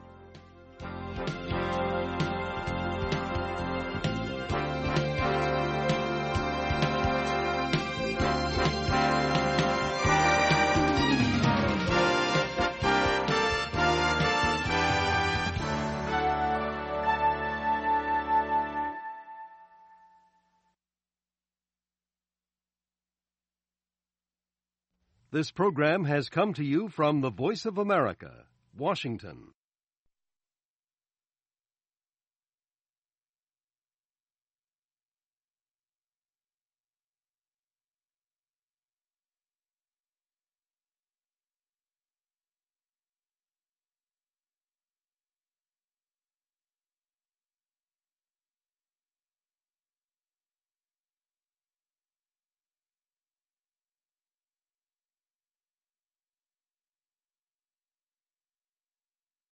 This program has come to you from the Voice of America, Washington.